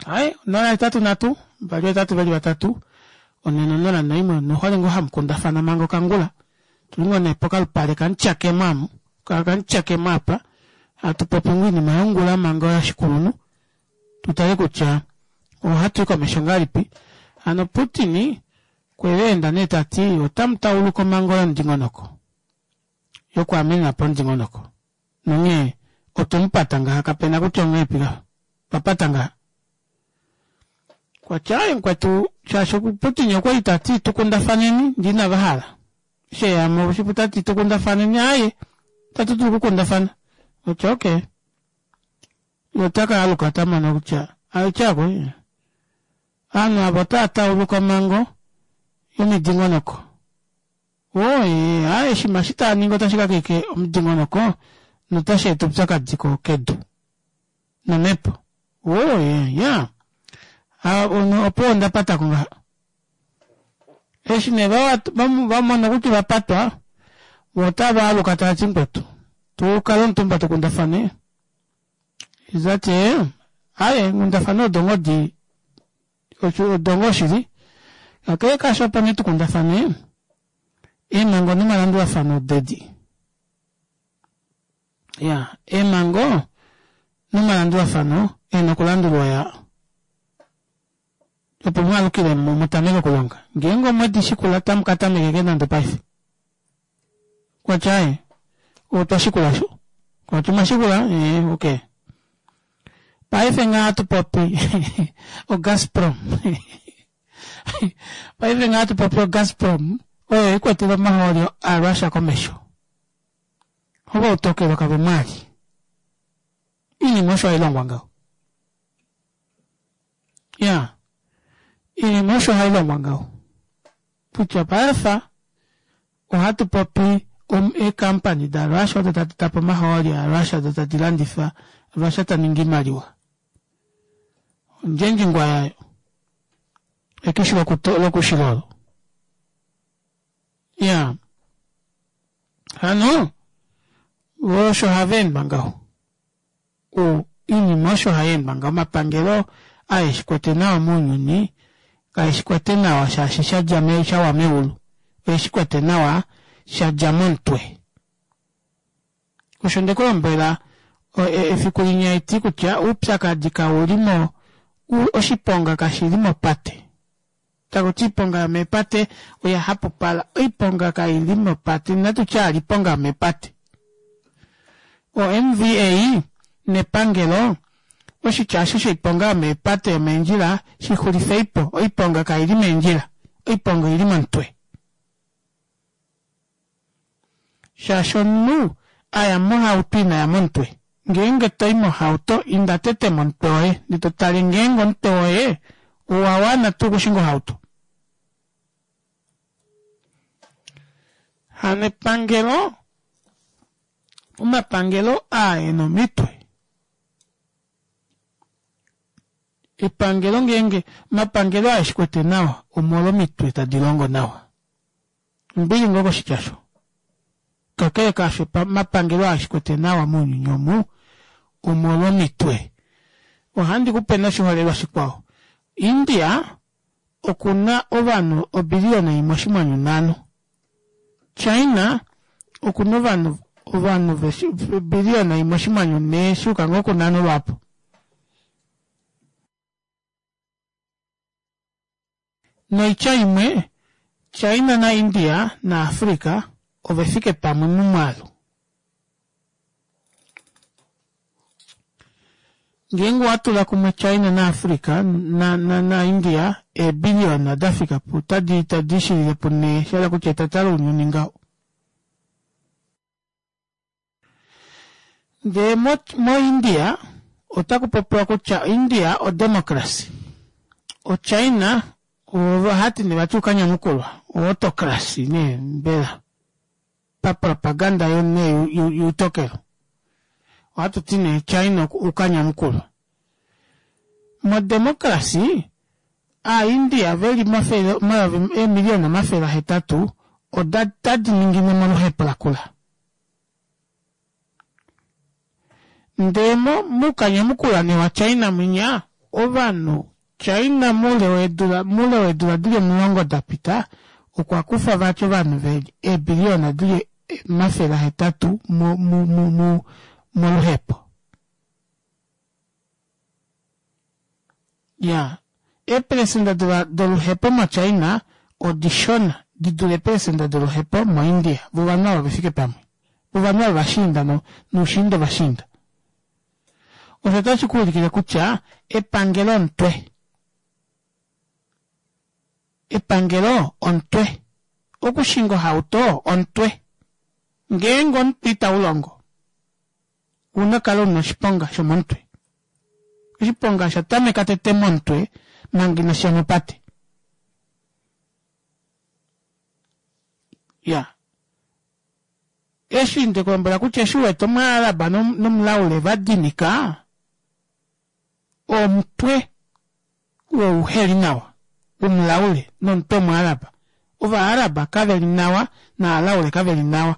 Aye, 083 2 8 4 0 1 nohole ngoo hamu kundafana manga okangula. Tuli ngoo nee pokalupale kamutyakemo amu, kamutyakemo apa, hatu popi ngoo oinima yongula manga yoshikulunhu. Tu tale kutya ohatu i komesho ngahelipi. Hano Putin kwe enda nee ta ti otamu tauluka omhango yomudingonoko yokuamenena po omudingonoko nonghee otwe mu pata ngaha kapena kutya onghee twa pata ngaha. Kwa tya aye mukwetu shaashi Putin okwa li ta ti tukundafaneni ndee inava hala. Eshi eya mo oshipu ta ti tukundafaneni aaye itatu dulu okukundafana. Otya okay. Ye ota ka aluka ta mono kutya aitya ko aanhu ava otava tauluka omhango yomidingonoko. Oo ee, aye oshinima eshi tava ningi otashi kakeke omudingonoko notashi eta oupyakadi ko kedu nomhepo. Oo ee, ya. Opo onda pata ko ngaha. Eshi nee va va mona kutya ova patwa, vo otava aluka tava ti mukwetu, tu kale omutumba tu kundafane. Eza ti ee, aye eenghundafana odo ngoo di odo ngoo shili. Kakele kaasho opo nee tu kundafane eemhango nomalandulafano odedi. Ya, eemhango nomalandulafano e na okulandulwa ya. Opo mu alukile mo mu tameke okulonga. Ngeenge omwedi shikula tamu ka tameke ke nande paife. Kwa tya aye, otwa shikula sho. Kwa tya omwa shikula? Ee, okay. Paife nga hatu popi oGazprom. Paife nga hatu popi oGazprom oyo ikwetele omahooli aRussia komesho. Ova utokelo kave mwali. Iinima osho hayi longwa ngaho. Ya, iinima osho hayi longwa ngaho. Kutya paife ohatu popi eekampani daRussia odo tadi tapa omahooli aRussia odo tadi landifa Russia ta ningi iimaliwa. Ondjendjingwa yayo. Ekishi lokushila olo. Ya. Hano, osho hava endwa ngaho. O, iinima osho hai endwa ngaho. Omapangelo ae shi kwete nawa mounyuni, kae shi kwete nawa shaashi sha dja me, sha wa meulu. Oye shi kwete nawa sha dja momutwe. Osho nde ku lombwela e, efiku linya eti kutya oupyakadi kau li mo, oshiponga kashi li mopate. Taku ti iiponga yomeepate oya hapupala. Oiponga kai li mopate, inatu tya ali iiponga yomeepate. O-MVA nepangelo oshitya osho shoiponga yomeepate yomeendjila shi xulifei po. Oiponga kai li meendjila, oiponga oi li momutwe. Shaashi omunhu a ya mohauto ina ya momutwe. Ngeenge to i mohauto, inda tete momutwe woye ndee to tale ngeenge omutwe woye owa wana tuu okushinga ohauto. Hano epangelo Omapangelo aa e na omitwe. Epangelo ngeenge omapangelo aa eshi kwete nawa omolwomitwe tadi longo nawa. Ombili ngoo koshitya osho. Kakele kaasho omapangelo aa eshi kwete nawa mounyuni omu omolwomitwe. Ohandi ku pe noshiholelwa shikwao. India oku na ovanhu obiliyona imwe oshinghwanyu nhano. China oku na ovanhu ovanhu obiliyona imwe oshinghwanyu nhee sha yuka ngoo kunhano lwaapo. Noitya imwe, China naIndia naAfrica ove fike pamwe momwaalu. Ngeenge owa tula kumwe China naAfrica na, na, naIndia, eebiliyona da fika pu, tadi, tadi shilile punhee, sha hala kutya etata lounyuni ngaho. Ndee mo, moIndia, otaku popiwa kutya India odemocracy. OChina, ohati nee vati oukanyamukulwa, oautocracy nee mbela. Papropaganda yo nee youtokelo. Ohatu ti nee China oukanyamukulwa. Modemocracy, Aaindia ve li mafele, omayovi, eemiliyona 800 oda tadi ningine moluhepo lakula. Ndee mo, moukanyamukula nee waChina mwinya, ovanhu, China moule weedula, moule weedula dili omulongo dapita, okwa kufa vati ovanhu ve li eebiliyona dili 800 mo, mo, mo, mo, moluhepo. Ya, eepelesenda doluhepo moChina odishona di dule eepelesenda doluhepo moIndia. Vo ovanhu ava ove fike pamwe. Vo ovanhu ava ovashiinda no, noushiinda ovashiinda. Osho otashi ku ulikile kutya epangelo omutwe. Epangelo omutwe. Okushinga ohauto omutwe. Ngeenge omutwe itau longo, ouna kala una oshiponga shomomutwe. Oshiponga osha tameka tete momutwe manga inashi ya mopate. Ya. Eshi nde ku lombwela kutya eshi u wete Omuaraba nomulaule va dinika, omutwe oo uhe li nawa womulaule nomutwe wOmuaraba. Ovaaraba kave li nawa naalaule kave li nawa.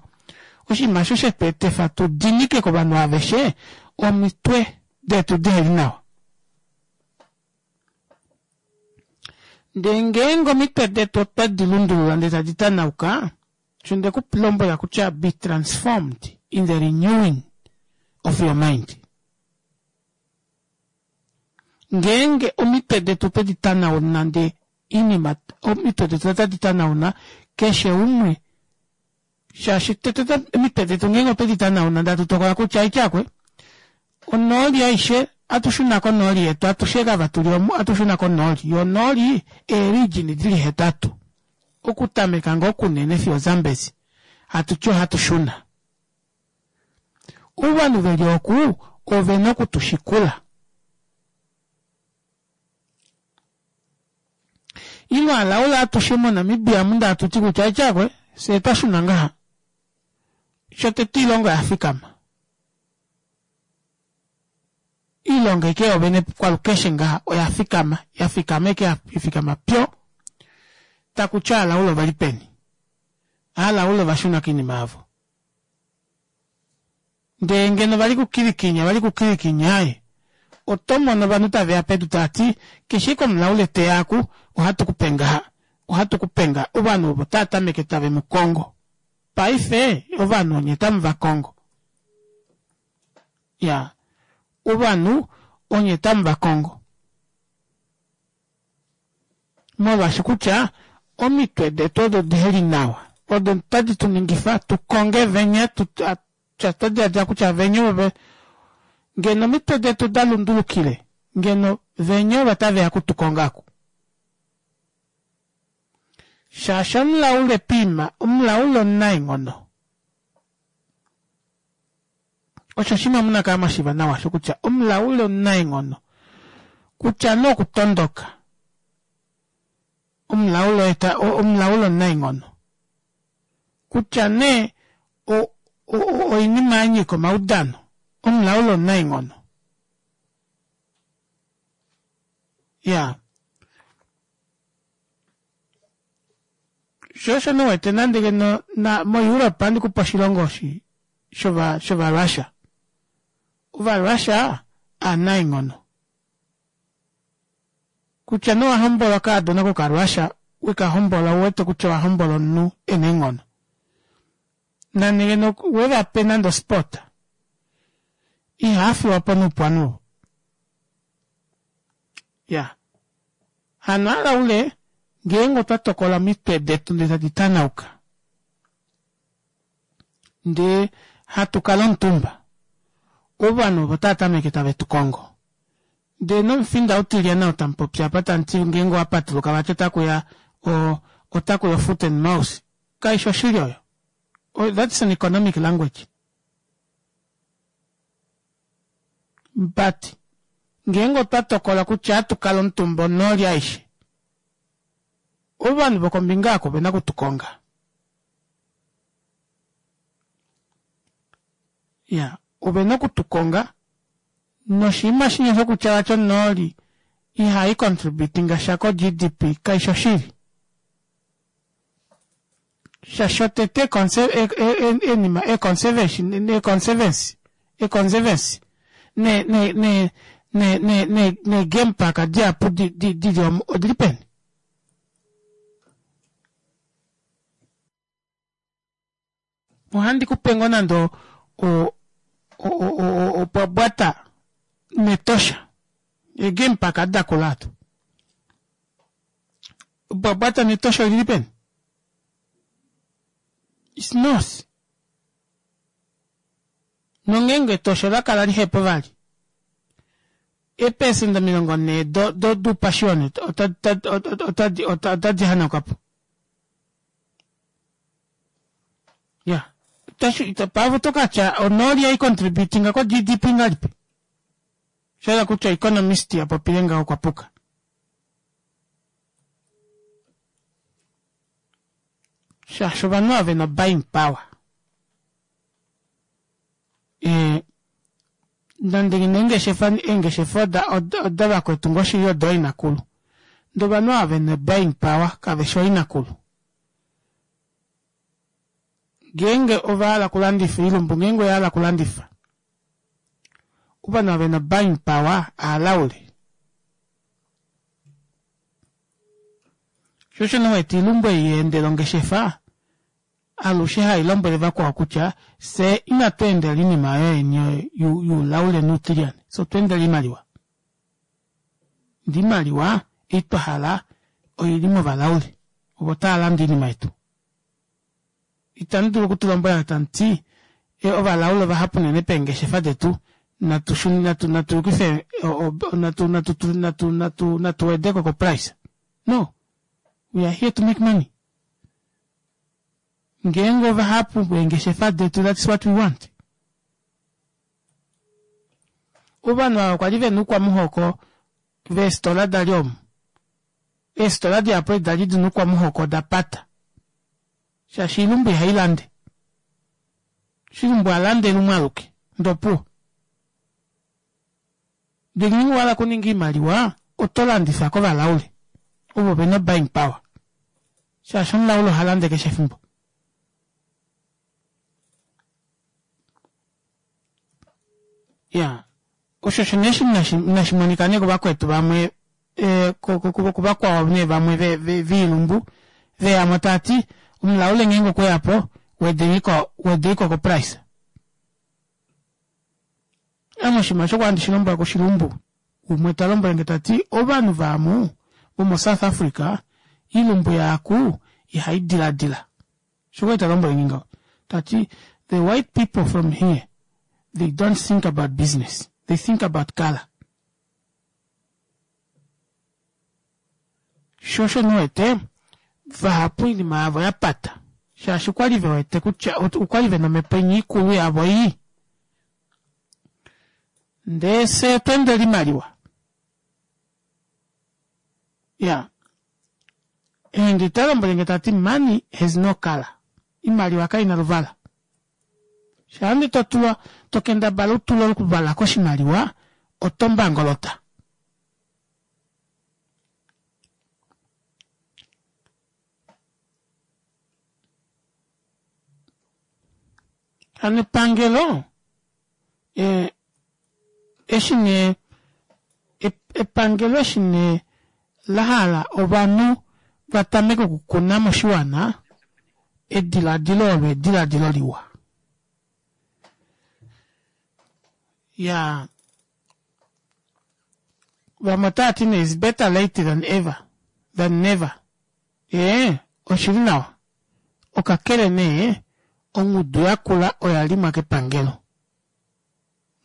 Oshinima osho she tu etifa tu dinike kovanhu aveshe omitwe detu dihe li nawa. Ndele ngeenge omitwe detu otwe di lundulula ndele tadi tanauka, Osho nde ku lombwela kutya be transformed in the renewing of your mind. Ngeenge omitwe detu otwe di tanauna nde inima omitwe detu otadi tanauna keshe umwe shaashi tete omitwe detu ngeenge otwe di tanauna ndee hatu tokola kutya aityakwe onooli aishe atushuna konooli yetu atushe kava tuli omu atushuna konooli yo onooli eerijini dili hetatu Okutameka ngoo kunene fiyo Zambezi, hatu ti ohatu shuna. Ovanhu ve li oku ove na oku tu shikula. Ino alaula atushe moNamibia mu nda hatu ti kutya etyakwe, fye twa shuna ngaha. Shotete oilonga oya fikama. Iilonga eke yovene kwalukeshe ngaha oya fikama, ya fikama eke ya fikama pyo. Taku ti aalaula ove li peni? Aalaula ova shuna koinima yavo. Ndee ngeno va li kukilikinya, va li kukilikinya aye. Oto mono ovanhu tave ya pedu tava ti, Keshe eke omulaule te ya aku, ohatu ku pe ngaha. Ohatu ku pe ngaha. Ovanhu ovo otava tameke tave mu kongo. Paife ovanhu onye tamu va kongo. Ya, ovanhu onye tamu va kongo. Molwaashi kutya omitwe detu odo dihe li nawa, odo tadi tu ningifa tu konge venya, tu, twa twa diladila kutya venya ovo ngeno omitwe detu da lundulukile, ngeno venya ovo tave ya kutu konga aku. Shaashi omulaule piima, omulaule omunaenghono. Osho oshinima mu na kala mwa shiiva nawa osho kutya omulaule omunaenghono, kutya nee okutondoka, omulaule oye ta, omulaule omunaenghono. Kutya nee o, Oinima ya nyika omaudano, omulaule omunaenghono. Ya. Sho osho nee wete nande ngeno na moEurope ohandi kupe oshilongo shi shova shOvarussia. OvaRussia aanaenghono. Kutya nee owa hombola okaadona kokaRussia, weka hombola ou wete kutya owa hombola omunhu e na eenghono. Nande ngeno we va pe nande osport, ihaa fiwa po noupu ovanhu ovo. Ya. Hano alaule ngeenge otwa tokola omitwe detu ndee tadi tanauka, ndee hatu kala omutumba, ovanhu ovo otava tameke tave tu kongo. Ndee nomufinda utilyana ou tamu popi apa tamu ti ngeenge owa patuluka vati otaku ya o otaku ya o-foot and mouth, kaishi oshili oyo. That's an economic language. But ngeenge otwa tokola kutya ohatu kala omutumba onooli aishe, ovanhu vokombinga oko ovena okutu konga. Ya, ovena okutu konga noshinima shinya shokutya vati onooli ihai contributinga sha ko-GDP kaishi oshili. Sha shotete enima e-conservation e-conservancy e-conservancy ne ne ne ne ne ne ne game park dihapu di di dili omu odili peni? Ohandi ku pe ngoo nande o o o opwabwata nEtosha ee-game park dakula ado. Bwabwata nEtosha olili peni? It's north. Nongeenge Etosha ola kala lihepo vali, eepesenda 40 do, do, doupashioni otadi, otadi hanauka po. Ya. Itashi, paife oto ka tya onooli yai contributinga ko GDP ngalipi? Sha hala kutya economist ya popile ngaho okwa puka. Shaashi ovanhu ava vena buying power. E, nande ngeno eengeshefa, eengeshefa oda, oda, oda vakwetu ngoo shili odo inakulu. Ndee ovanhu ava vena buying power kave shi ooinakulu. Ngeenge ova hala okulandifa oilumbu, ngeenge oya hala okulandifa, ovanhu ava vena buying power aalaule. Sho osho nee wete oilumbu ei ya endela ongeshefa alushe hai lombwele vakwao kutya fye inatu endela oinima yoyeni youlaule nuutilyane, fye otwa endela oimaliwa. Ndee oimaliwa ei twa hala oili movalaule, ovo tava lande oinima yetu. Itamu dulu okutu lombwela tamu ti, Ovalaule ovahapu unene peengeshefa detu, natu shune, natu, natu yukife, natu, natu, natu, natu, natu wede ko koprice. No. We are here to make money. Ngeenge ovahapu peengeshefa detu, that's what we want. Ovanhu ava okwa li ve na oukwamuhoko veestola da li omu. Eestola dihapu edi da li di na oukwamuhoko oda pata. Shaashi oilumbu ihai lande. Shilumbu a lande lumwe aluke, ndee opuwo. Ndee ngeenge owa hala okuninga oimaliwa, oto landifa kovalaule, ovo ve na o-buying power. Shaashi omulaule oha lande keshe efimbo. Ya, osho osho nee inashi monika nee kuvakwetu vamwe eh, kuvakwao nee vamwe viilumbu veyamo tava ti omulaule ngeenge okwe ya po wedeliko wedeliko ko price. Ame oshinima osho kwa ndi lombwela kushilumbu umwe ta lombwele nge ta ti ovanhu vaamu vomo South Africa iilumbu yaaku ihai diladila. Osho kwali ta lombwele nge ngaho. Ta ti the white people from here they don't think about business they think about colour. Sho osho ndi wete vahapu oinima yavo ya pata shaashi okwali ve wete kutya okwali vena omhepo inya ikulu yavo ii. Ndee fye otwa endela oimaliwa. Ya. Endi ota lombwele nge ta ti money has no colour. Imaliwa kai na luvala. Shaa nde to tulwa to kendabala u tule okuvala koshimaliwa oto mbangolota. Hano epangelo eh, eshi nee epangelo eshi nee la hala ovanhu va tameke okukuna moshiwana ediladilo olo ediladilo liwa. Ya vamwe otava ti nee is better late than ever than never. Ee, oshili nawa. Okakele nee ongudu yakula oya limwa kepangelo.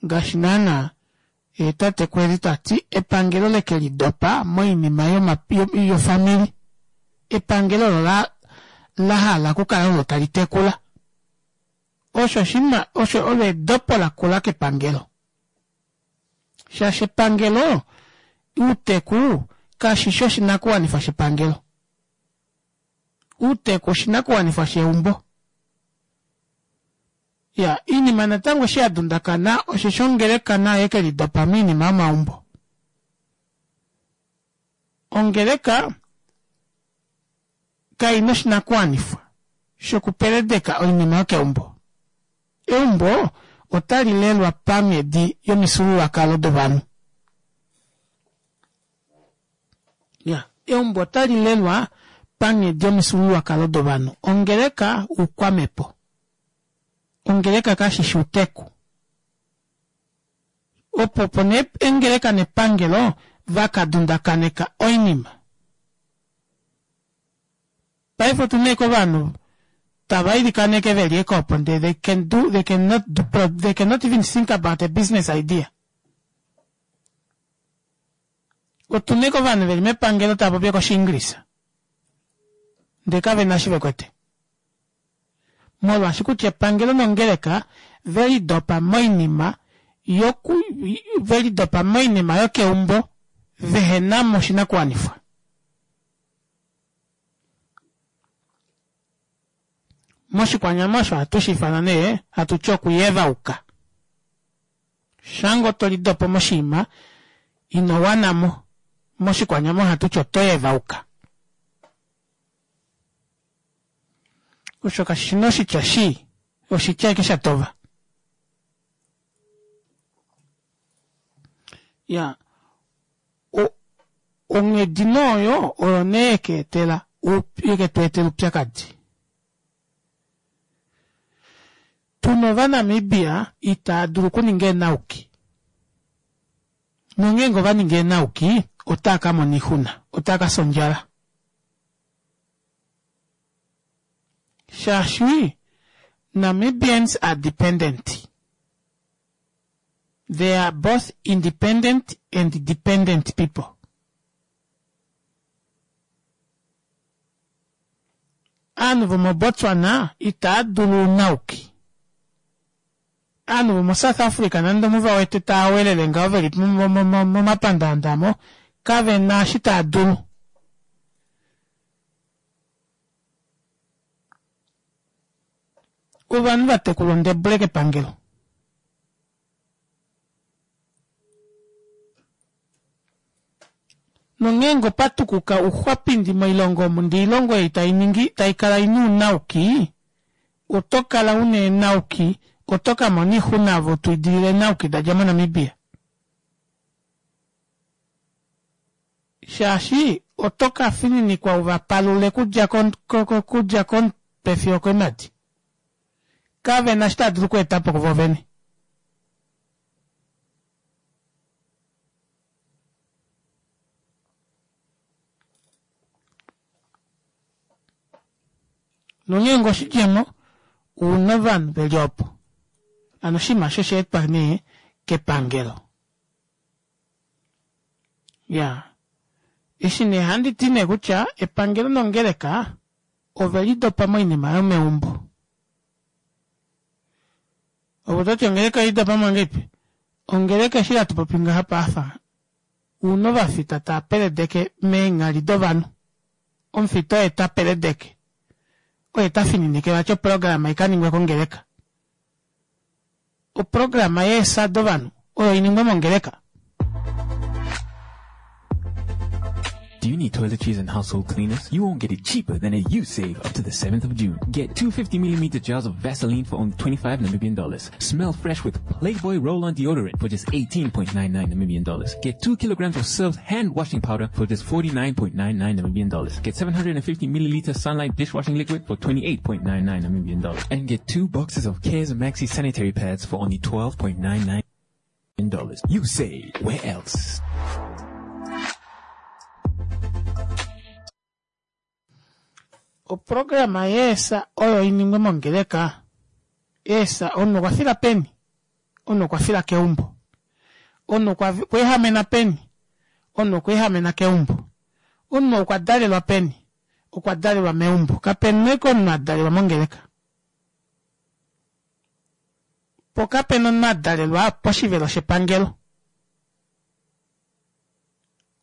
Ngaashi naana tate Kwezi ta ti epangelo leke lidopa moinima yofamili. Epangelo olo la la hala okukala olo tali tekula. Osho oshinima osho olo edopo lakula kepangelo. Shaashi epangelo uuteku kashi shi oshinakuwanifwa shepangelo. Uuteku oshinakuwanifwa sheumbo. Ya, iinima natango eshi ya dundakana osheshi ongeleka nayo yeke lidopa miinima yomaumbo. Ongeleka kai na oshinakuwanifwa shokupeledeka oinima yokeumbo. Eumbo otali lelwa panghedi yomifyuululwakalo dovanhu. Ya, eumbo otali lelwa panghedi yomifyuululwakalo dovanhu. Ongeleka oukwamhepo. Ongeleka kashi shi outeku. Opo opo nee engeleka nepangelo va ka dundakaneka oinima. Paife otu na ovanhu tava ilikaneke ve li ekopo ndele they can do, they cannot do, they cannot even think about a business idea. Otu na ovanhu ve li mepangelo tava popi kOshiingilisa ndele kave na shi ve kwete. Molwaashi kutya epangelo nongeleka ve lidopa moinima yoku ve lidopa moinima yokeumbo vehe na mo oshinakuwanifwa. Moshikwanyama osho ohatu shi ifana nee hatu ti okuyevauka. Shango to lidopo moshinima ino wana mo, moshikwanyama ohatu ti oto yevauka. Osho kashi na oshitya shii, oshitya eke sha tova. Ya, onghedi nooyo oyo nee yeke etela yeke tu etela oupyakadi. Tuna Ovanamibia itaa dulu okuninga eenauki. Nongeenge ova ningi eenauki, otaa ka mona oixuna, otaa ka fya ondjala. Shaashi Namibians are dependent. They are both independent and dependent people. Aanhu vomoBotswana itaa dulu ounauki. Aanhu vomoSouth Africa nande omu va wete taa welele ngaho ve li momapandaanda mo, kave na eshi taa dulu. Ovanhu va tekulwa ondebule kepangelo. Nongeenge opa tukuka ouxwapindi moilongo omu ndee oilongo ei tai ningi tai kala ina ounauki, oto kala una eenauki, oto ka mona oixuna ove to idilile eenauki da dja moNamibia. Shaashi oto ka fininikwa u va palule kudja kudja komutwe fiyo okoimati. Kave na eshi tava dulu okweeta po kuvo vene. Nongeenge oshidjemo, ouna ovanhu ve li opo. Hano oshinima osho osha etwa nee kepangelo. Ya. Eshi nee handi ti nee kutya epangelo nongeleka ove lidopa moinima yomeumbo. Ove oto ti ongeleka oye lidopa mo ngahelipi? Ongeleka eshi hatu popi ngaha paafa, ouna ovafita tava peledeke meenghali dovanhu. Omufita oye ta peledeke, oye ta fininike vati oprograma i ka ningwe kongeleka. Oprograma yeesa dovanhu oyo iningwe mongeleka. Do you need toiletries and household cleaners? You won't get it cheaper than at Usave up to the 7th of June. Get 250 millimeter jars of Vaseline for only 25 Namibian dollars. Smell fresh with Playboy Roll-On Deodorant for just 18.99 Namibian dollars. Get 2 kilograms of Surf's hand washing powder for just 49.99 Namibian dollars. Get 750 milliliter Sunlight dishwashing liquid for 28.99 Namibian dollars. And get 2 boxes of Cares Maxi sanitary pads for only 12.99 dollars. You say, where else? Oprograma yeesa oyo iningwe mongeleka. Eesa omunhu okwa fila peni? Omunhu okwa fila keumbo. Omunhu okwa ehamena peni? Omunhu okwa ehamena keumbo. Omunhu okwa dalelwa peni? Okwa dalelwa meumbo. Kapena eke omunhu a dalelwa mongeleka. Po kapena omunhu a dalelwa poshivelo shepangelo.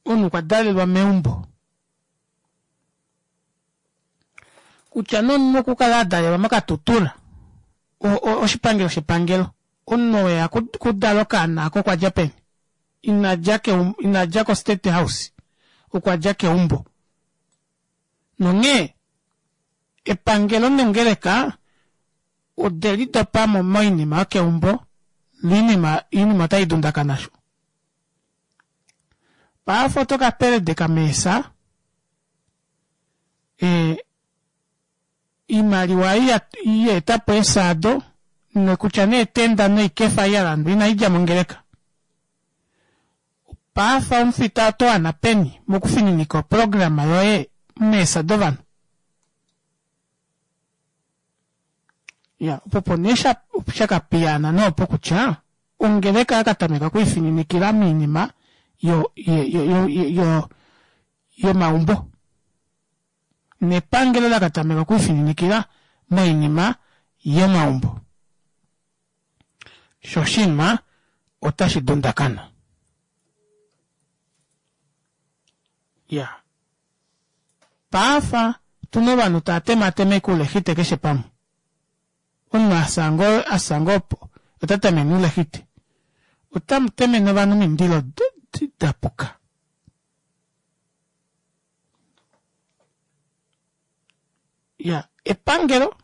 Omunhu okwa dalelwa meumbo. Kutya nee omunhu okukala a dalelwa moKatutura, oshipangelo shepangelo, omunhu oo eya kudala okaana ako okwa dja peni? Ina dja keumbo, ina dja koState House, okwa dja keumbo. Nonghee epangelo nongeleka ode lidopa mo moinima yokeumbo, noinima oinima otai dundakana sho. Paife oto ka peledeka meesa, e, iimaliwa ei ya eta po eesaado nokutya nee etenda noikefa ei ya landwa inai dja mongeleka. Paife omufita oto wana peni mokufininika oprograma yoye meesa dovanhu? Ya, opo opo nee sha, sha ka piyaana nee opo kutya ongeleka ya ka tameka okwiifininikila moinima yo, yo, yo, yo, yo, yomaumbo. Nepangelo la ka tameka okwiifininikila moinima yomaumbo. Sho oshinima otashi dundakana. Ya. Paafa tuna ovanhu tava tematema oikulexite keshe pamwe. Omunhu a fya ngoo a fya ngoo opo ota temene oulexite. Otamu temene ovanhu omindilo da puka. Ya, epangelo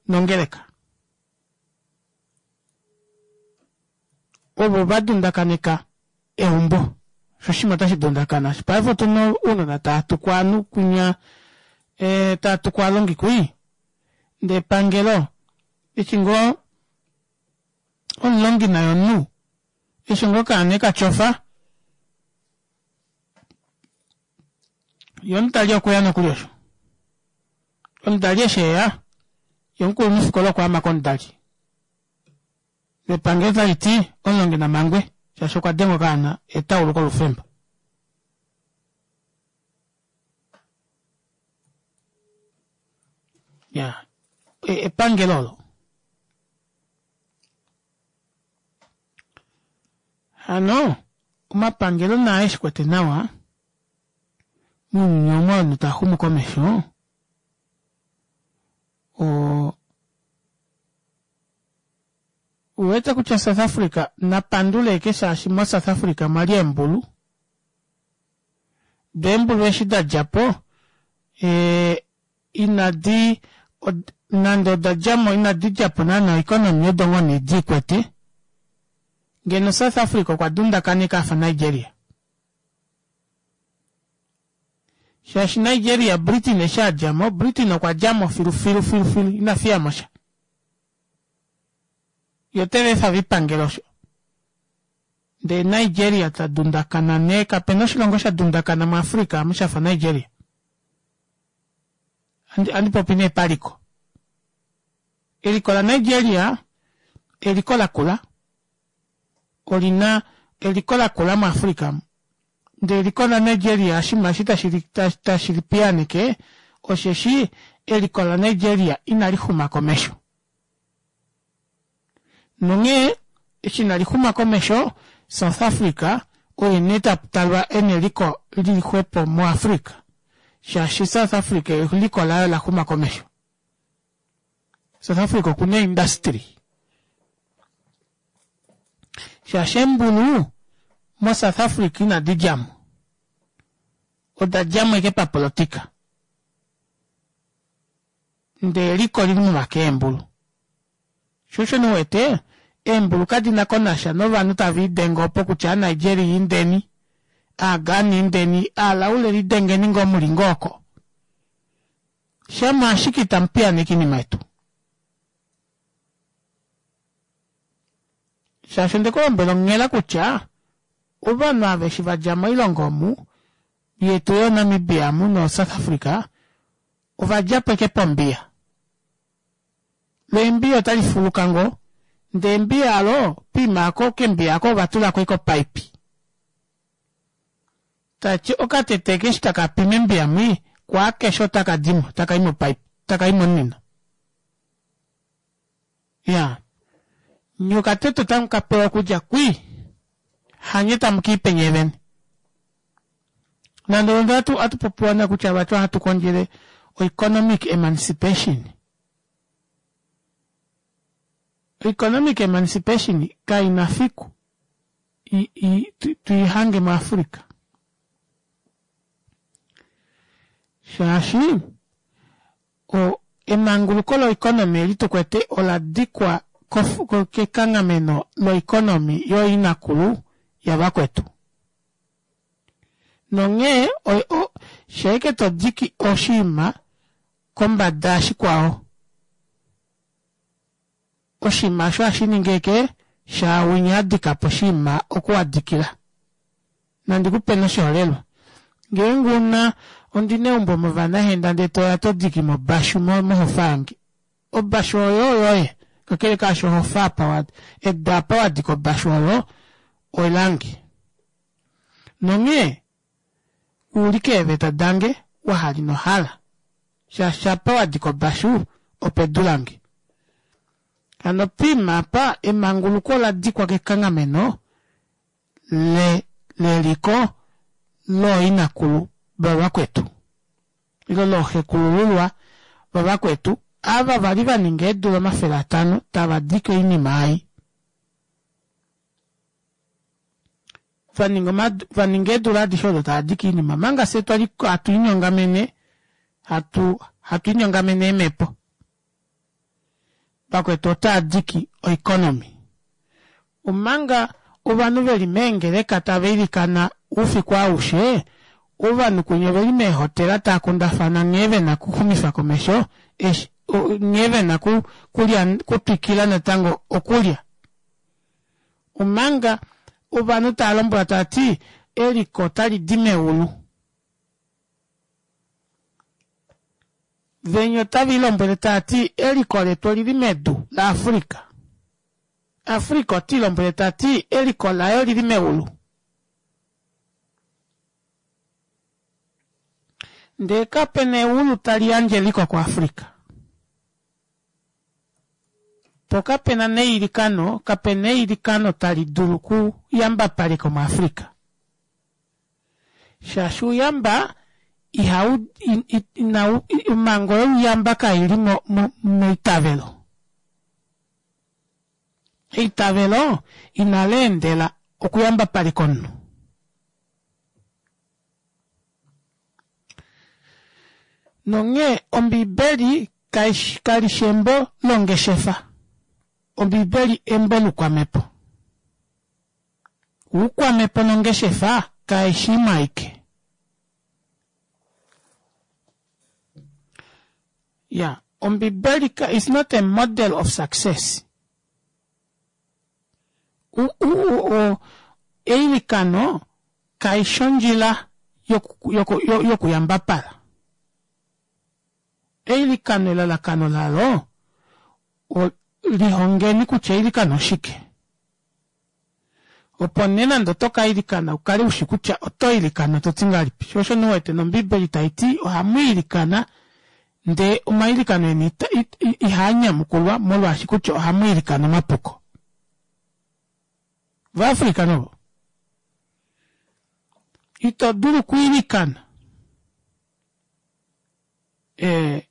nongeleka ovo va dundakaneka eumbo. Sho oshinima otashi dundakana. Paife otu na ounona tava tuku ovanhu kwinya, e, tava tuku ovalongi kwii. Ndee epangelo eshi ngoo omulongi naye omunhu, eshi ngoo okaana eka tyofa, Ye omudali okwe ya nokuli osho. Omudali eshi e ya, ye omukulunhufikola okwa ama komudali. Nepangelo tali ti omulongi na mangwe shaashi okwa denga okaana etauluko lufemba. Ya, epangelo olo. Hano omapangelo naa eshi kwete nawa mounyuni omu ovanhu tava xumu komesho o uwete kutya South Africa na pandule eke shaashi mo South Africa omwa li eembulu do eembulu eshi da dja po e, inadi nande oda dja mo inadi dja po naana oeconomy odo ngoo nee di kwete ngeno South Africa okwa dundakaneka afa Nigeria shaashi Nigeria Britain eshi a dja mo Britain okwa dja mo filu filu filu filu ina fiya mo sha yo teve efa vipangele osho ndee Nigeria ta dundakana nee kapena oshilongo sha dundakana muAfrica amu shafa Nigeria andi popi nee paliko eliko laNigeria eliko lakula olina eliko lakula muAfrica ndee eliko laNigeria oshinima eshi tashi li piyaaneke osheshi eliko laNigeria inali xuma komesho nonghee eshi inali xuma komesho South Africa oye nee ta talwa ena eliko lili xwepo muAfrica shaashi South Africa eliko laye ola xuma komesho. South Africa okuna industry. Shaashi eembulu moSouth Africa inadi dja mo. Oda dja mo ashike papolotika. Ndee eliko lili momake eembulu. Sho osho nee u wete eembulu kadi na ko nasha novanhu tave idenge opo kutya aaNigeria indeni, aaGhana indeni, aalaule lidengeni ngoo muli ngoo oko. Shama ashike itamu piyaaneke oinima yetu. Shaashi onde ku lombwela onghela kutya ovanhu ava eshi va dja moilongo omu yetu yoNamibia amu noSouth Africa ova dja po ashike pombiya. Lo embiya otali fuluka ngoo ndee embiya alo poima ako kembiya ako ova tulako ashike opaipi. Tati okatete eshi taka pi membiya mwi kwaakeshe otaka dimo taka i mopaipi taka i momunino. Ya nye okatete otamu ka pewa okudja kwii hanye tamu kiipe nyee vene. Nande nande atu atu popiwa na kutya vati ohatu kondjele oeconomic emancipation. Oeconomic emancipation kaina fiku i, i, tu, tuihange muAfrica. Shaashi o, emanguluko loeconomy eli tu kwete ola dikwa kekanghameno loeconomy yooinakulu yavakwetu. Nonghee sheeke to diki oshinima kombada yashikwao, oshinima osho ohashi ningi eke shaawinya a dika po oshinima oku wa dikila. Nandi ku pe noshiholelwa. Ngeenge u na, ondi na eumbo mOvanahenda ndee to ya to diki mobashu mohofa yange. Obashu oyo oyoye, kakele kaasho ohofa apa wa, edu apa wa dika obashu oyo olange. Nonghee ulike eeveta dange wa hala ino hala, shaashi apa wa dika obashu opedu lange. Hano poima apa emanguluko ola dikwa kekanghameno le leliko looinakulu vavakwetu ile looxekulululwa vavakwetu ava vali va ninga eedula 500 tava dike oinima ei. Va ninga omadu, va ninga eedula adishe odo tava dike oinima omanga fye twali hatu linyongamene hatu hatu linyongamene eemhepo. Vakwetu otaa diki oeconomy. Omanga ovanhu ve li meengeleka tava ilikana oufiku aushe, ovanhu kwinya ove li meehotela tava kundafana nghee ve na okuxumifa komesho eshi, nghee ve na kulya, kutwikila natango okulya. Omanga ovanhu tava lombwelwa tava ti eliko otali di meulu. Venya otava ilombwele tava ti eliko letu olili medu laAfrica. Africa ota ilombwele ta ti eliko laye olili meulu. Ndee kape na eulu tali yandje eliko kuAfrica. Po kape na neilikano, kape na eilikano tali dulu ku yambapaleka omuAfrica. Shaashi ouyamba ihau, inau, omhango youyamba kai li mo, mo, meitavelo. Eitavelo inali endela okuyambapaleka omunhu. Nonghee Ombibeli kali shi embo longeshefa. Ombibeli embo loukwamhepo. Oukwamhepo nongeshefa kai shi imwe aike. Ya, Ombibeli is not a model of success. U, u, u, u, eilikano kai shi ondjila yokuyambapala. Eilikano elalakano lalo lihongeni kutya eilikano oshike. Opo nee nande oto ka ilikana u kale u shi kutya oto ilikana to ti ngahelipi. Sho osho nee u wete nOmbiibeli tai ti ohamu ilikana ndee omailikano eni ihaa nyamukulwa molwaashi kutya ohamu ilikana omapuko. Ovaafrika novo ito dulu okuilikana e,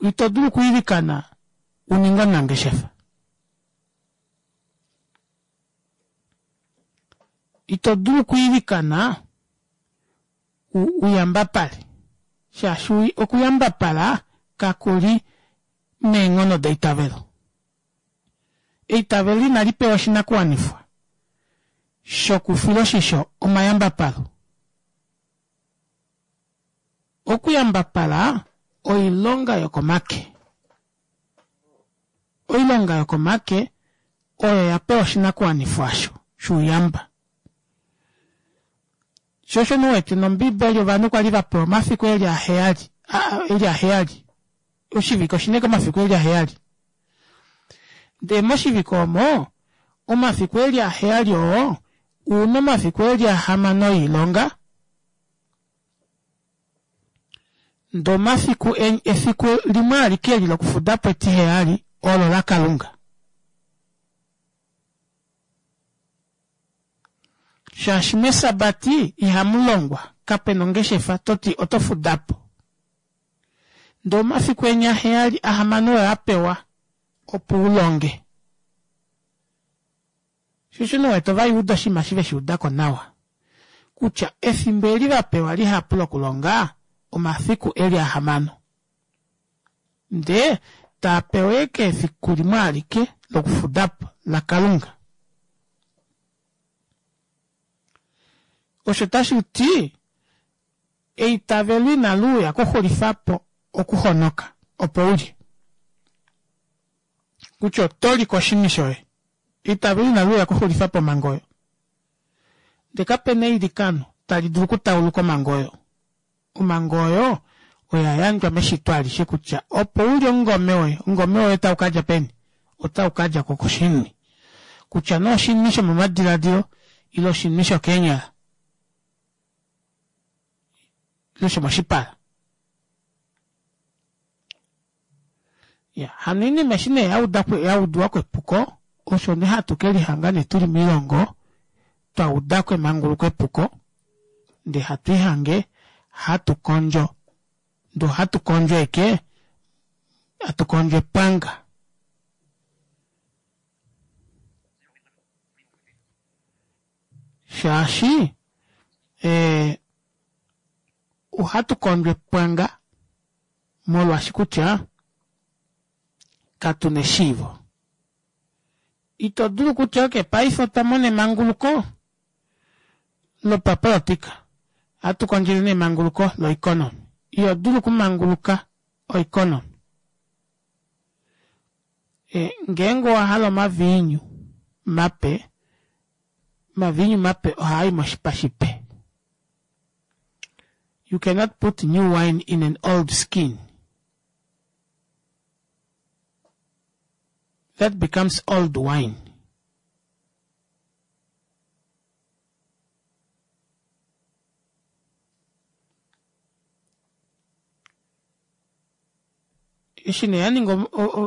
ito dulu okuilikana u ninge omunangeshefa. Ito dulu okwiilikana u, u yambapale, shaashi okuyambapala kaku li meenghono deitavelo. Eitavelo inali pewa oshinakuwanifwa shokufiloshisho omayambapalo. Okuyambapala oilonga yokomake. Oilonga yokomake oyo ya pewa oshinakuwanifwa osho shouyamba. Sho osho nee u wete nOmbiibeli ovanhu kwa li va pewa omafiku e li aheyali, e li aheyali. Oshivike oshi na ashike omafiku e li aheyali. Ndee moshivike omo, omafiku e li aheyali oo, u na omafiku e li ahamano oilonga, ndee omafiku efiku limwe alike eli lokufuda po etiheyali olo laKalunga. Shaashi mEsabati ihamu longwa, kape na ongeshefa to ti oto fuda po. Ndee omafiku enya aheyali ahamano oyo a pewa opo u longe. Shosho nee wete Ovayuda oshinima eshi ve shi uda ko nawa kutya efimbo eli va pewa lihapu lokulonga omafiku e li ahamano. Ndee taa pewa eke efiku limwe alike lokufuda po, laKalunga. Osho tashi ti eitavelo inali uya kuxulifa po okuhonoka opo u lye. Kutya oto li koshini shoye. Eitavelo inali uya kuxulifa po omhango oyo. Ndele kape na eilikano tali dulu okutauluka omhango oyo. Omhango oyo oya yandjwa meshito alishe kutya opo u lye omungome woye, omungome woye otau ka dja peni? Otau ka dja ko koshini. Kutya nee oshini shomomadiladilo ile oshini shokeenyala ile shomoshipala. Ya, hano oinima eshi nee ya udiwa ko epuko, osho nee hatu ke lihanga nee tu li moilongo twa uda ko emanguluko epuko, ndee hatu ihange hatu kondjo, ndee ohatu kondjo eke, hatu kondjo epwanga. Shaashi eh, ohatu kondjo epwanga molwaashi kutya katu na eshiivo. Ito dulu kutya ok paife otwa mona emanguluko lopapolotika, ohatu kondjele nee emanguluko loeconomy. Iho dulu okumanguluka oeconomy. E, ngeenge owa hala omaviinyu mape, omaviinyu mape ohaa i moshipa shipe. You cannot put new wine in an old skin. That becomes old wine. Eshi nee ya ninga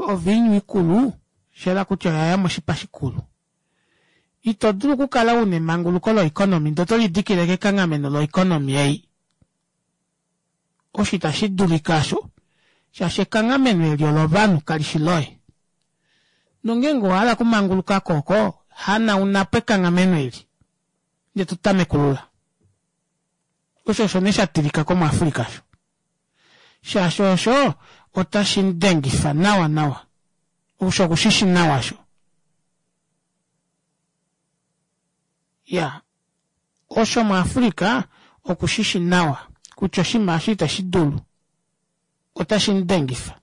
oviinyu ikulu, osha yela kutya oya ya moshipa shikulu. Ito dulu okukala u na emanguluko loeconomy ndee oto lidikile kekanghameno loeconomy ei. Osho itashi dulika osho, shaashi ekanghameno eli olovanhu, kali shi loye. Nongeenge owa hala okumanguluka ko oko, hanauna po ekanghameno eli, ndee to tamekulula. Osho osho nee sha tilika komuAfrica osho. Shaashi osho otashi mu dengifa nawa nawa. Osho oku shi shi nawa osho. Ya, osho muAfrica oku shi shi nawa kutya oshinima osho itashi dulu. Otashi mu dengifa.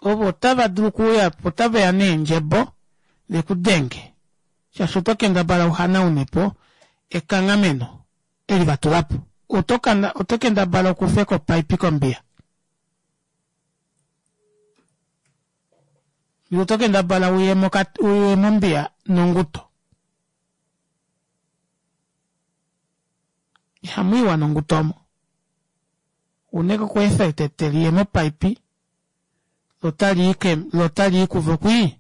Ovo otava dulu okuuya po, otave ya neendjebo ve ku denge, shaashi oto kendabala u hanaune po ekanghameno eli va tula po. Oto, oto kendabala okufeka opaipi kombiya. Ile oto kendabala uye moka, uye mombiya nonguto. Ihamu iwa nonguto omo. Uneke okweefa etete liye mopaipi, lo tali i ke, lo tali i kuvo kwii,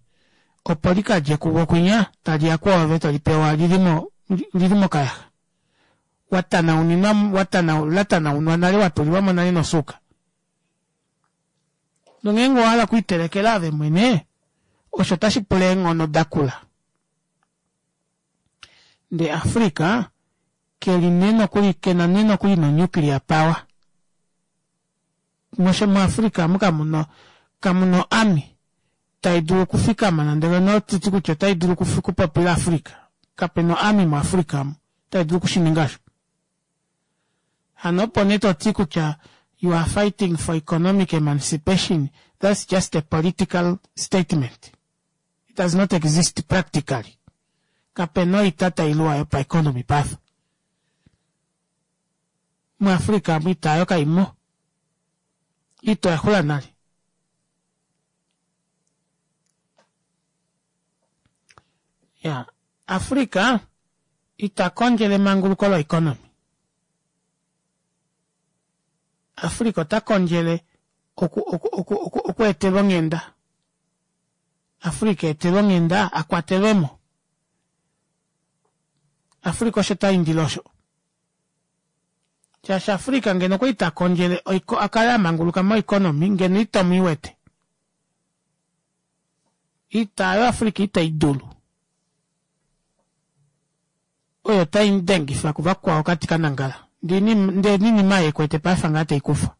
opo li ka dje kuvo kwinya, tali ya kwoove to li pewa li li mo, li li mokayaxa. Wa tanauninwa, wa tana, la tanaunwa nale, wa tulilwa mo nale nosuuka. Nongeenge owa hala okwiitelekela ove mwene, osho otashi pula eenghono da kula. Ndee Africa keli nee nokuli kena nee nokuli no nuclear power. Mosho muAfrica amu kamuno kamuno army tai dulu okufikama nande ngeno otiti kutya otai dulu okupopila Africa. Kapena oarmy muAfrica amu tai dulu okushininga osho. Hano opo nee toti kutya you are fighting for economic emancipation, that's just a political statement. It does not exist practically. Kapena oita tai luwa yopaeconomy paife. MuAfrica amu ita oyo kaimo. Ita oya xula nale. Ya, Africa ita kondjele emanguluko loeconomy. Africa ota kondjele oku, oku, oku, oku, oku etelwa onghenda. Africa etelwe onghenda a kwatelwe mo. Africa osho ta indile osho. Shaashi Africa ngeno okwa li ta kondjele oiko, a kale a manguluka moeconomy ngeno ito mu iwete. Ita yo Africa itai dulu. Oyo tai mu dengifa kuvakwao kati ka nangala. Ndee ninima ye kwete paife ngaa tei kufwa.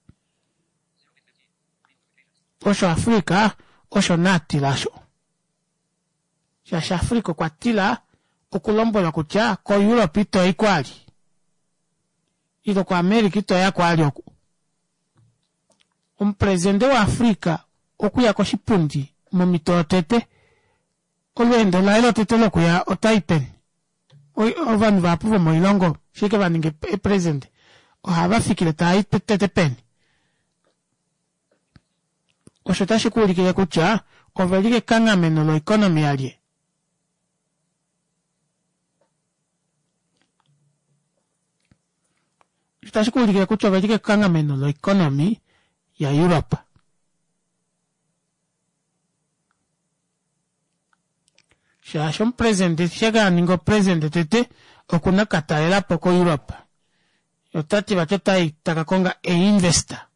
Osho Africa osho naa tila osho. Shaashi Africa okwa tila okulombwelwa kutya ko Europe ito i kwali. Ile ko America ito ya kwali oku. Omupresidente waAfrica okuya koshipundi momhito yotete Olweendo laye lotete lokuya otai peni? Ovanhu vahapu vomoilongo shike va ninga eepresidente ohava fikile tava i tete peni? Osho otashi ku ulikile kutya ove li kekanghameno loeconomy yalye. Osho otashi ku ulikile kutya ove li kekanghameno loeconomy yaEurope. Shaashi omupresidente sheke a ninga opresidente tete oku na ka talela po koEurope. Ota ti vati ota i ta ka konga einvesta.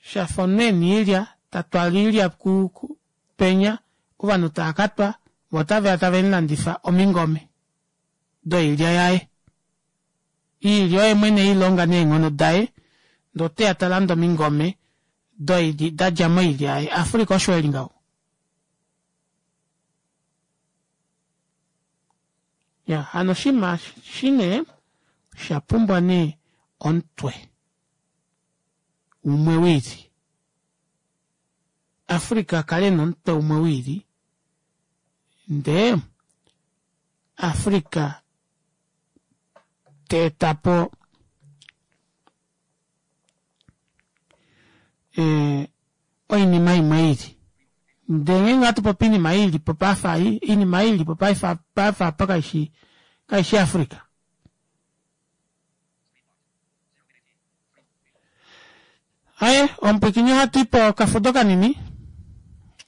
Shafa omunhu e na oilya ta twala oilya penya ovanhu tava ka twa vo otave ya tave mu landifa omingome. doilya yaye. Iilya oye mwene ei longa neenghono daye, ndee ote ya ta lande omingome doilya da dja moilya yaye. Africa osho eli ngaho. Ya, hano oshinima eshi nee osha pumbwa nee omutwe umwe wiili. Africa a kale ena omutwe umwe wiili ndee Africa ta eta po eh, oinima imwe ili ndele ngeenge ohatu popi oinima ili po paife ei oinima ili po paife paife apa kaishi kaishi Africa aye omupwikinyi ohatu i po okafudo kanini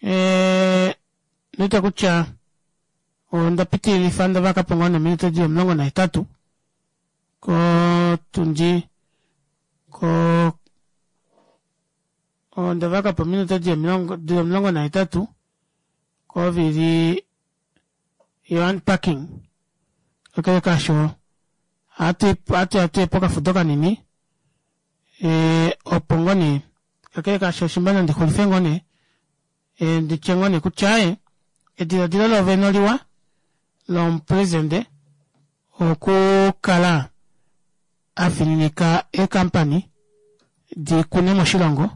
eh, Ndite kutya onda pitililifa nda vaka po ngoo nominute di li 18 kotundi ko onda vaka po ominute di li 18 kovili yo unpacking. Kakele kaasho ohatu ohatu ya pokafudo kanini opo ngoo nee kakele kaasho shimba nandi xulife ngoo nee Ndi tye ngoo nee kutya aaye, ediladilo loovene oliwa lomupresidente okukala a fininika eekampani di kune moshilongo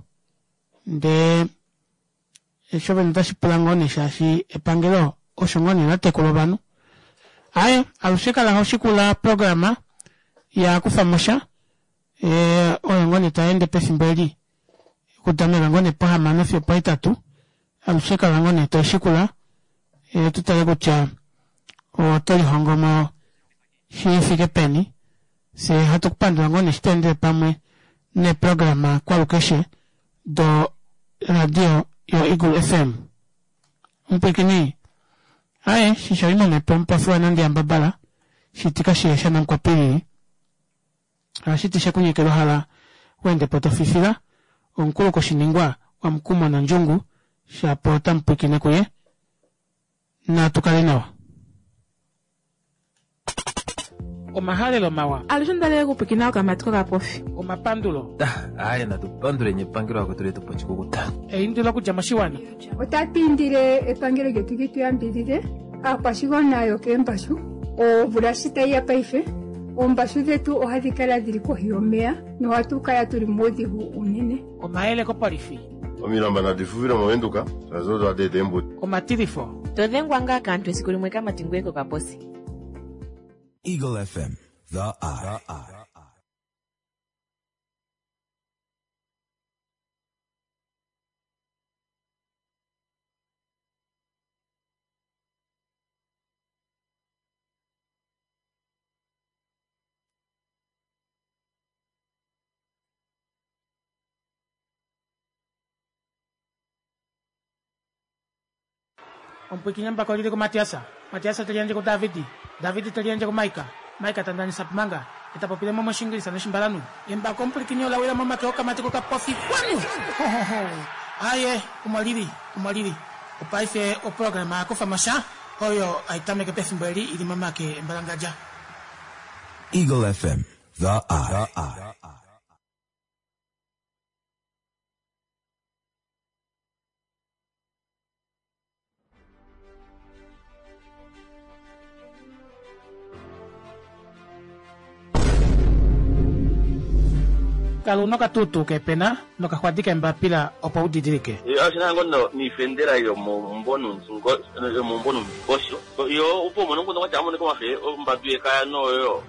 ndee sho vene otashi pula ngoo nee shaashi epangelo osho ngoo nee la tekula ovanhu. Aaye, alushe kala ho shikula oprograma ya kufa mo sha oyo ngoo nee tai ende pefimbo eli. Okutameka ngoo nee pohamano fiyo opohetatu, alushe kala ngoo nee to shikula tu tale kutya oto lihongo mo shi fike peni. Fye hatu ku pandula ngoo nee eshi to endele pamwe neeprograma kwalukeshe do radio yo Eagle FM. Omupwilikini, Aye, shisho ino mepo omupofi waNandi Yambabala, shitika shiye shaNamkwapilili. Ohashi ti she ku nyekela ohala weende po to fifila. Omukulu koshiningwa waMukumo nondjungu shapo otamu pwiikine kuye. Natu kale nawa. Omahalelo mawa. Alushe onda li okupwikina okamati kokapofi. Omapandulo. Aye natu panduleni epangelo lakwetu letu po oshikukuta. Eindilo okudja moshiwana. Otatu indile epangelo lyetu li tu yambidhidhe aakwashigwana yokeembashu. Omvula shi tayi ya paife, oombashu dhetu ohadhi kala dhili kohi yomeya nohatu kala tuli muudhigu uunene. Omayele kopolifi. Omilamba nadi fufile mOvenduka, shaashi odo hadi eta eembuto. Omatilifo. To dhengwa ngaa kaantu esiku limwe kamati ngweye kokaposi. Eagle FM, the eye. Omupwikinyambako olili kuMatiasa, Matiasa te liyandje kuDavidi, Davidi te liyandje kuMaika, Maika ta ndanisa Pumanga, e ta popile mo mOshingilisa nOshimbalanhu. Embako omupwilikini ola wila momake okamati kokapofi. Kwanu! Hohoho! Aye, omo lili, omo lili. Opaife oprograma ya kufa mo sha, oyo hai tameke pefimbo eli i li momake embalangadja. Eagle FM, the eye. Kala una okatuutuu keepena nokaxwadi keembapila opo u didilike. Oshina ngo no niifendela yomomumvo yomomumvo nomundingosho yo opo umone omukundu kwatya amonike omafe ombadu yekaya noyo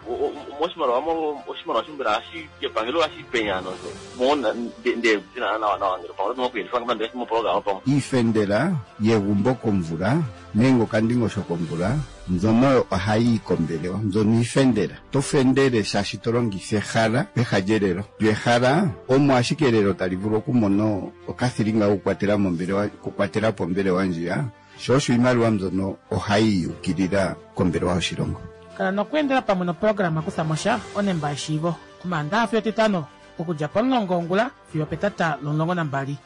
moshimaliwa mo oshimaliwa sho mbela ohashi kepangelo ohashi penya nosho mo nde tina nawa nawa ngele pamwe oto okuyelifa ngamba ndele moprograma pamwe. Iifendela yegumbo komvula nenge okandingosho komvula mbyono oyo ohayi yi kombelewa. Mbyono iifendela. To fendele shaashi to longitha ehala peha lyelelo. Lyo ehala omo ashike elelo tali vulu okumona okathilinga kokukwatela mombelewa, okukwatela po ombelewa ndjiya. Sho osho iimaliwa mbyono ohayi yi ukilila kombelewa yoshilongo. Kala nokweendela pamwe noprograma Kutha mo sha, onemba yeshiivo, Omaandaha fiyo Etitano, okudja pomulongo wongula fiyo opetata lomulongo nambali.